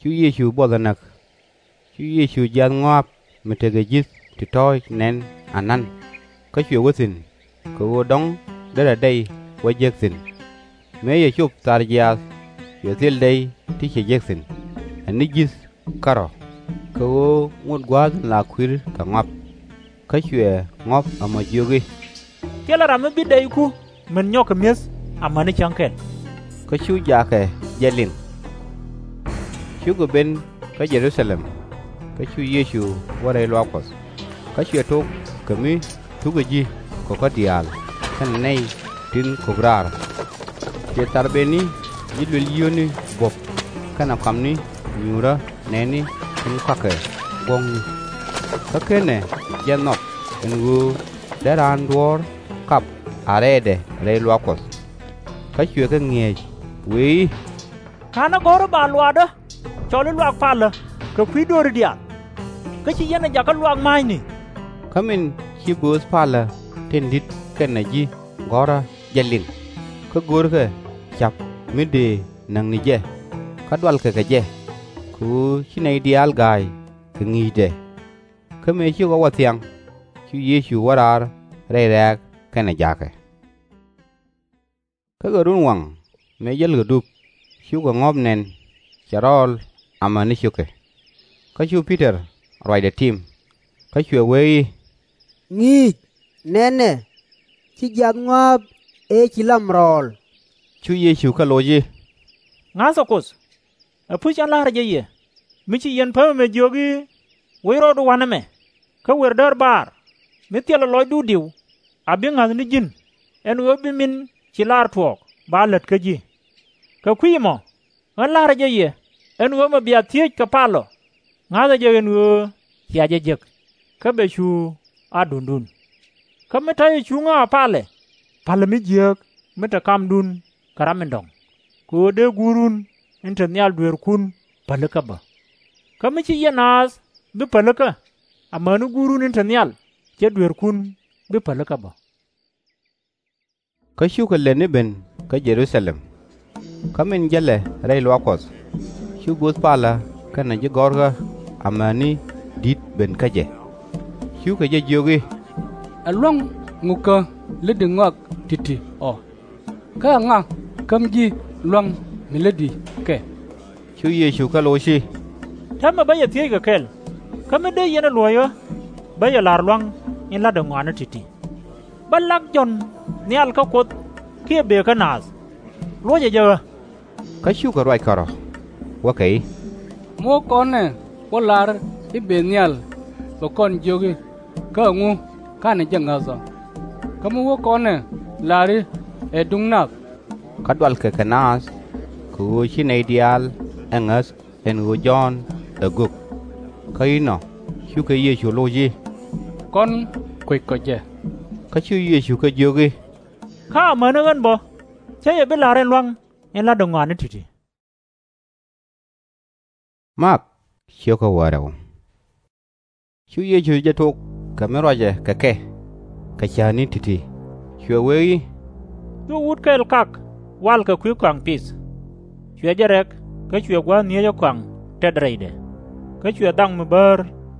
cu Yecu buɔth ɛ näk. Cu Yecu jiath ŋɔa̱a̱p mi tekɛ ji̱th ti tɔ̱ɔ̱c nɛn anan, kä cuɛ wä thi̱n, kɛ ɣöö dɔ̱ŋ derɛ dɛy wä jek thi̱n. Mëë cɛ cop thar jiaath, cuɛ thil dɛy ti cɛ jek thi̱n, ɛ ni ji̱th kärɔ̱, kɛ ɣöö ŋot gua̱a̱th in la kui̱r kɛ ŋɔ̱a̱p. Kä cuɛ ŋɔ̱a̱p ɛmɔ jiök i̱, Thilɛ ram mi bi dɛyku min nyɔk kɛ mi̱eth amäni cäŋ kɛl. Kä cu jaakɛ jɛ liŋ. Cukɛ ben kä Jɛ-ru-tha-lɛm, kä cu Yecu wä rɛy luaak Kuɔth, kä cuɛ tok kɛ mi thukä ji̱ kɔkä diaal kɛnɛ nɛy tin ko̱k raar. Cuɛ thar bëëni ji̱ luël yio̱o̱ni buɔ̱p kɛnɛ kɔamni nyuurä nɛɛni tin kɔakɛ guɔ̱ɔ̱kni. Kä /kenɛ jɛ nhɔk ɛn ɣöö dee raan duɔ̱ɔ̱r kap a rɛɛdɛ rɛy luaak Kuɔth. Kä cuɛ kɛ ŋi̱eec wëë i̱, Ka̱n ɛ gɔ̱r i̱ ba luaakdä cɔl i̱ luaak palä kɛ kui̱ dööri diaal, kä /ci yɛn ɛ jakä luaak ma̱a̱cni. Kä min ci bööth palä tin di̱t kɛnɛ ji̱ gɔ̱rä jɛ liŋ, kä görkɛ ca̱p mi dëë näk ni jɛ, kä dualkɛ kɛ jɛ, kɛ ɣöö ci nɛy diaal ga̱a̱c kɛ ŋi̱i̱cdɛ. Kä mëë ci ɣɔw ɛ thiaŋ, cu Yecu wä raar rɛy rɛ̈ɛ̈k kɛnɛ jaakɛ. Kä kɛ runwaŋ mëë jälkɛ dup, cukɛ ŋɔ̱ɔ̱p nɛn, cɛ rɔɔl amäni cio̱kɛ. Kä cu Pi-tɔr ruacdɛ tim, kä cuɛ wee i̱, Ŋi̱i̱c, nɛnɛ, ci jiath ŋɔ̱a̱a̱p ëë ci lam rɔɔl. Cu Yecu kɛ loc i̱, Ŋa̱thɛ Kuoth! Ɛpuc cä la̱rä jɛ yɛ, mi ci yɛn päm ɛmɛ jiök i̱, Woc rɔɔdu wa̱nɛ mɛ, kä wer däär baar, mi thilɛ lɔcdu diw a bi ŋa̱th ni ji̱n, ɛn ɣöö bi min ci lar tuɔɔk ba lät kä ji̱. Kɛ kui̱c ɛmɔ, ɣän la̱rä jɛ yɛ, ɛn ɣöö mɛ bia thiec kɛ palɔ, ŋa̱thɛ jɛ ɛn ɣöö cia jɛ jek, kä bɛ cu a duŋdun. Kä mi ta̱yɛ cuŋä a palɛ, Pa̱lɛ mi jiääk mi te kamdun kɛ ram in dɔ̱ŋ, kɛ ɣöö dee Guurun in te nhial dueerkun pälikä bä. Kä mi ci yɛn naath bi pälikä, amäni Guurun in te nhial cɛ dueerkun bi pälikä bä. Kä cukɛ lät ni ben kä Jɛ-ru-tha-lɛm. Kä min jälɛ rɛy luaak Kuɔth, cu guäth palä kɛnɛ ji̱ gɔ̱rkä amäni di̱t ben kä jɛ. Cukɛ jɛ jiök i̱, Ɛ lua̱ŋ ŋukä lätdi ŋɔak ti̱ti̱ ɔ? Kä ɛŋa käm ji̱ lua̱ŋ mi lätdi kɛ? Cu Yecu kɛ loc i̱, Täämɛ bä yɛ thiec kɛ kɛl, kä mi dee yɛn ɛ luɔ̱c ɣä, bä yɛ la̱r lua̱ŋ in la̱tdɛ ŋɔaani ti̱ti̱. Bä lak Jɔ̱ɔ̱n nhial kä Kuoth kiɛ bëë kä naath? Luɔ̱cɛ jɛ ɣä. Kä cukɛ ruac kärɔ̱, wäkɛ i̱, Mi wä kɔn ɛ wä la̱r i̱ bëë nhial, bɛ kɔn jiök i̱, Kä ɛŋu ka̱nɛ jɛ ŋäth ɔ? Kä mi wä kɔn ɛ la̱r i̱, Ɛ duŋ nath, kä dualkɛ kɛ naath, kɛ ɣöö ci nɛy diaal ɛ ŋäth ɛn ɣöö Jɔ̱ɔ̱n ɛ gök. Kä inɔ cukɛ Yecu loc i̱, Kɔn kueckɔ jɛ. Kä cu Yecu kɛ jiök i̱, Kä amäni ɣän bä, /cä yɛ bi la̱r ɛn lua̱ŋ in la̱tdɛ ŋɔaani ti̱ti̱. Cu Yecu jɛ tok kɛ mi ruacɛ kɛ kɛ kɛ cäätni ti̱ti̱, cuɛ wee i̱, Cu wut kɛl kak wal kɛ kui̱ kɔaŋ pith. Cuɛ jɛ rɛk, kä cuɛ gua̱a̱th nhieecä kɔaŋ tɛth rɛydɛ. Kä cuɛ dhaŋ mi bäär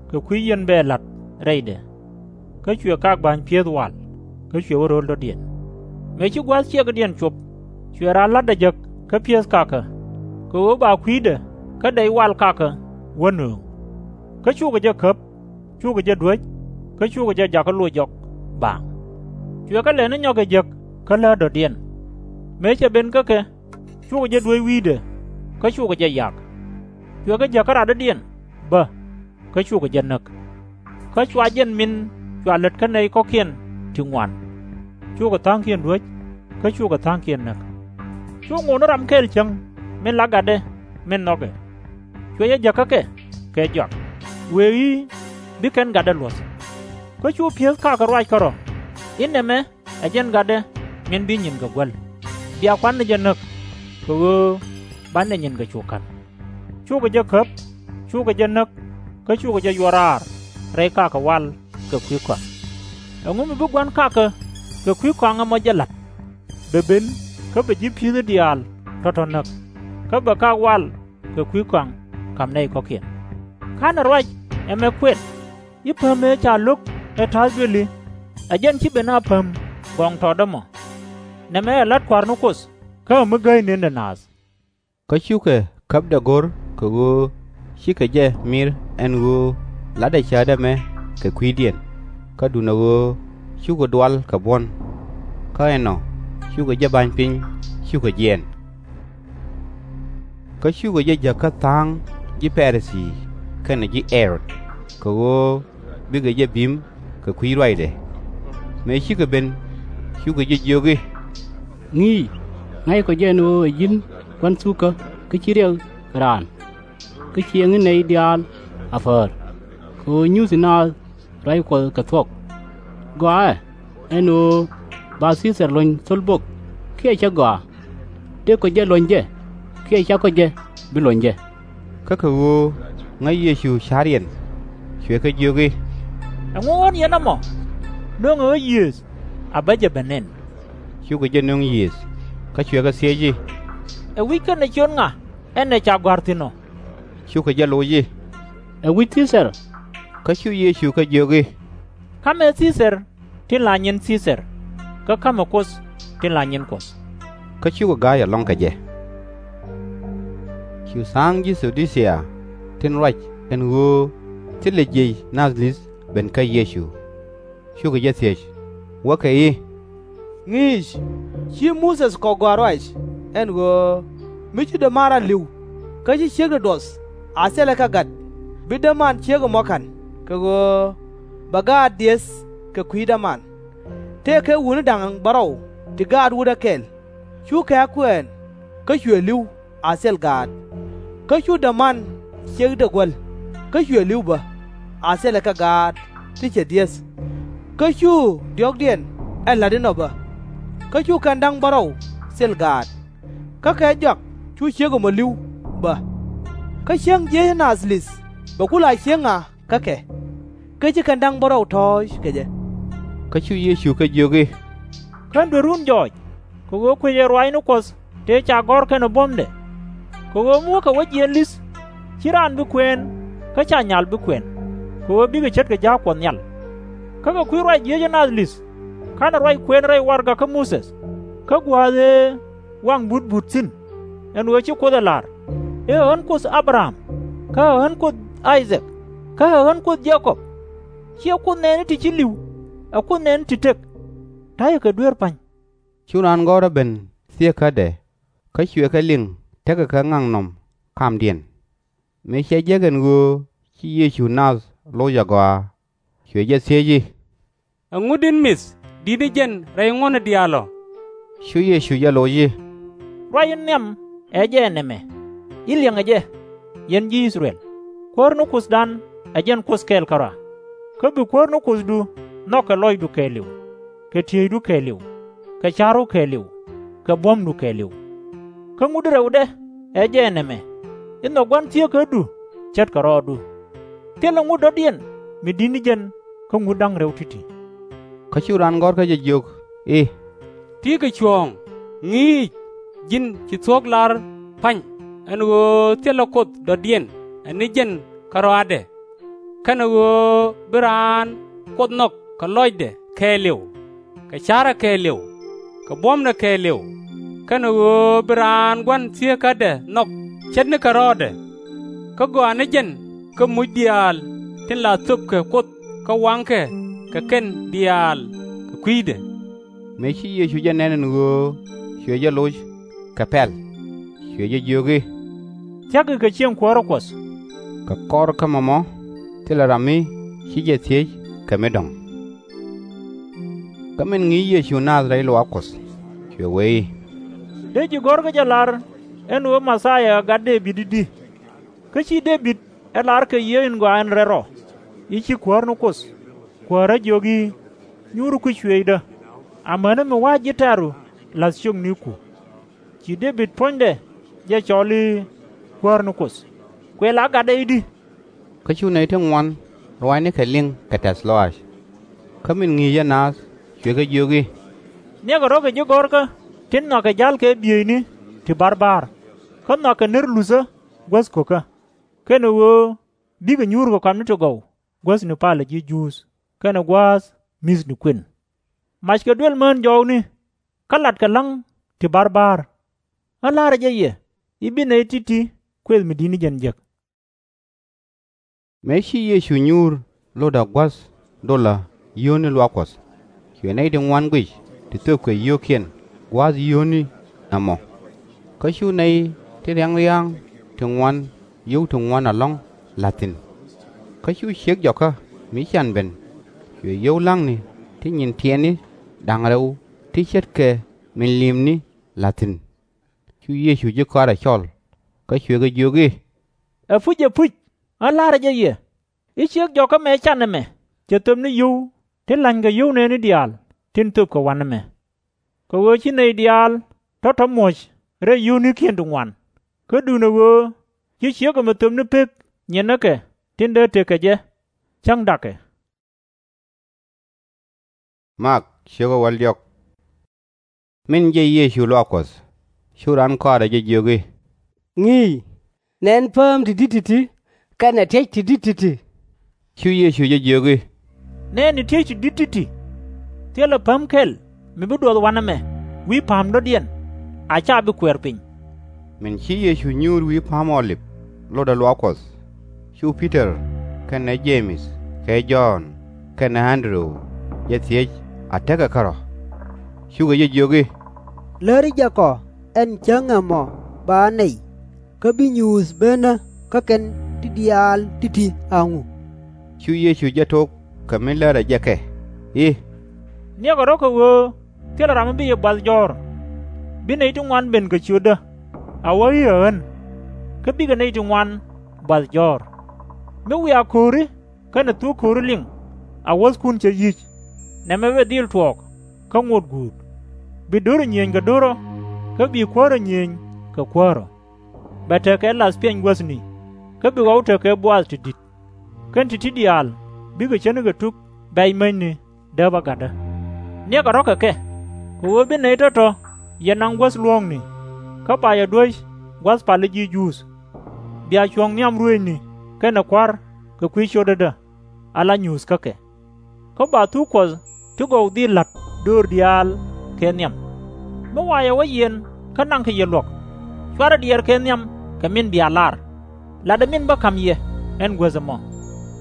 kɛ kui̱ yien bɛɛ la̱t rɛydɛ. Kä cuɛ kak ba̱ny pi̱eth wal, kä cuɛ wä ro̱l dɔ̱diɛn. Mëë ci gua̱a̱th ciɛkdiɛn cop, cuɛ raan la̱tdɛ jek kä pi̱eth kakä, kɛ ɣöö ba kui̱dɛ kä dɛy wal kakä wä nööŋ. Kä cukɛ jɛ käp, cukɛ jɛ duäc, kä cukɛ jɛ jakä loc jɔk baaŋ. Cuɛ kɛ lɛni nyɔkɛ jek kä läät dɔ̱diɛn. Mëë cɛ ben kä kɛ, cukɛ jɛ duäc wi̱i̱dɛ, kä cukɛ jɛ yak. Cuɛ kɛ jäk kä radɔ̱diɛn bä, kä cukɛ jɛ näk. Kä cua jɛn min cua lät kä nɛy kɔ̱kiɛn ti ŋuan, cukɛ tha̱a̱ŋkiɛn duäc, kä cukɛ tha̱a̱ŋkiɛn näk. Cu ŋot ni ram kɛl cäŋ min la gatdɛ min nhɔkɛ. Cuɛ jɛ jäk kä kɛ kɛ jɔak, wëë i̱, Bi kɛn gatdä luɔ̱th. Kä cu pi̱eth kakä ruac kärɔ̱ i̱, Nɛmɛ ɛ jɛn gatdɛ min bi nyinkɛ guäl. Bia kuan ni jɛ näk, kɛ ɣöö banɛ nyinkɛ cu ka̱n. Cukɛ jɛ käp, cukɛ jɛ näk, kä cukɛ jɛ yuɔr raar rɛy kakä wal kɛ kui̱ kɔaŋ. Ɛŋu mi bi gua̱n kakä kɛ kui̱ kɔaŋ ɛmɔ jɛ la̱t? Bɛ ben, kä bɛ ji̱ pi̱thi diaal tɔ̱tɔ̱ näk, kä bɛ kak wal kɛ kui̱ kɔaŋ ka̱m nɛy kɔ̱kiɛn. /Ka̱nɛ ruac ɛmɛ kuɛt i̱, Päm ëë ca lo̱k ɛ ta̱a̱th duëli, ɛ jɛn /ci ben a päm gɔŋ tɔ̱tdä mɔ? Nɛmɛ ɛ la̱t Kua̱r ni Kuoth, kä ɛ mi gäy nëndɛ naath. Kä cukɛ käpdɛ go̱r kɛ ɣöö cikɛ jɛ mi̱r ɛn ɣöö la̱tdɛ cäätdɛ ɛmɛ kɛ kui̱diɛn, kä duundɛ ɣöö cukɛ dual kɛ buɔ̱n. Kä ɛnɔ cukɛ jɛ ba̱ny piny, cukɛ jiɛɛn. Kä cukɛ jɛ jäk kä tha̱a̱ŋ ji̱ Pa-ri-thii kɛnɛ ji̱ Ɛ-rod, kɛ ɣöö bikɛ jɛ bi̱i̱m kɛ kui̱ ruacdɛ. Mëë cikɛ ben, cukɛ jɛ jiök i̱, Ŋi̱i̱c, ŋa̱ckɔ jɛ ɛn ɣöö ɛ ji̱n gua̱n thukä kä /ci riɛk kɛ raan, kä /ciɛ ŋi̱n nɛy diaal a päär, kɛ ɣöö nyuthi naath ruac Kuɔth kɛ thuɔ̱k. Gɔaaɛ, ɛn ɣöö ba Thii-thɛr luɔ̱ny thöl bok kiɛ /cɛ gɔaa? Dëëkɔ jɛ luɔ̱ny jɛ, kiɛ /cakɔ jɛ bi luɔ̱ny jɛ. Kä kɛ ɣöö ŋäc Yecu ca̱riɛn, cuɛ kɛ jiök i̱, Ɛŋu ɣɔ̱n yɛn ɛmɔ? Nöŋɛ ɣä yiëëth a bä jɛ ben nɛn. Cukɛ jɛ nöŋ yiëëth, kä cuɛ kɛ thiec i̱, Ɛ wi̱c kɛnɛ ciöt ŋa ɛn ɛ ca gɔ̱a̱r thi̱n ɔ? Cukɛ jɛ loc i̱, Ɛ wi̱c Thii-thɛr. Kä cu Yecu kɛ jiök i̱, Ka̱mɛ Thii-thɛr tin la nyin Thii-thɛr, kä ka̱mɛ Kuoth tin la nyin Kuɔth. Kä cukɛ ga̱a̱c ɛlɔ̱ŋ kɛ jɛ. Cu tha̱a̱ŋ ji̱ Thu-di-thia tin ruac ɛn ɣöö thilɛ jiëc nath li̱th ben kä Yecu, cukɛ jɛ thiec, wäkɛ i̱, Ŋi̱i̱c, /ci Muthɛ kɔ gɔaa ruac ɛn ɣöö mi ci däman rɔ̱ li̱w, kä ci ciekdɛ duɔth a thilɛ kɛ gat, bi däman ciek ɛmɔ ka̱n, kɛ ɣöö bɛ gaat diëëth kɛ kui̱ däman? Tëëkɛ wutni da̱ŋ bärɔw ti gaat wutdä kɛl, cu kɛ kuɛɛn, kä cuɛ li̱w a thil gaat. Kä cu däman ciekdɛ guäl, kä cuɛ li̱w bä a thilɛ kɛ gaat ti cɛ diëëth. Kä cu diɔ̱ɔ̱kdiɛn ɛ la̱t inɔ bä. kä cu kɛn da̱ŋ bärɔw thil gaat, kä kɛ jɔak cu ciek ɛmɔ li̱w bä. Kä cäŋ jiec ɛ naath li̱th bɛ ku la cieŋ ŋa kä kɛ? Kä ci kɛn da̱ŋ bärɔw tɔ̱ɔ̱c kɛ jɛ. Kä cu Yecu kɛ jiök i̱, /Ken duerun jɔɔc, kɛ ɣöö kui̱c ɛ ruaacni Kuɔth tëë ca gɔ̱r kɛnɛ buɔ̱mdɛ? Kɛ ɣöö mi wä kɛ wä jiɛɛn li̱th, /ci raan bi kuɛɛn, kä /ca nyal bi kuɛn, kɛ ɣöö bikɛ ce̱tkɛ ja̱a̱k Kuɔth Nhial. Kä kɛ kui̱ ruac jiec ɛ naath li̱th, /ka̱nɛ ruac kuɛɛn rɛy warɛgak kä Muthɛ, kä gua̱a̱th ëë waŋ but but thi̱n, ɛn ɣöö ci Kuoth ɛ la̱r i̱, Ɛ ɣän Kuoth A-bɛ-ram, kä ɛ ɣän Kuoth I-thak, kä ɛ ɣän Kuoth Je-kɔb? /Ciɛ Kuoth nɛɛni ti ci li̱w, ɛ Kuoth nɛɛni ti tëk. Ta̱yɛ kɛ dueer pa̱ny. Cu raan gɔ̱rä ben thieekädɛ, kä cuɛ kɛ liŋ tekɛ kɛ ŋaknɔm ɛ kamdiɛn. Mëë cɛ jek ɛn ɣöö ci Yecu nath loc agɔaa, cuɛ jɛ thiec i̱, Ɛŋu di̱t mith di̱t ni jɛn rɛy ŋuɔ̱tni diaal ɔ? Cu Yecu jɛ loc i̱, Ruac in nhiam ɛ jɛ ɛ nɛmɛ, i̱, Liɛŋɛ jɛ, yɛn ji̱ I-thɛ-rɛl, Kuäär ni Kuothdan ɛ jɛn Kuoth kɛl kärɔa. Kä bi Kuäär ni Kuothdu nhɔk kɛ lɔcdu kɛɛliw, kɛ tieydu kɛɛliw, kɛ ca̱ru kɛɛliw, kɛ buɔ̱mdu kɛɛliw. Kä ŋut in rɛwdɛ ɛ jɛ ɛ nɛmɛ, i̱, Nhɔk gua̱n thieekädu ce̱tkɛ rɔɔdu. Thilɛ ŋut dɔ̱diɛn mi di̱t ni jɛn kä ŋut da̱ŋ rɛw ti̱ti̱. Kä cu raan gɔ̱rkä jɛ jiök i̱, Ti̱i̱ kɛ cuɔ̱ɔ̱ŋ, ŋi̱i̱c, ji̱n ci thuɔ̱k la̱r pa̱ny, ɛn ɣöö thilɛ Kuoth dɔ̱diɛn ɛ ni jɛn kärɔaadɛ, kɛnɛ ɣöö bi raan Kuoth nhɔk kɛ lɔcdɛ kɛɛliw, kɛ ca̱rɛ kɛɛliw, kɛ buɔ̱mdɛ kɛɛliw, kɛnɛ ɣöö bi raan gua̱n thieekädɛ nhɔk ce̱tnikɛ rɔɔdɛ. Kä gɔaa ni jɛn kä muc diaal tin la thöpkɛ Kuoth kä waŋkɛ kɛ kɛn diaal kɛ kui̱dɛ. Mëë ci Yecu jɛ nɛn ɛn ɣöö cuɛ jɛ loc kɛ pɛl, cuɛ jɛ jiök i̱, Thia̱k kɛ cieŋ kuäärä Kuɔth. Kɛ kɔr kä mɔmɔ thilɛ ram mi ci jɛ thiec kɛ mi dɔ̱ŋ. Kä min ŋi̱i̱c Yecu naath rɛy luaak Kuɔth, cuɛ wee i̱, Dee ji̱ gɔ̱r kä jɛ lar ɛn ɣöö Mɛthia ɛ gat Dee-bid i̱di? Kä /ci Dee-bid ɛ lar kɛ Yiëë in Gɔaa in Rɛl Rɔ i̱, Ci Kuäär ni Kuoth, Kuäärä jiök i̱, Nyuuri kui̱c cuëëcdä, amäni mi wa̱a̱ ji̱ tɛ̈ru la̱th ciökniku? Ci Dee-bid puɔ̱nydɛ jɛ cɔl i̱ Kuäär ni Kuoth. Kuɛ la gatdɛ i̱di? Kä cu nɛy ti ŋuan ruaacnikɛ liŋ kɛ tɛ̈th lɔaac. Kä min ŋi̱i̱cɛ naath cuɛ kɛ jiök i̱, Niɛkɛ rɔ̱ kɛ ji̱ gɔ̱rkä tin nhɔakɛ ja̱l kɛ bieyni ti ba̱rba̱r, kä nhɔakɛ ner luthä guäth ko̱kä, kɛnɛ ɣöö bikɛ nyuur kɛ kɔamni ti gɔw guäthni palä ji̱ Juudh kɛnɛ gua̱a̱th mi̱thni kuën. Mackɛ duel mään jɔɔkni, kä latkɛ la̱ŋ ti ba̱rba̱r. Ɣän la̱rä jɛ yɛ i̱ bi nɛy ti̱ti̱ kuëth mi di̱t ni jɛn jek. Mëë ci Yecu nyuur lotdä gua̱th dolä yio̱o̱ni luaak Kuɔth, cuɛ nɛy ti ŋuan guic ti thöpkɛ yio̱o̱kiɛn gua̱a̱th yio̱o̱ni ɛmɔ. Kä cu nɛy ti ria̱ŋ ria̱a̱ŋ ti ŋuan yio̱w ti ŋuan ɛlɔ̱ŋ la̱th thi̱n. Kä cu ciek jɔkä mi can ben, cuɛ yio̱w la̱ŋni ti nyin tiɛtni da̱ŋ rɛw ti ce̱tkɛ min li̱i̱mni la̱th thi̱n. Cu Yecu ji̱ kɔaarɛ cɔl, kä cuɛ kɛ jiök i̱, Ɛpuc, ɛpuc, ɣän la̱rä jɛ yɛ i̱ ciek jɔkä mëë can ɛmɛ cɛ thöp ni yio̱w tin la̱nykɛ yio̱w nɛɛni diaal tin thöpkɛ wa̱nɛ mɛ. Kɛ ɣöö /ci nɛy diaal tɔ̱tɔ̱ muɔ̱c rɛy yio̱o̱nikiɛn ti ŋuan, kä duundɛ ɣöö ci ciek ɛmɛ thöp ni pek nyiɛnäkɛ tin dee tëk kɛ jɛ, cäŋ da̱kɛ. Min jɛ Yecu luaak Kuɔth, cu raan kɔaarɛ jɛ jiök i̱, Ŋi̱i̱c, nɛn pääm ti di̱t ti̱ti̱ kɛnɛ ti̱ec ti di̱t ti̱ti̱. Cu Yecu jɛ jiök i̱, Nɛɛni ti̱ec ti di̱t ti̱ti̱. Thilɛ päm kɛl mi bi duɔth wa̱nɛ mɛ wi̱i̱ pa̱a̱m dɔ̱diɛn, a /ca bi kuɛɛr piny. Min ci Yecu nyuur wi̱i̱ Pa̱a̱m Ɔ-lip lotdä luaak Kuɔth, cu Pi-tɔr kɛnɛ Je-mɛth kɛ Jɔ̱ɔ̱n kɛnɛ Ɛn-dɛ-ru jɛ thiec a tekɛ kärɔ̱. Cukɛ jɛ jiök i̱, Läri jɛ kɔ ɛn cäŋ ɛmɔ ba nɛy, kä bi nyuuth benä kä kɛn ti diaal ti̱ti̱ a ŋu? Cu Yecu jɛ tok kɛ mi lärɛ jɛ kɛ i̱, Niɛkɛ rɔ̱ kɛ ɣöö thilɛ ram mi bi yɛ buath jɔ̱ɔ̱r. Bi nɛy ti ŋuan ben kɛ ciötdä, a wä i̱ ɛ ɣän, kä bikɛ nɛy ti ŋuan buath jɔ̱ɔ̱r. Mi wiaa ko̱ri kɛnɛ thuk ko̱ri liŋ a wuɔ̱thkun cä yi̱c, nɛmɛ bɛ dhil tuɔɔk kä ŋot guut. Bi do̱r ɔ nyiëëny kɛ do̱r ɔ, kä bi kuäär ɔ nyiëëny kɛ kuäär ɔ. Bɛ tekɛ lath piɛny guäthni, kä bi ɣɔw tekɛ buaath ti di̱t. Kɛn ti̱ti̱ diaal bikɛ ce̱tnikɛ tuk bɛ̈c mäcni dääp agatdä. Niɛkɛ rɔ̱ kɛ kɛ, kɛ ɣöö bi nɛy tɔ̱tɔ̱ yɛ naŋ guäth luɔ̱ɔ̱kni, kä ba yɛ duäc gua̱th pal i̱ ji̱ Juudh. Bia cuɔ̱ŋ nhiam ruëëcni kɛnɛ kua̱r kɛ kui̱ cio̱tädä, ala nyuuth kä kɛ. Kä ba thuk Kuɔth ti gɔw dhil la̱t döör diaal kɛ nhiam. Mi wa yɛ wä yiɛn kä naŋkɛ yɛ luɔ̱k, cuarɛ diɛɛr kɛ nhiam kɛ min bia lar, latdɛ min bä ka̱m yɛ ɛn guäth ɛmɔ.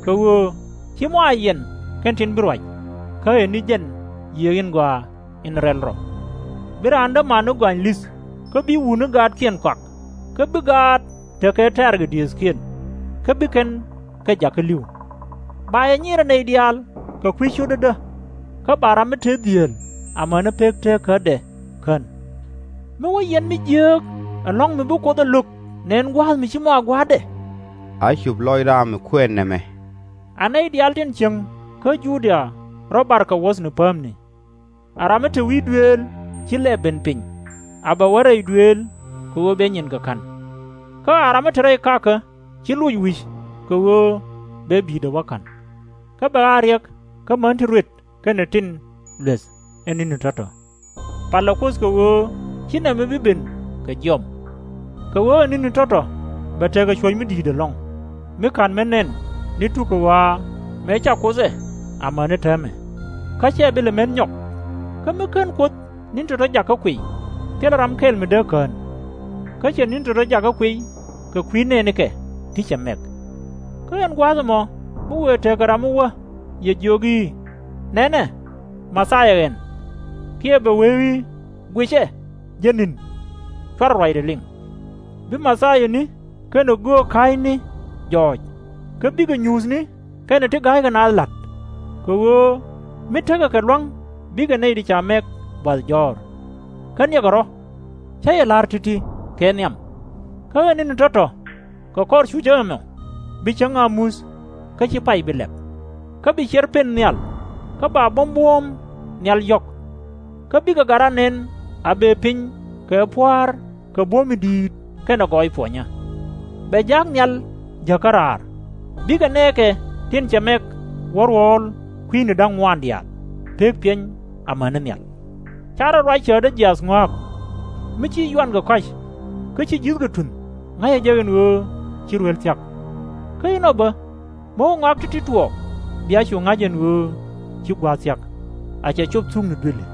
Kɛ ɣöö /ci mɔ a yiɛn kɛn tin bi ruac, kä ɛ ni jɛn yiëë in gɔaa in rɛl rɔ. Bi raan dämaani gɔany li̱th, kä bi wutni gaatkiɛn kɔak, kä bi gaat tekɛ tɛ̈rkɛ diëëthkiɛn, kä bi kɛn kɛ jakä li̱w. Ba yɛ nyirɛ nɛy diaal kɛ kui̱ cio̱tädä, kä ba ram mi te dhieel amäni pek teekädɛ kän. Mi wä yiɛn mi jiääk ɛlɔ̱ŋ mi bi Kuoth ɛ lo̱k nɛn gua̱a̱th mi /ci mɔ a gua̱a̱thdɛ. A cop lɔc ram mi kuɛɛn nɛmɛ. A nɛy diaal tin cieŋ kä Judia rɔ̱ bar kɛ wuɔ̱thni päämni. A ram mi te wi̱i̱ duëël /ci lɛp ben piny, a bɛ wä rɛy duëël kɛ ɣöö bɛ nyinkɛ ka̱n. Kä a ram mi te rɛy kakä /ci loc wi̱c kɛ ɣöö bɛ bi̱i̱dɛ wä ka̱n. Kä bɛ a riɛk kä män ti ruet kɛnɛ tin lueth ɛn ni̱ni tɔ̱tɔ̱. Palɛ Kuoth kɛ ɣöö /ci nɛmɛ bi ben kɛ jiɔam. Kɛ ɣöö ɛn ni̱ni tɔ̱tɔ̱ bɛ tekɛ cuɔ̱c mi di̱i̱t ɛlɔ̱ŋ, mi /ka̱n mi nɛn ni tukɛ ɣɔaa mëë ca Kuoth ɛ amäni täämɛ, kä /cɛ bi lɛ met nyɔk. Kä mi /ken Kuoth ni̱n tɔ̱tɔ̱ jakä kuiy, thilɛ ram kɛl mi dee kään. Kä cɛ ni̱n tɔ̱tɔ̱ jakä kuiy kɛ kui̱ nɛɛnikɛ ti cɛ mɛk. Kä ɛn gua̱a̱th ɛmɔ mi wëë tekɛ ram mi wä yɛ jiök i̱, Nɛnɛ, Mɛthia ɣɛn! Kiɛ bɛ wee i̱, Guicɛ, jɛ ni̱n! /Cuarɛ ruacdɛ liŋ. Bi mɛthiani kɛnɛ göök ka̱a̱cni jɔɔc, kä bikɛ nyuuthni kɛnɛ ti ga̱ykɛ naath la̱t. Kɛ ɣöö mi tekɛ kɛ lua̱ŋ bikɛ nɛy ti ca mɛk buath jɔ̱ɔ̱r. Kä niɛkɛ rɔ̱, /cä yɛ la̱r ti̱ti̱ kɛ nhiam. Kä ɛ ni̱ni tɔ̱tɔ̱, kɛ kɔr cucä ɛmɔ, bi cäŋ a muth kä /ci pay bi lɛp. Kä bi ciɛr pen nhial, kä ba buɔ̱m buɔ̱ɔ̱m nhial yɔ̱k. Kä bikɛ gat raan nɛn a bëë piny kɛ pua̱a̱r kɛ buɔ̱m mi di̱i̱t kɛnɛ gɔɔy puɔnyä. Bɛ ja̱a̱k nhial jäkä raar, bikɛ nɛɛkɛ tin cɛ mɛk wä ruɔ̱ɔ̱l kui̱ni da̱ŋ ŋuan diaal, pek piɛny amäni nhial. /Ca rɔ ruac cäätdä jiaath ŋɔ̱a̱k. Mi ci yuankɛ kɔ̱a̱c, kä ci ji̱thkɛ tunh, ŋa̱cɛ jɛ ɛn ɣöö ci ruël thia̱k. Kä inɔ bä, mi wä ŋɔak ti̱ti̱ tuɔɔk, bia cu ŋa̱c ɛn ɣöö ci gua̱a̱th thia̱k, a cɛ cop thukni duëli.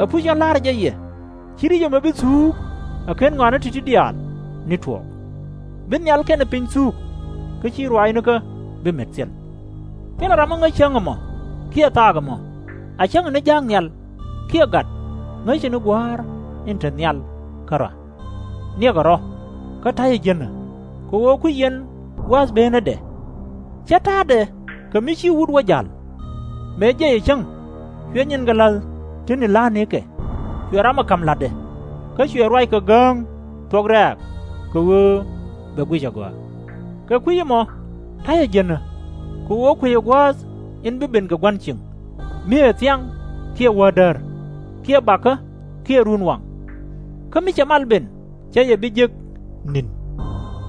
Ɛ puc ɛn la̱rä jɛ yɛ, ci ri̱c ɛmɛ bi thuuk ɛ /ken ŋɔaani ti̱ti̱ diaal ni tuɔɔk. Bi nhial kɛnɛ piny thuuk, kä /ci ruaacnikä bi met thil. Thilɛ ram mi ŋäc cäŋ ɛmɔ, kiɛ thaak ɛmɔ, a cäŋɛ ni ja̱a̱k nhial, kiɛ gat, ŋäcɛ ni Gua̱a̱r in te nhial kärɔa. Niɛkɛ rɔ̱, kä ta̱yɛ jiänä, kɛ ɣöö kui̱c yɛn gua̱a̱th bëënädɛ. /Cä ta̱a̱dɛ kɛ mi ci wut wä ja̱l. Mëë jiɛcɛ cäŋ, cuɛ nyinkɛ la̱th ti ni la̱a̱nikɛ, cuɛ ramɔ ka̱m la̱tdɛ, kä cuɛ ruac kɛ gääŋ thuɔ̱k rɛ̈ɛ̈k, kɛ ɣöö bɛ guic agɔaa. Kɛ kui̱ ɛmɔ ta̱yɛ jiänä, kɛ ɣöö kuecɛ gua̱a̱th in bi ben kɛ gua̱n cieŋ, mi ɛ thiaŋ, kiɛ wädäär, kiɛ bakä, kiɛ runwaŋ. Kä mi cɛ mal ben, /cä yɛ bi jek ni̱n.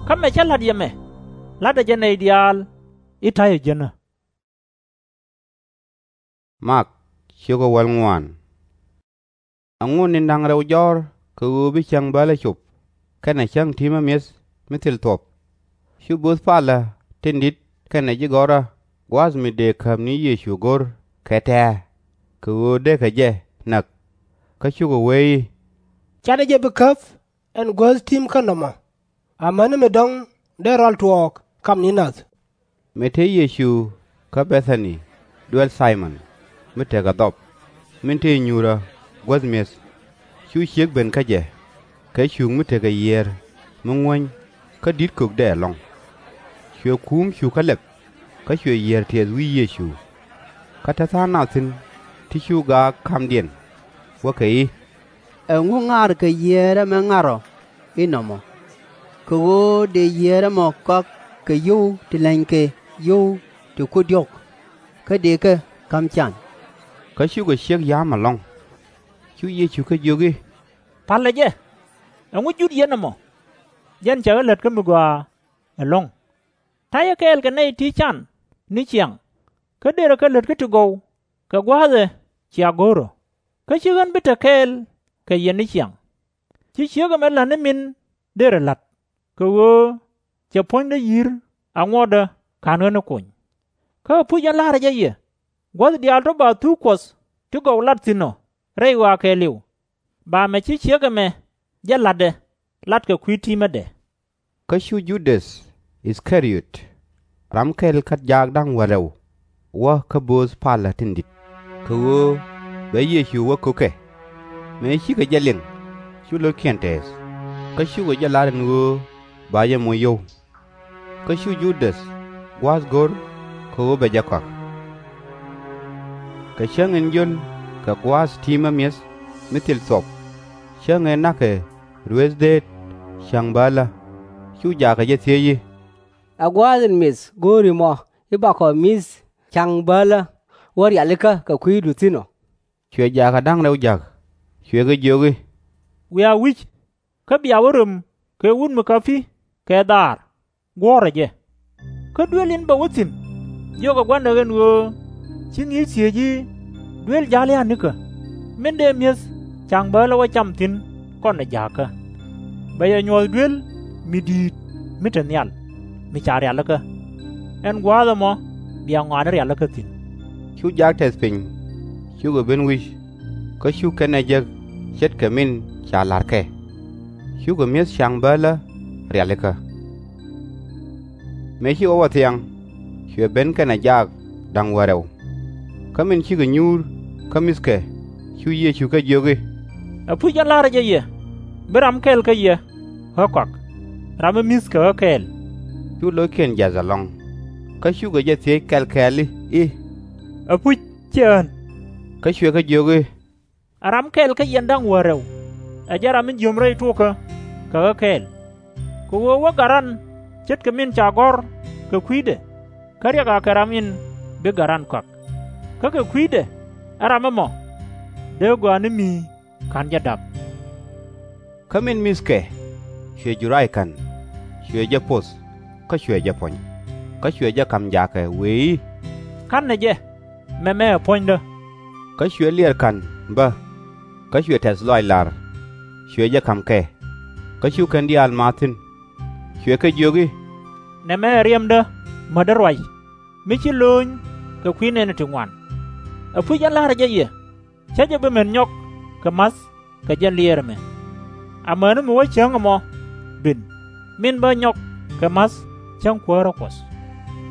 Kä mɛ cä la̱t yɛ mɛ, la̱tdɛ jɛ nɛy diaal i̱ ta̱yɛ jiänä. Mak, ciökä wäl ŋuan. Ɛŋu ni̱n da̱ŋ rɛw jɔ̱ɔ̱r kɛ ɣöö bi cäŋ bälä cop, kɛnɛ cäŋ ti̱mä mi̱eth mi thil thuɔ̱p? Cu bo̱o̱th palä tin di̱t kɛnɛ ji̱ gɔ̱rä gua̱a̱th mi dëë käp ni Yecu go̱r kɛ tɛ̱̈ɛ̱̈, kɛ ɣöö dëëkɛ jɛ näk. Kä cukɛ wee i̱, Canɛ jɛ bi käp ɛn guäth ti̱mkän nɔmɔ, amäni mi dɔ̱ŋ dee rɔal tuɔɔk kam ni nath. Mëë te Yecu kä Bɛ-tha-ni, duel Thay-mɔn, mi tekɛ dhɔp, min te nyuurä guäth mi̱eth, cu ciek ben kä jɛ, kɛ cuŋ mi tekɛ yiëër mi ŋuäny kä di̱t kökdɛ ɛlɔ̱ŋ. Cuɛ kuum cukä lɛp, kä cuɛ yiër tiɛth wi̱i̱ Yecu. Kä te tha̱a̱ŋ nath thi̱n ti cu gaak kamdiɛn, wäkɛ i̱, Ɛŋu ŋa̱rkɛ yiëër ɛmɛ ŋa̱r ɔ inɔmɔ? Kɛ ɣöö dëë yiëër ɛmɔ kɔak kɛ yio̱w ti lɛnykɛ yio̱w ti kui̱ diɔ̱k, kä dëëkɛ ka̱m can. Kä cukɛ ciek ya̱a̱m ɛlɔ̱ŋ. Cu Yecu kɛ jiök i̱, Palɛ jɛ. Ɛŋu jut yɛn ɛmɔ? Jɛn cɛ ɣä lät kä mi gɔaa ɛlɔ̱ŋ. Ta̱yɛ kɛɛl kɛ nɛy ti can ni ciaŋ, kä dërɛ kɛ lät kä ti gɔw kɛ gua̱a̱th ɛ cia go̱o̱r ɔ. Kä /ci ɣän bi te kɛɛl kɛ yɛn ni ciaŋ. Ci ciek ɛmɛ la̱t ni min dërɛ la̱t, kɛ ɣöö cɛ puɔ̱nydä yi̱r aŋuɔ̱tdä /ka̱n ɣä ni kony. Kä ɛpuc, ɣän la̱rä jɛ yɛ, gua̱th diaal tɔ̱ ba thuk Kuɔth ti gɔw lat thi̱n ɔ rɛy ɣɔaa kɛɛliw, ba mɛ ci ciek ɛmɛ jɛ la̱tdɛ lat kɛ kui̱ ti̱mädɛ. Kä cu Judäth Ith-ka-riöt, ram kɛl kä jaak da̱ŋ wäl rɛw, wä kä bööth palä tin di̱t, kɛ ɣöö bɛ Yecu wä ko̱kɛ. Mëë cikɛ jɛ liŋ, cu lo̱ckiɛn tɛɛth, kä cukɛ jɛ la̱r ɛn ɣöö ba jɛ moc yio̱w. Kä cu Judäth gua̱a̱th go̱r kɛ ɣöö bɛ jɛ kɔak. Kɛ cäŋ in jöl kɛ gua̱a̱th ti̱i̱mä mi̱eth mi thil thuɔp, cäŋ ëë na̱kɛ ruëëth dheet cäŋ bäälä, cu jaak kɛ jɛ thiec i̱, Ɛ gua̱a̱th in mi̱th go̱o̱ri mɔ i̱ bakɔ mi̱th cäŋ bäälä wä rialikä kɛ kui̱du thi̱n ɔ? Cuɛ jaak ɛ da̱ŋ rɛw ja̱k, cuɛ kɛ jiök i̱, Wiaa wi̱c, kä bia wä röm kɛ wut mi käpi kɛ dhaar, guɔ̱ɔ̱rɛ jɛ. Kä duel in bɛ wä thi̱n, jiökɛ gua̱ndɛ ɛn ɣöö ci ŋi̱i̱c thiec i̱, Duel ja̱l ya̱a̱ nikä, min dëë mi̱eth cäŋ bäälä wä cam thi̱n kɔnɛ ja̱a̱kä. Bɛ yɛ nyuɔ̱th duel mi di̱i̱t mi te nhial, mi ca rialikä. Ɛn gua̱a̱th ɛmɔ bia ŋɔaani rialikä thi̱n. Cu jaak tɛth piny, cukɛ ben wi̱c, kä cu kɛn ɛ jek ce̱tkɛ min ca la̱r kɛ. Cukɛ mi̱eth cäŋ bäälä rialikä. Mëë cikɛ wä thiaŋ, cuɛ ben kɛnɛ jaak da̱ŋ wäl rɛw. Kä min cikɛ nyuur kä mi̱thkɛ, cu Yecu kɛ jiök i̱, Ɛpuc, ɣän la̱rä jɛ yɛ, bi ram kɛl kä yɛ ɣä kɔak, ram mi mi̱th kɛ ɣä kɛɛl. Cu lo̱ckiɛn jiath ɛlɔ̱ŋ, kä cukɛ jɛ thiec kɛl kɛɛl i̱, Ɛpuc, ciɛ ɣän? Kä cuɛ kɛ jiök i̱, Ɛ ram kɛl kä yɛn da̱ŋ wäl rɛw, ɛ jɛn ram in jiöm rɛy tuɔkä kɛ ɣä kɛɛl. Kɛ ɣöö wä gat ran ce̱tkɛ min ca gɔ̱r kɛ kui̱dɛ, kä riɛk akɛ ram in bi gat ran kɔak. Kä kɛ kui̱dɛ ɛ ram ɛmɔ dee gɔaa ni mi /ka̱n jɛ dap. Kä min mi̱thkɛ, cuɛ jur rac ka̱n, cuɛ jɛ poth, kä cuɛ jɛ puɔ̱ny, kä cuɛ jɛ ka̱m jaakɛ, wëë i̱, Ka̱nɛ jɛ, mɛmɛ ɛ puɔ̱nydä. Kä cuɛ liɛɛr ka̱n bä, kä cuɛ tɛ̈th lɔaac la̱r, cuɛ jɛ ka̱m kɛ. Kä cu kɛn diaal maath thi̱n, cuɛ kɛ jiök i̱, Nɛmɛ ɛ riɛmdä mätdä ruac, mi ci lööny kɛ kui̱ nɛɛni ti ŋuan. Ɛpuc, ɣän la̱rä jɛ yɛ, /cä jɛ bi män nyɔk kɛ ma̱th kɛ jɛn liɛɛr ɛmɛ. Amäni mi wä cäŋ ɛmɔ ben, min bä nyɔk kɛ ma̱th cäŋ Kuäärä Kuɔth.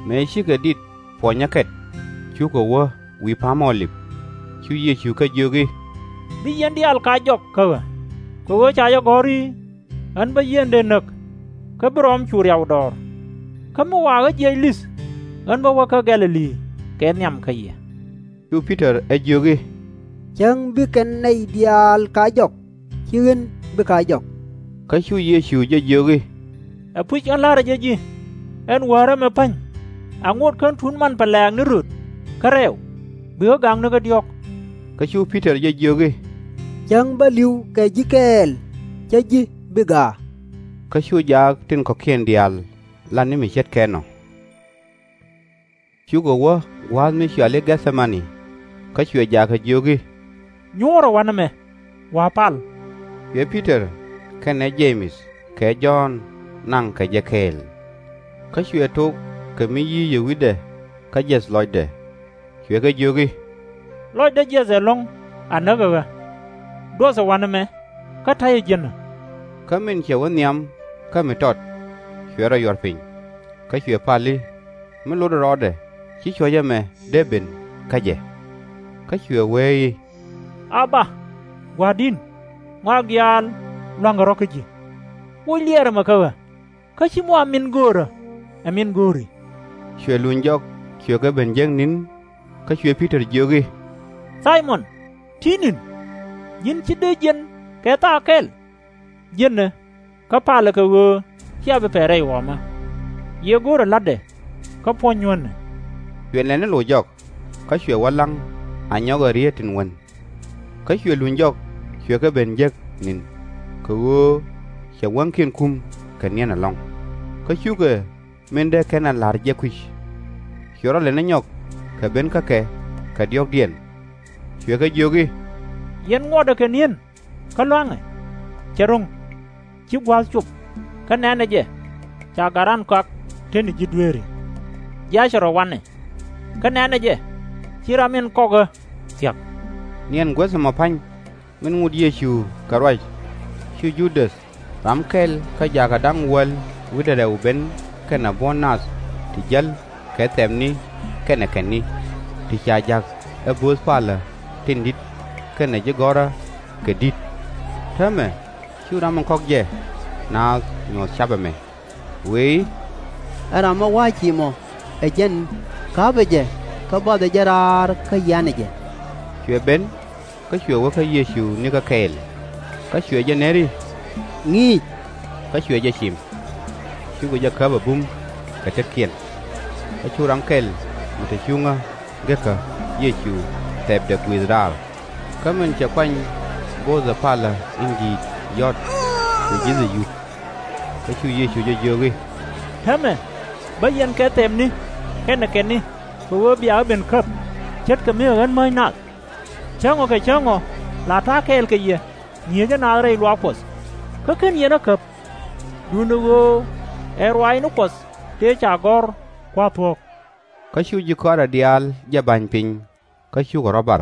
Mëë cikɛ dit puɔnyä kɛt, cukɛ wä wi̱i̱ pa̱a̱m Ɔ-lip. Cu Yecu kɛ jiök i̱, Bi yɛn diaal kɛ jɔk kä ɣä, kɛ ɣöö ca jɛ gɔ̱r i̱, Ɣän bä yieen dee näk, kä bi rɔɔm cu riaw dɔɔr. Kä mi wa ɣä jiɛc li̱th, ɣän bä wä kä Gɛ̈-lɛ-li kɛ nhiam kä yɛ. Cu Pi-tɔr ɛ jiök i̱, Cäŋ bi kɛn nɛy diaal kɛ jɔk, /ci ɣän bi kɛ jɔk. Kä cu Yecu jɛ jiök i̱, Ɛpuc, ɣän la̱rä jɛ ji̱, ɛn Wäärä mi pa̱ny, aŋot /kän tuut manpɛ lɛ̈ɛ̈k ni röt kä rɛɛw, bi ɣä gaŋ nikä diɔ̱k. Kä cu Pi-tɔr jɛ jiök i̱, Cäŋ bä li̱w kɛ ji̱ kɛɛl, /cä ji̱ bi gaak. Kä cu jaak tin kɔ̱kiɛn diaal lat ni mi ce̱tkɛ nɔ. Cukɛ wä gua̱a̱th mi cɔal i̱ Gɛ̈th-cɛ-ma-ni, kä cuɛ jaak kɛ jiök i̱, Nyuɔ̱ɔ̱rä wanɛ mɛ, wa̱a̱ pal. Cuɛ Pi-tɔr kɛnɛ Je-mɛth kɛ Jɔ̱ɔ̱n naŋ kɛ jɛ kɛɛl. Kä cuɛ tok kɛ mi yi̱i̱cɛ wi̱cdɛ kä jiɛth lɔcdɛ, cuɛ kɛ jiök i̱, Lɔcdä jiɛth ɛlɔ̱ŋ a näk ɛ ɣä. Duɔthɛ wanɛ mɛ, kä ta̱yɛ jiänä. Kä min cɛ wä nhiam kä mi tɔt, cuɛ rɔ yuɔr piny, kä cuɛ pal i̱, Mi lotdɛ rɔɔdɛ, /ci cuɔ̱c ɛmɛ dee ben kä jɛ. Kä cuɛ wee i̱, Ab-ba, Gua̱a̱r di̱i̱n, ŋɔak diaal lua̱ŋkɛ rɔ̱ kä ji̱. Woc liɛɛr ɛmɛ kä ɣä, kä /ci mi wa min göörä ɛ min go̱o̱ri. Cuɛ luny jɔk, cuɛ kɛ ben jiäk ni̱n, kä cuɛ Pi-tɔr jiök i̱, Thay-mɔn, ti̱i̱ ni̱n, ji̱n /ci dee jiɛn kɛ thaak kɛl? Jiänɛ, kä palɛ kɛ ɣöö /cia bi pɛl rɛy ɣɔmä. Yɛ go̱o̱rɛ la̱tdɛ, kä puɔ̱ny nyuäänɛ. Cuɛ nɛn ni loc jɔk, kä cuɛ wä la̱ŋ a nyɔkɛ rieet tin wän. Kä cuɛ luny jɔk, cuɛ kɛ ben jek ni̱n, kɛ ɣöö cɛ wäŋkiɛn kum kɛ niɛn ɛlɔ̱ŋ. Kä cukɛ min dee kɛn a la̱r jɛ kui̱c. Cuɛ rɔ lɛn ɛ nyɔk kɛ ben kä kɛ kɛ diɔ̱ɔ̱kdiɛn, cuɛ kɛ jiök i̱, Yɛn ŋuɔtdɛ kɛ ni̱en kä lua̱ŋɛ. Cɛ ro̱ŋ, ci gua̱a̱th cop, kä nɛ̈nɛ jɛ, ca gat raan kɔak tetni ji̱ dueeri. Jiaacɛ rɔ wanɛ, kä nɛ̈nɛ jɛ, ci ram in kɔk ɣä thia̱k. Niɛn guäth ɛmɔ pa̱ny min ŋot Yecu kɛ ruac, cu Ju-däth, ram kɛl kä jakä da̱ŋ wäl wi̱cdɛ rɛw, ben kɛnɛ buɔ̱n nath ti jäl kɛ thɛpni kɛnɛ kɛnni, ti ca ja̱k ɛ bo̱o̱th palä tin di̱t kɛnɛ ji̱ gɔ̱rä kɛ di̱t. Täämɛ cu ram in kɔk jɛ naath nyuɔ̱th ca̱p ɛmɛ, wëë i̱, Ɛ ram mi wa̱a̱ ci mɔ, ɛ jɛn. Ka̱pɛ jɛ, kä bathɛ jɛ raar kä yianɛ jɛ. Cuɛ ben, kä cuɛ wä kä Yecu nikä kɛɛl, kä cuɛ jɛ ner i̱, Ŋi̱i̱c! Kä cuɛ jɛ cim. Cukɛ jɛ käp a bum kɛ tetkiɛn. Kä cu ram kɛl mi te cuŋä gekä Yecu thɛpdɛ gui̱th raar. Kä min cɛ kuany bo̱o̱thɛ palä in di̱i̱t yɔ̱t, cuɛ ji̱thɛ yup. Kä cu Yecu jɛ jiök i̱, Täämɛ bä yɛn kɛ thɛpni kɛnɛ kɛnni, kɛ ɣöö bia ɣä ben käp, ce̱tkɛ mi ɛ ɣän mäc nath. Cäŋ ɔ kɛ cäŋ ɔ la ta̱a̱ kɛɛl kɛ yɛ ŋi̱eecä naath rɛy luaak Kuɔth, kä /ken yɛn ɣä käp. Duundɛ ɣöö ɛ ruaacni Kuɔth tëë ca gɔ̱r kua̱r thuɔ̱k. Kä cu ji̱ kɔaarɛ diaal jɛ ba̱ny piny, kä cukɛ rɔ̱ bar.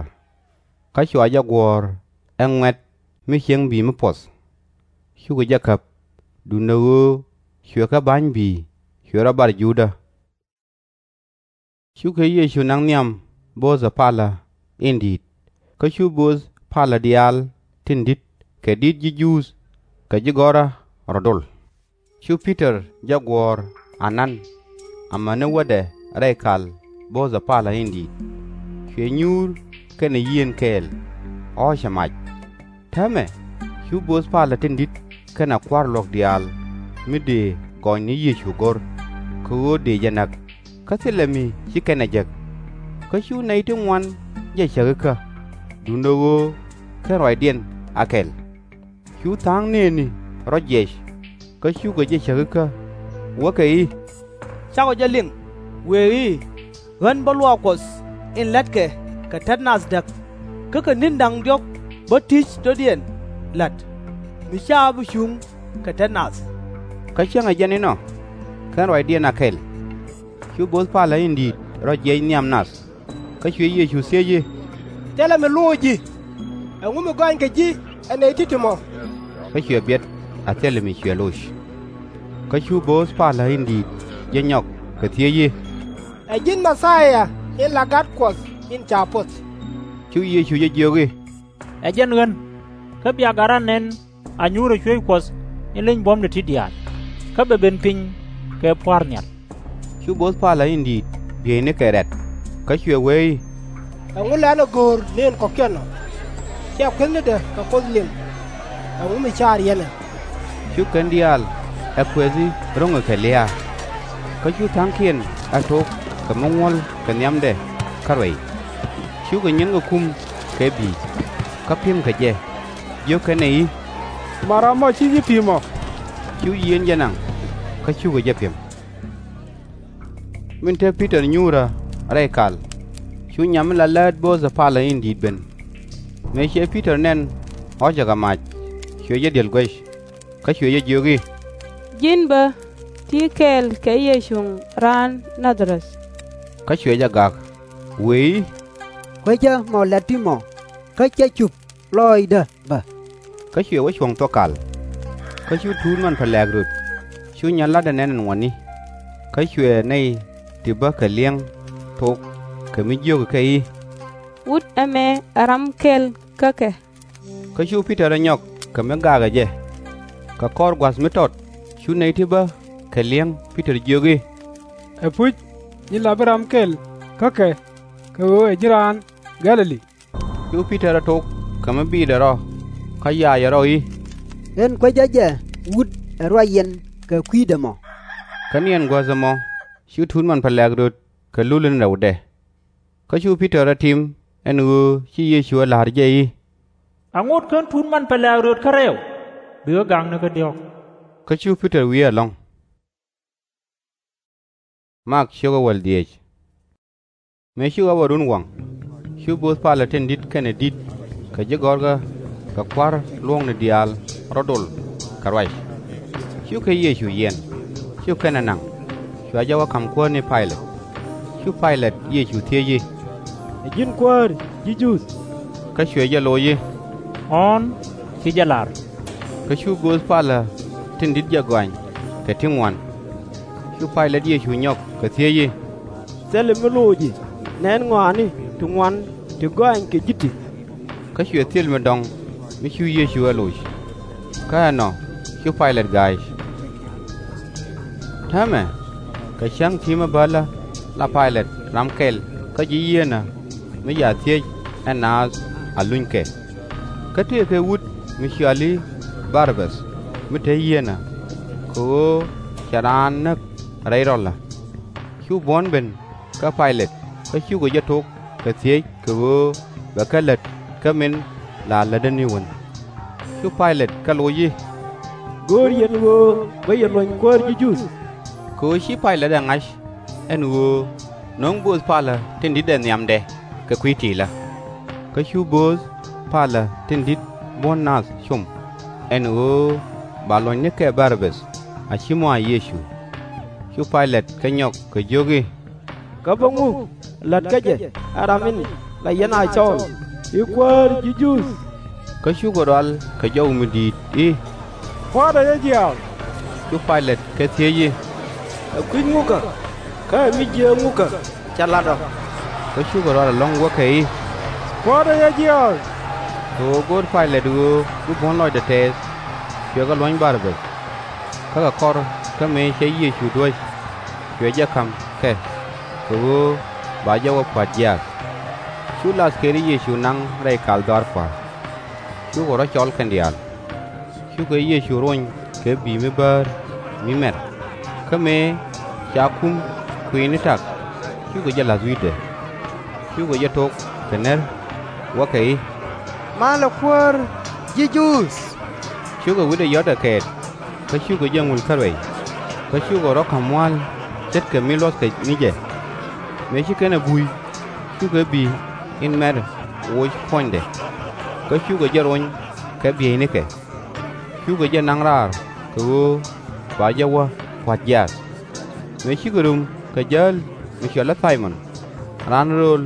Kä cua jɛ guɔ̱ɔ̱r ɛ ŋuɛ̈t mi cieŋ bi̱i̱ mi puɔth. Cukɛ jɛ käp, duundɛ ɣöö cuɛ kɛ ba̱ny bi̱i̱ cuɛ rɔ̱ bar Juudä. Cukɛ Yecu naŋ nhiam bo̱o̱thɛ palä in di̱i̱t. Kä cu bo̱o̱th palä diaal tin di̱t kɛ di̱t ji̱ Juudh kɛ ji̱ gɔ̱rä rɔ dol. Cu Pi-tɔr jɛ guɔ̱ɔ̱r anan, amäni wädɛ rɛy kal bo̱o̱thɛ palä in di̱i̱t, cuɛ nyuur kɛnɛ yieen kɛɛl, ɣɔ̱ɔ̱cɛ mac. Täämɛ cu bo̱o̱th palä tin di̱t kɛnɛ kua̱r luɔ̱k diaal mi dëë gɔny ni Yecu go̱r, kɛ ɣöö dëë jɛ näk, kä thilɛ mi ci kɛn ɛ jek. Kä cu nɛy ti ŋuan jɛ cäk ikä, duundɛ ɣöö /ken ruacdiɛn a kɛl. Cu tha̱a̱ŋ nëëni rɔ jiɛc, kä cukɛ jɛ cäk ikä, wäkɛ i̱, Cakɔ jɛ liŋ, wëë i̱, Ɣän bä luaak Kuɔth in la̱tkɛ kɛ tet nath däk, kä kɛ ni̱n da̱ŋ diɔ̱k bä ti̱c dɔ̱diɛn la̱t, mi /ca bi cuŋ kɛ tet nath. Kä cäŋɛ jɛn inɔ, /ken ruacdiɛn a kɛl. Cu bo̱o̱th palä in di̱i̱t rɔ jiɛc nhiam nath. Kä cuɛ Yecu thiec i̱, Thilɛ mi loc ji̱? Ɛŋu mi gɔanykɛ ji̱ ɛ nɛy ti̱ti̱ mɔ? Kä cuɛ biɛt a thilɛ mi cuɛ loc. Kä cu bo̱o̱th palä in di̱i̱t jɛ nyɔk kɛ thiec i̱, Ɛ ji̱n Mɛ-thia in la Gat Kuɔth in ca poth? Cu Yecu jɛ jiök i̱, Ɛ jɛn ɣän, kä bia gat ran nɛn a nyuurɛ cuëëc Kuɔth in leny buɔ̱mdɛ ti diaal, kä bɛ ben piny kɛ pua̱a̱r nhial. Cu bo̱o̱th palä in di̱i̱t bieynikɛ rɛ̈t, kä cuɛ wee i̱, Ɛŋu lɛ ɣän ɛ go̱o̱r ni ɛn kɔ̱kiɛn ɔ? /Cia kuethnidɛ kɛ Kuoth liŋ? Ɛŋu mi caar yɛn ɛ? Cu kɛn diaal ɛ kuɛthi ro̱ŋɛ kɛ lia̱a̱. Kä cu tha̱a̱ŋkiɛn ɛ tok kɛ mi ŋuɔ̱l kɛ nhiamdɛ käruɛy. Cukɛ nyinkɛ kum kɛ bi̱i̱, kä pi̱mkɛ jɛ, jiökɛ nɛ i̱, Ma ram ɔ ci ji̱ pi̱i̱m ɔ? Cu yieen jɛ naŋ, kä cukɛ jɛ pi̱m. Min te Pi-tɔr nyuurä rɛy kal, cu nyam mi la läät bo̱o̱thɛ palä in di̱i̱t ben. Mëë cɛ Pi-tɔr nɛn ɣɔ̱cɛ kɛ mac, cuɛ jɛ di̱el guäc, kä cuɛ jɛ jiök i̱, Ji̱n bä ti̱i̱ kɛɛl kɛ Yecu raan Na-dha-rɛth. Kä cuɛ jɛ gak, wëë i̱, Kuecä mɔ la̱t ti mɔ, kä /cɛ cup lɔɔcdä bä. Kä cuɛ wä cuɔ̱ŋ thuɔ̱k kal. Kä cu tuut man pälɛ̈k röt, cu nyan la̱tdɛ nɛn ɛn ŋuɔ̱tni. Kä cuɛ nɛy ti bä kɛ li̱eŋ thok kɛ mi jiökɛ kɛ i̱, Wut ɛmɛ ɛ ram kɛl kä kɛ. Kä cu Pi-tɔr ɛ nyɔk kɛ mi gakɛ jɛ. Kɛ kɔr gua̱th mi tɔt cu nɛy ti bä kɛ li̱eŋ Pi-tɔr jiök i̱, Ɛpuc, nyin la bi ram kɛl kä kɛ, kɛ ɣöö ɛ ji̱n raan Gɛ̈-lɛ-li. Cu Pi-tɔr ɛ tok kɛ mi biitdɛ rɔ, kä yaacɛ rɔ i̱, Ɣän kuecä jɛ wut ɛ ruac yɛn kɛ kui̱dɛ mɔ. Kä niɛn guäth ɛmɔ cu tuut man pälɛ̈k röt kɛ lul in rɛwdɛ. Kä cu Pi-tɔr ɛ tim ɛn ɣöö ci Yecu ɛ la̱r jɛ i̱, Aŋot kän tuut man pɛlɛ̈ɛ̈k rööt kärɛw, bi ɣä gaŋ ni kä diɔ̱k. Kä cu Pi-tɔr wiee ɛlɔ̱ŋ. Mak ciökä wäl dhieec. Mëë cukɛ wä run waŋ, cu bööth palä tin di̱t kɛnɛ di̱t kɛ ji̱ gɔ̱rkä kɛ kua̱r luɔ̱ŋni diaal rɔ dol kɛ ruac. Cukɛ Yecu yiɛn, cu kɛnɛ naŋ, cua jɛ wä ka̱m kuäär ni Pay-lɛt. Cu Pay-lɛt Yecu thiec i̱, Ɛ ji̱n kuäär ji̱ Juudh? Kä cuɛ jɛ loc i̱, Ɣɔ̱ɔ̱n ci jɛ la̱r. Kä cu bööth palä tin di̱t jɛ gɔany kɛ ti ŋuan. Cu Pay-lɛt Yecu nyɔk kɛ thiec i̱, Thilɛ mi loci nɛn ŋɔaani ti ŋuan ti gɔany kɛ ji̱ ti? Kä cuɛ thil mi dɔŋ mi cu Yecu ɛ loc. Kä ɛnɔ cu Pay-lɛt ga̱a̱c. Täämɛ kɛ cäŋ ti̱i̱ mi bälä la Pay-lɛt ram kɛl kä ji̱ yieenä mi ca thiec ɛ naath a luny kɛ. Kä tëëkɛ wut mi cɔal i̱ Bar-bäth mi te yieenä, kɛ ɣöö cɛ raan näk rɛy rɔlä. Cu buɔ̱n ben kä Pay-lɛt kä cukɛ jɛ tok kɛ thiec kɛ ɣöö bɛ kɛ lät kä min la lätdä ni wän. Cu Pay-lɛt kɛ loc i̱, Göör yɛn ɣöö bä yɛ luɔ̱ny kuäär ji̱ Juudh? Kɛ ɣöö ci Pay-lɛt ɛ ŋa̱c ɛn ɣöö nöŋ bööth palä tin di̱t ɛ nhiamdɛ kɛ kui̱ ti̱i̱lä. Kä cu bööth palä tin di̱t buɔ̱n nath com ɛn ɣöö ba luɔ̱ny nikɛ Bar-bäth a /ci mɔ a Yecu. Cu Pay-lɛt kɛ nyɔk kɛ jiök i̱, Kä bä ŋu la̱t kä jɛ ɛ ram in la yɛn a cɔɔl i̱ Kuäär ji̱ Juudh? Kä cukɛ rual kɛ jɔw mi di̱i̱t i̱, Puɔ̱tdä jɛ jiaath! Cu Pay-lɛt kɛ thiec i̱, Ɛ kui̱c ŋukä kä ɛ mi jiääk ŋukä cɛ la̱t ɔ? Kä cukɛ rual ɛlɔ̱ŋ wäkɛ i̱, Puɔ̱tdä jɛ jiaath! Kɛ ɣöö go̱o̱r Pay-lɛt ɣöö bi buɔ̱n lɔcdɛ tɛɛth, cuɛ kɛ luɔ̱ny Bar-bäth. Kä kɛ kɔr kä mëë cɛ Yecu duäc, cuɛ jɛ ka̱m kɛ, kɛ ɣöö ba jɛ wä pua̱t jiaath. Cu lathkëëri Yecu naŋ rɛy kal dhɔaar pua̱a̱r. Cukɛ rɔ̱ cɔl kɛn diaal. Cukɛ Yecu rony kɛ bi̱i̱ mi bäär mi mɛr. Kä mëë ca kum kui̱ni tak, cukɛ jɛ la̱th wi̱cdɛ. Cukɛ jɛ tok kɛ ner wäkɛ i̱, Malɛ Kuäär ji̱ Juudh! Cukɛ wi̱cdɛ yɔ̱t ɛ kɛɛt, kä cukɛ jɛ ŋul kä ruɛy. Kä cukɛ rɔ̱ ka̱m mua̱l ce̱tkɛ mi luɔ̱thkɛ ni jɛ. Mëë ci kɛn ɛ buy, cukɛ bi̱i̱ in mɛr woc puɔ̱nydɛ. Kä cukɛ jɛ rony kɛ bieynikɛ. Cukɛ jɛ naŋ raar kɛ ɣöö ba jɛ wä pua̱t jiaath. Mëë cikɛ rum kɛ jäl mi cɔal i̱ Thay-mɔn, raan rööl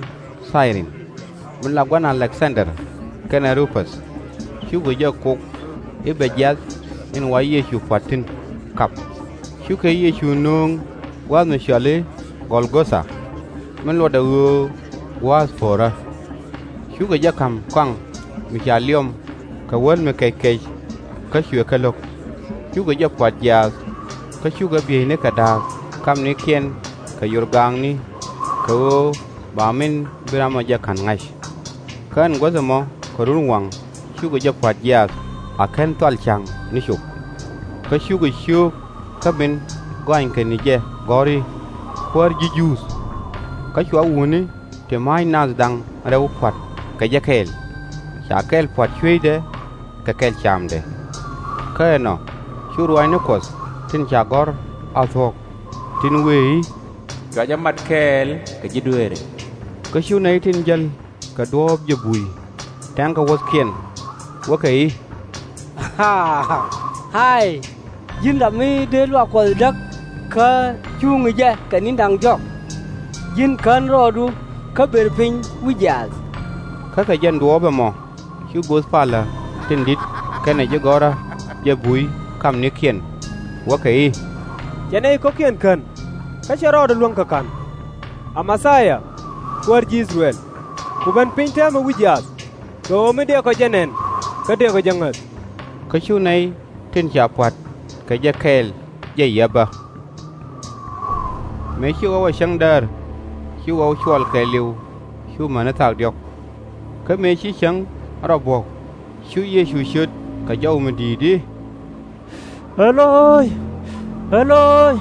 Thay-rin, mi la gua̱n Alɛk-dhan-der kɛnɛ Ru-päth, cukɛ jɛ kok i̱ bɛ jiath in wa Yecu pua̱t thi̱n kap. Cukɛ Yecu nööŋ gua̱a̱th mi cɔal i̱ Gɔl-gɔ-tha, mi luɔtdɛ ɣöö Gua̱a̱th Po̱rä. Cukɛ jɛ ka̱m kɔaŋ mi ca liɔm kɛ wäl mi kɛckɛc, kä cuɛ kɛ lo̱k. Cukɛ jɛ pua̱t jiaath, kä cukɛ bieynikɛ da̱a̱k kamnikiɛn kɛ yorgaakni, kɛ ɣöö ba min bi ram ɔ jɛ ka̱n ŋa̱c. Kä ɛn guäth ɛmɔ kɛ run waŋ cukɛ jɛ pua̱t jiaath a /ken thual ca̱ŋ ni cop. Kä cukɛ ciöök kä min gɔanykɛ ni jɛ gɔ̱r i̱, Kuäär ji̱ Juudh! Kä cua wutni ti ma̱a̱c nath da̱ŋ rɛw pua̱t kɛ jɛ kɛɛl, ca kɛl pua̱t cuecdɛ kɛ kɛl camdɛ. Kä ɛnɔ cu ruaacni Kuɔth tin ca gɔ̱r a thuɔ̱k, tin wëë i̱, Cua jɛ mat kɛɛl kɛ ji̱ dueeri. Kä cu nɛy tin jäl kɛ duɔ̱ɔ̱p jɛ bui tɛ̈ŋ kɛ wuɔ̱thkiɛn, wäkɛ i̱, A̱a̱y, ji̱n ram mi dee luaak Kuɔth däk kä cuŋ jɛ kɛ ni̱n da̱ŋ jɔk! Ji̱n kän rɔɔdu kä bëër piny wi̱c jiaath! Kä kɛ jɛn duɔ̱ɔ̱p ɛmɔ cu bööth palä tin di̱t kɛnɛ ji̱ gɔ̱rä jɛ bui kamnikiɛn, wäkɛ i̱, Cɛ nɛy kɔ̱kiɛn kän, kä cɛ rɔɔdɛ luäŋ kɛ ka̱n. A Mɛ-thia, Kuäär ji̱ I-thɛ-rɛl, ku ben piny täämɛ wi̱c jiaath, kɛ ɣöö mi dëëkɔ jɛ nɛn kä dëëkɔ jɛ ŋäth. Kä cu nɛy tin ca pua̱t kɛ jɛ kɛɛl jɛ yɛp bä. Mëë ci ɣɔw ɛ cäŋ däär, ci ɣɔw cuɔl kɛɛliw, cu mäni thaak diɔ̱k. Kä mëë ci cäŋ rɔ buɔ̱k, cu Yecu cöt kɛ jɔw mi di̱i̱t i̱, Ɛ-loy, Ɛ-loy,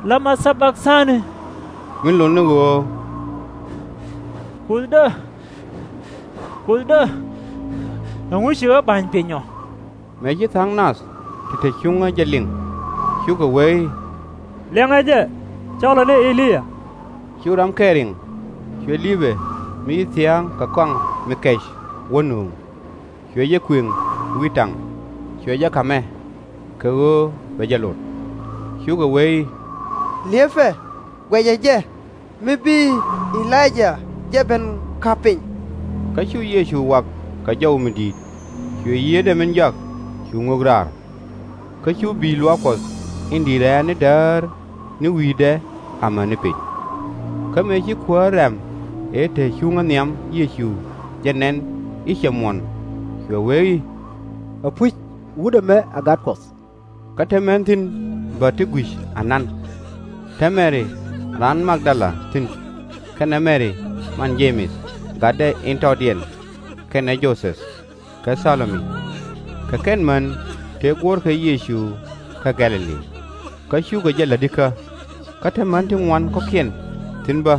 lama tha-bak-dhani? Mi lot ni ɣöö, Kuothdä, Kuothdä, Ɛŋu ci ɣä ba̱ny piny ɔ? Mëë ci tha̱a̱ŋ nath ti te cuŋä jɛ liŋ, cukɛ wee i̱, Liɛŋɛ jɛ, cɔlɛ ni E-li-yaa. Cu ram kɛl riŋ, cuɛ li̱pɛ mi ci thia̱a̱ŋ kɛ kɔaŋ mi kɛc wä nööŋ, cuɛ jɛ kuëŋ wi̱i̱ taŋ, cuɛ jɛ ka̱mɛ, kɛ ɣöö bɛ jɛ lot. Cukɛ wee i̱, Li̱epɛ, guɛcɛ jɛ, mi bi E-li-yaa jɛ ben ka̱p piny. Kä cu Yecu wak kɛ jɔw mi di̱i̱t, cuɛ yieetdɛ min jɔak cu ŋök raar. Kä cu bi̱i̱ luaak Kuɔth in di̱i̱t rɛ̈ɛ̈r ni däär ni wi̱i̱dɛ amäni piny. Kä mëë ci kuäär rɛ̈m ëë te cuŋä nhiam Yecu jɛ nɛn i̱ cɛ muɔ̱n, cuɛ wee i̱, Apuc, Wut ɛmɛ ɛ Gat Kuɔth. Kä te män thi̱n bä ti gui̱c anan. Te Mɛri raan Mag-dala thi̱n, kɛnɛ Mɛri man Je-mɛth gatdɛ in tɔɔdiɛn, kɛnɛ Jo-thɛth, kɛ Tha-lo-mi. Kɛ kɛn män tëë guɔ̱ɔ̱rkɛ Yecu kä Gɛ̈-lɛ-li, kä cukɛ jɛ la̱t ikä. Kä te män ti ŋuan kɔ̱kiɛn thi̱n bä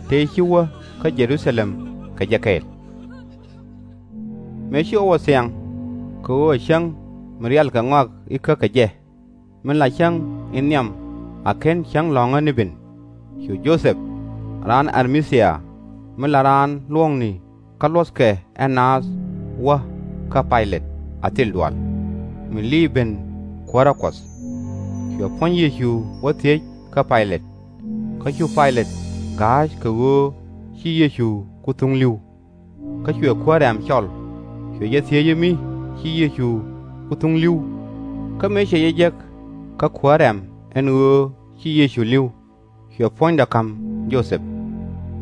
tëë ci wä kä Jɛ-ru-tha-lɛm kɛ jɛ kɛɛl. Mëë ci ɣɔw ɛ thiaŋ, kɛ ɣöö ɛ cäŋ mi rial kɛ ŋɔak ikä kɛ jɛ, min la cäŋ in nhiam a /ken cäŋ lɔ̱ŋä ni ben, cu Jo-thɛp, raan Ar-ma-thia, mi la raan luɔ̱ɔ̱kni kä luɔ̱thkɛ ɛ naath, wä kä Pay-lɛt a thil dual, mi liiy ben Kuäärä Kuɔth. Cuɛ puɔ̱ny Yecu wä thiec kä Pay-lɛt. Kä cu Pay-lɛt ga̱a̱c kɛ ɣöö ci Yecu ku thuŋ li̱w. Kä cuɛ kuäär rɛ̈m cɔl, cuɛ jɛ thiec i̱ mi ci Yecu ku thuŋ li̱w. Kä mëë cɛ jɛ jek kä kuäär rɛ̈m ɛn ɣöö ci Yecu li̱w, cuɛ puɔ̱nydɛ ka̱m Jo-thɛp.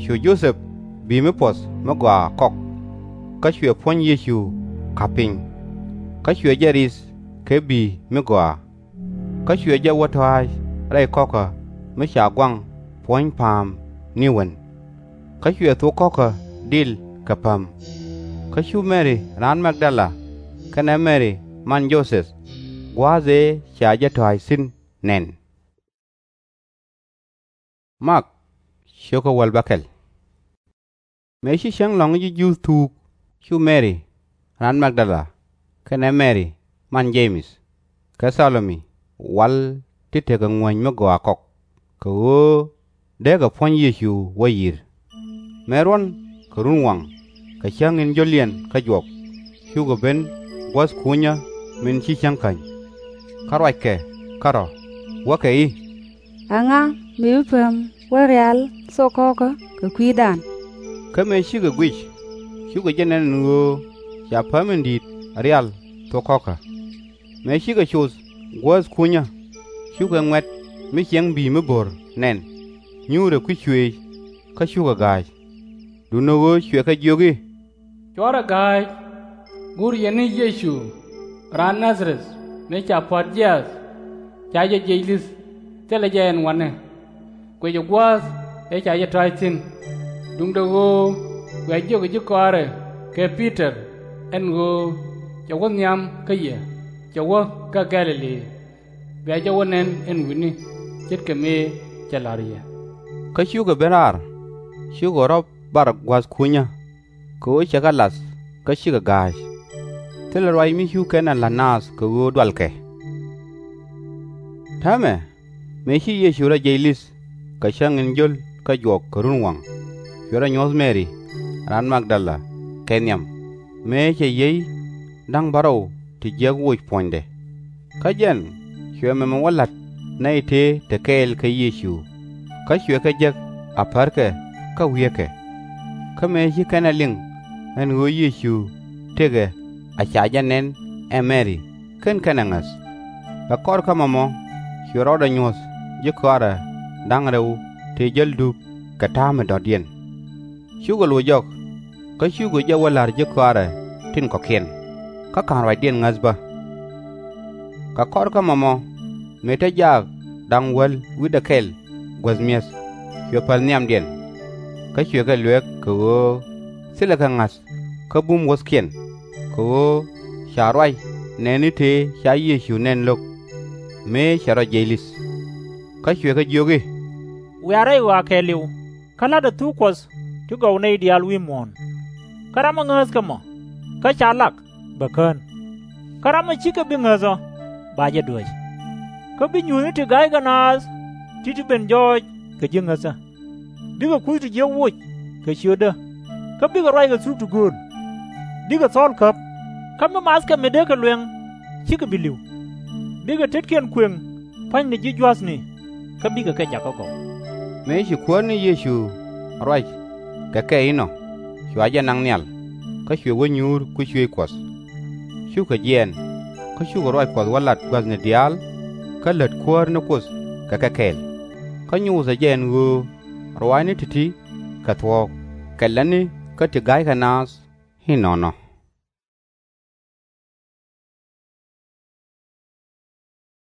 Cu Jo-thɛp bi̱i̱ mi puɔ̱th mi gɔaa kɔk, kä cuɛ puɔ̱ny Yecu ka̱p piny. Kä cuɛ jɛ ri̱th kɛ bi̱i̱ mi gɔaa. Kä cuɛ jɛ wä tɔ̱a̱c rɛy kɔ̱kä mi ca guaŋ puɔ̱ny pa̱a̱m ni wen. Kä cuɛ thok kɔ̱kä dil kɛ päm. Kä cu Mɛri raan Mag-dala kɛnɛ Mɛri man Jo-thɛth gua̱a̱th ëë ca jɛ tɔ̱a̱c thi̱n nɛn. Mëë ci cäŋ lɔ̱ŋ ji̱ Juudh thuuk, cu Mɛri raan Mag-dala kɛnɛ Mɛri man Je-mɛth kɛ Tha-lo-mi wal ti tekɛ ŋuäny mi gɔaa kɔk, kɛ ɣöö deekɛ puɔ̱ny Yecu wä yi̱r. Mëë ruɔ̱n kɛ runwaŋ, kɛ cäŋ in jio̱liɛn kä juɔk, cukɛ ben guäth kunyä min ci cäŋ käny. Kä ruackɛ kärɔ̱, wäkɛ i̱, Ɛŋa mi bi päm wä rial thok kɔ̱kä kɛ kui̱dan? Kä mëë cikɛ guic, cukɛ jɛ nɛn ɛn ɣöö ca päm in di̱i̱t rial thok kɔ̱kä. Mëë cikɛ coth guäth kunyä, cukɛ ŋuɛ̈t mi ciɛŋ bi̱i̱ mi bo̱r nɛn, nyuurɛ kui̱c cuëëc, kä cukɛ ga̱a̱c. Duundɛ ɣöö cuɛ kɛ jiök i̱, Cuarɛ ga̱a̱c, gur yɛn ni Yecu raan Na-dha-rɛth mi ca pua̱t jiaath. Ca jɛ jiɛc li̱th, thilɛ jɛ ɛn wa̱nɛ. Guicɛ gua̱a̱th ëë ca jɛ tɔ̱a̱c thi̱n. Duundɛ ɣöö bia jiök ji̱ kɔaarɛ kɛ Pi-tɔr ɛn ɣöö cɛ wä nhiam kä yɛ, cɛ wä kä Gɛ̈-lɛ-li. Bia jɛ wä nɛn ɛn wi̱ni, ce̱tkɛ mëë cɛ la̱r yɛ. Kä cukɛ ben raar, cukɛ rɔ̱ bar guäth kunyä, kɛ ɣöö cɛ kɛ la̱th kä cikɛ ga̱a̱c. Thilɛ ruac mi cu kɛn ɛ la̱t naath kɛ ɣöö dualkɛ. Täämɛ, mëë ci Yecu rɔ jiɛc li̱th kɛ cäŋ in jiöl kä juɔk kɛ runwaŋ, cuɛ rɔ nyuɔ̱th Mɛri raan Mag-dala kɛ nhiam, mëë cɛ yiey da̱ŋ bärɔw ti jiäk woc puɔ̱nydɛ. Kä jɛn cuɛ mɛmɛ wä la̱t nɛy tëë te kɛɛl kɛ Yecu, kä cuɛ kɛ jek a pärkɛ kä wieekɛ. Kä mëë ci kɛn ɛ liŋ ɛn ɣöö Yecu tëkɛ a ca jɛ nɛn ɛ Mɛri, /ken kɛn ɛ ŋäth. Kɛ kɔr kä mɔmɔ, cuɛ rɔɔdɛ nyuɔ̱th ji̱ kɔaarɛ da̱ŋ rɛw tëë jäl dup kɛ ta̱a̱ mi dɔ̱diɛn. Cukɛ loc jɔk, kä cukɛ jɛ wä la̱r ji̱ kɔaarɛ tin kɔ̱kiɛn, kä /ka̱n ruacdiɛn ŋäth bä. Kɛ kɔr kä mɔmɔ, mëë te jaak da̱ŋ wäl wi̱cdɛ kɛl guäth mi̱eth, cuɛ päl nhiamdiɛn. Kä cuɛ kɛ luɛk kɛ ɣöö thilɛ kɛ ŋa̱th kä bum wuɔ̱thkiɛn, kɛ ɣöö ca ruac nɛɛni tëë ca Yecu nɛn lo̱k, mëë cɛ rɔ jiɛc li̱th. Kä cuɛ kɛ jiök i̱, Wiaa rɛy ɣɔaa kɛɛliw, kä la̱tdɛ thuk Kuɔth ti gɔw nɛy diaal wi̱i̱ muɔ̱ɔ̱n. Kä ram mi ŋääthkɛ mɔ, kä ca lak, bɛ kän. Kä ram ɔ /cikɛ bi ŋäth ɔ, ba jɛ duäc. Kä bi nyuuthni ti ga̱ykɛ naath ti̱ti̱ ben jɔɔc kɛ ji̱ ŋäthä. Bikɛ kuth ti jiäk woc kɛ ciötdä, kä bikɛ ruac kɛ thuk ti gööl. Bikɛ thɔɔl käp, kä mi mathkɛ mi dee kɛ luɛŋ /cikɛ bi li̱w. Bikɛ tetkiɛn kuëŋ pua̱nyni ji̱ jua̱thni, kä bikɛ kɛ jakä gɔw. Mëë ci Kuäär ni Yecu ruac kɛ kɛ inɔ, cua jɛ naŋ nhial, kä cuɛ wä nyuur kui̱ cuëëc Kuɔth. Cukɛ jiɛɛn, kä cukɛ ruac Kuɔth wä lat gua̱thni diaal, kä lät Kuäär ni Kuoth kɛ kɛ kɛɛl. Kä nyothɛ jɛ ɛn ɣöö ruaacni ti̱ti̱ kɛ thuɔ̱k, kɛ lätni kä ti ga̱ykɛ naath inɔnɔ.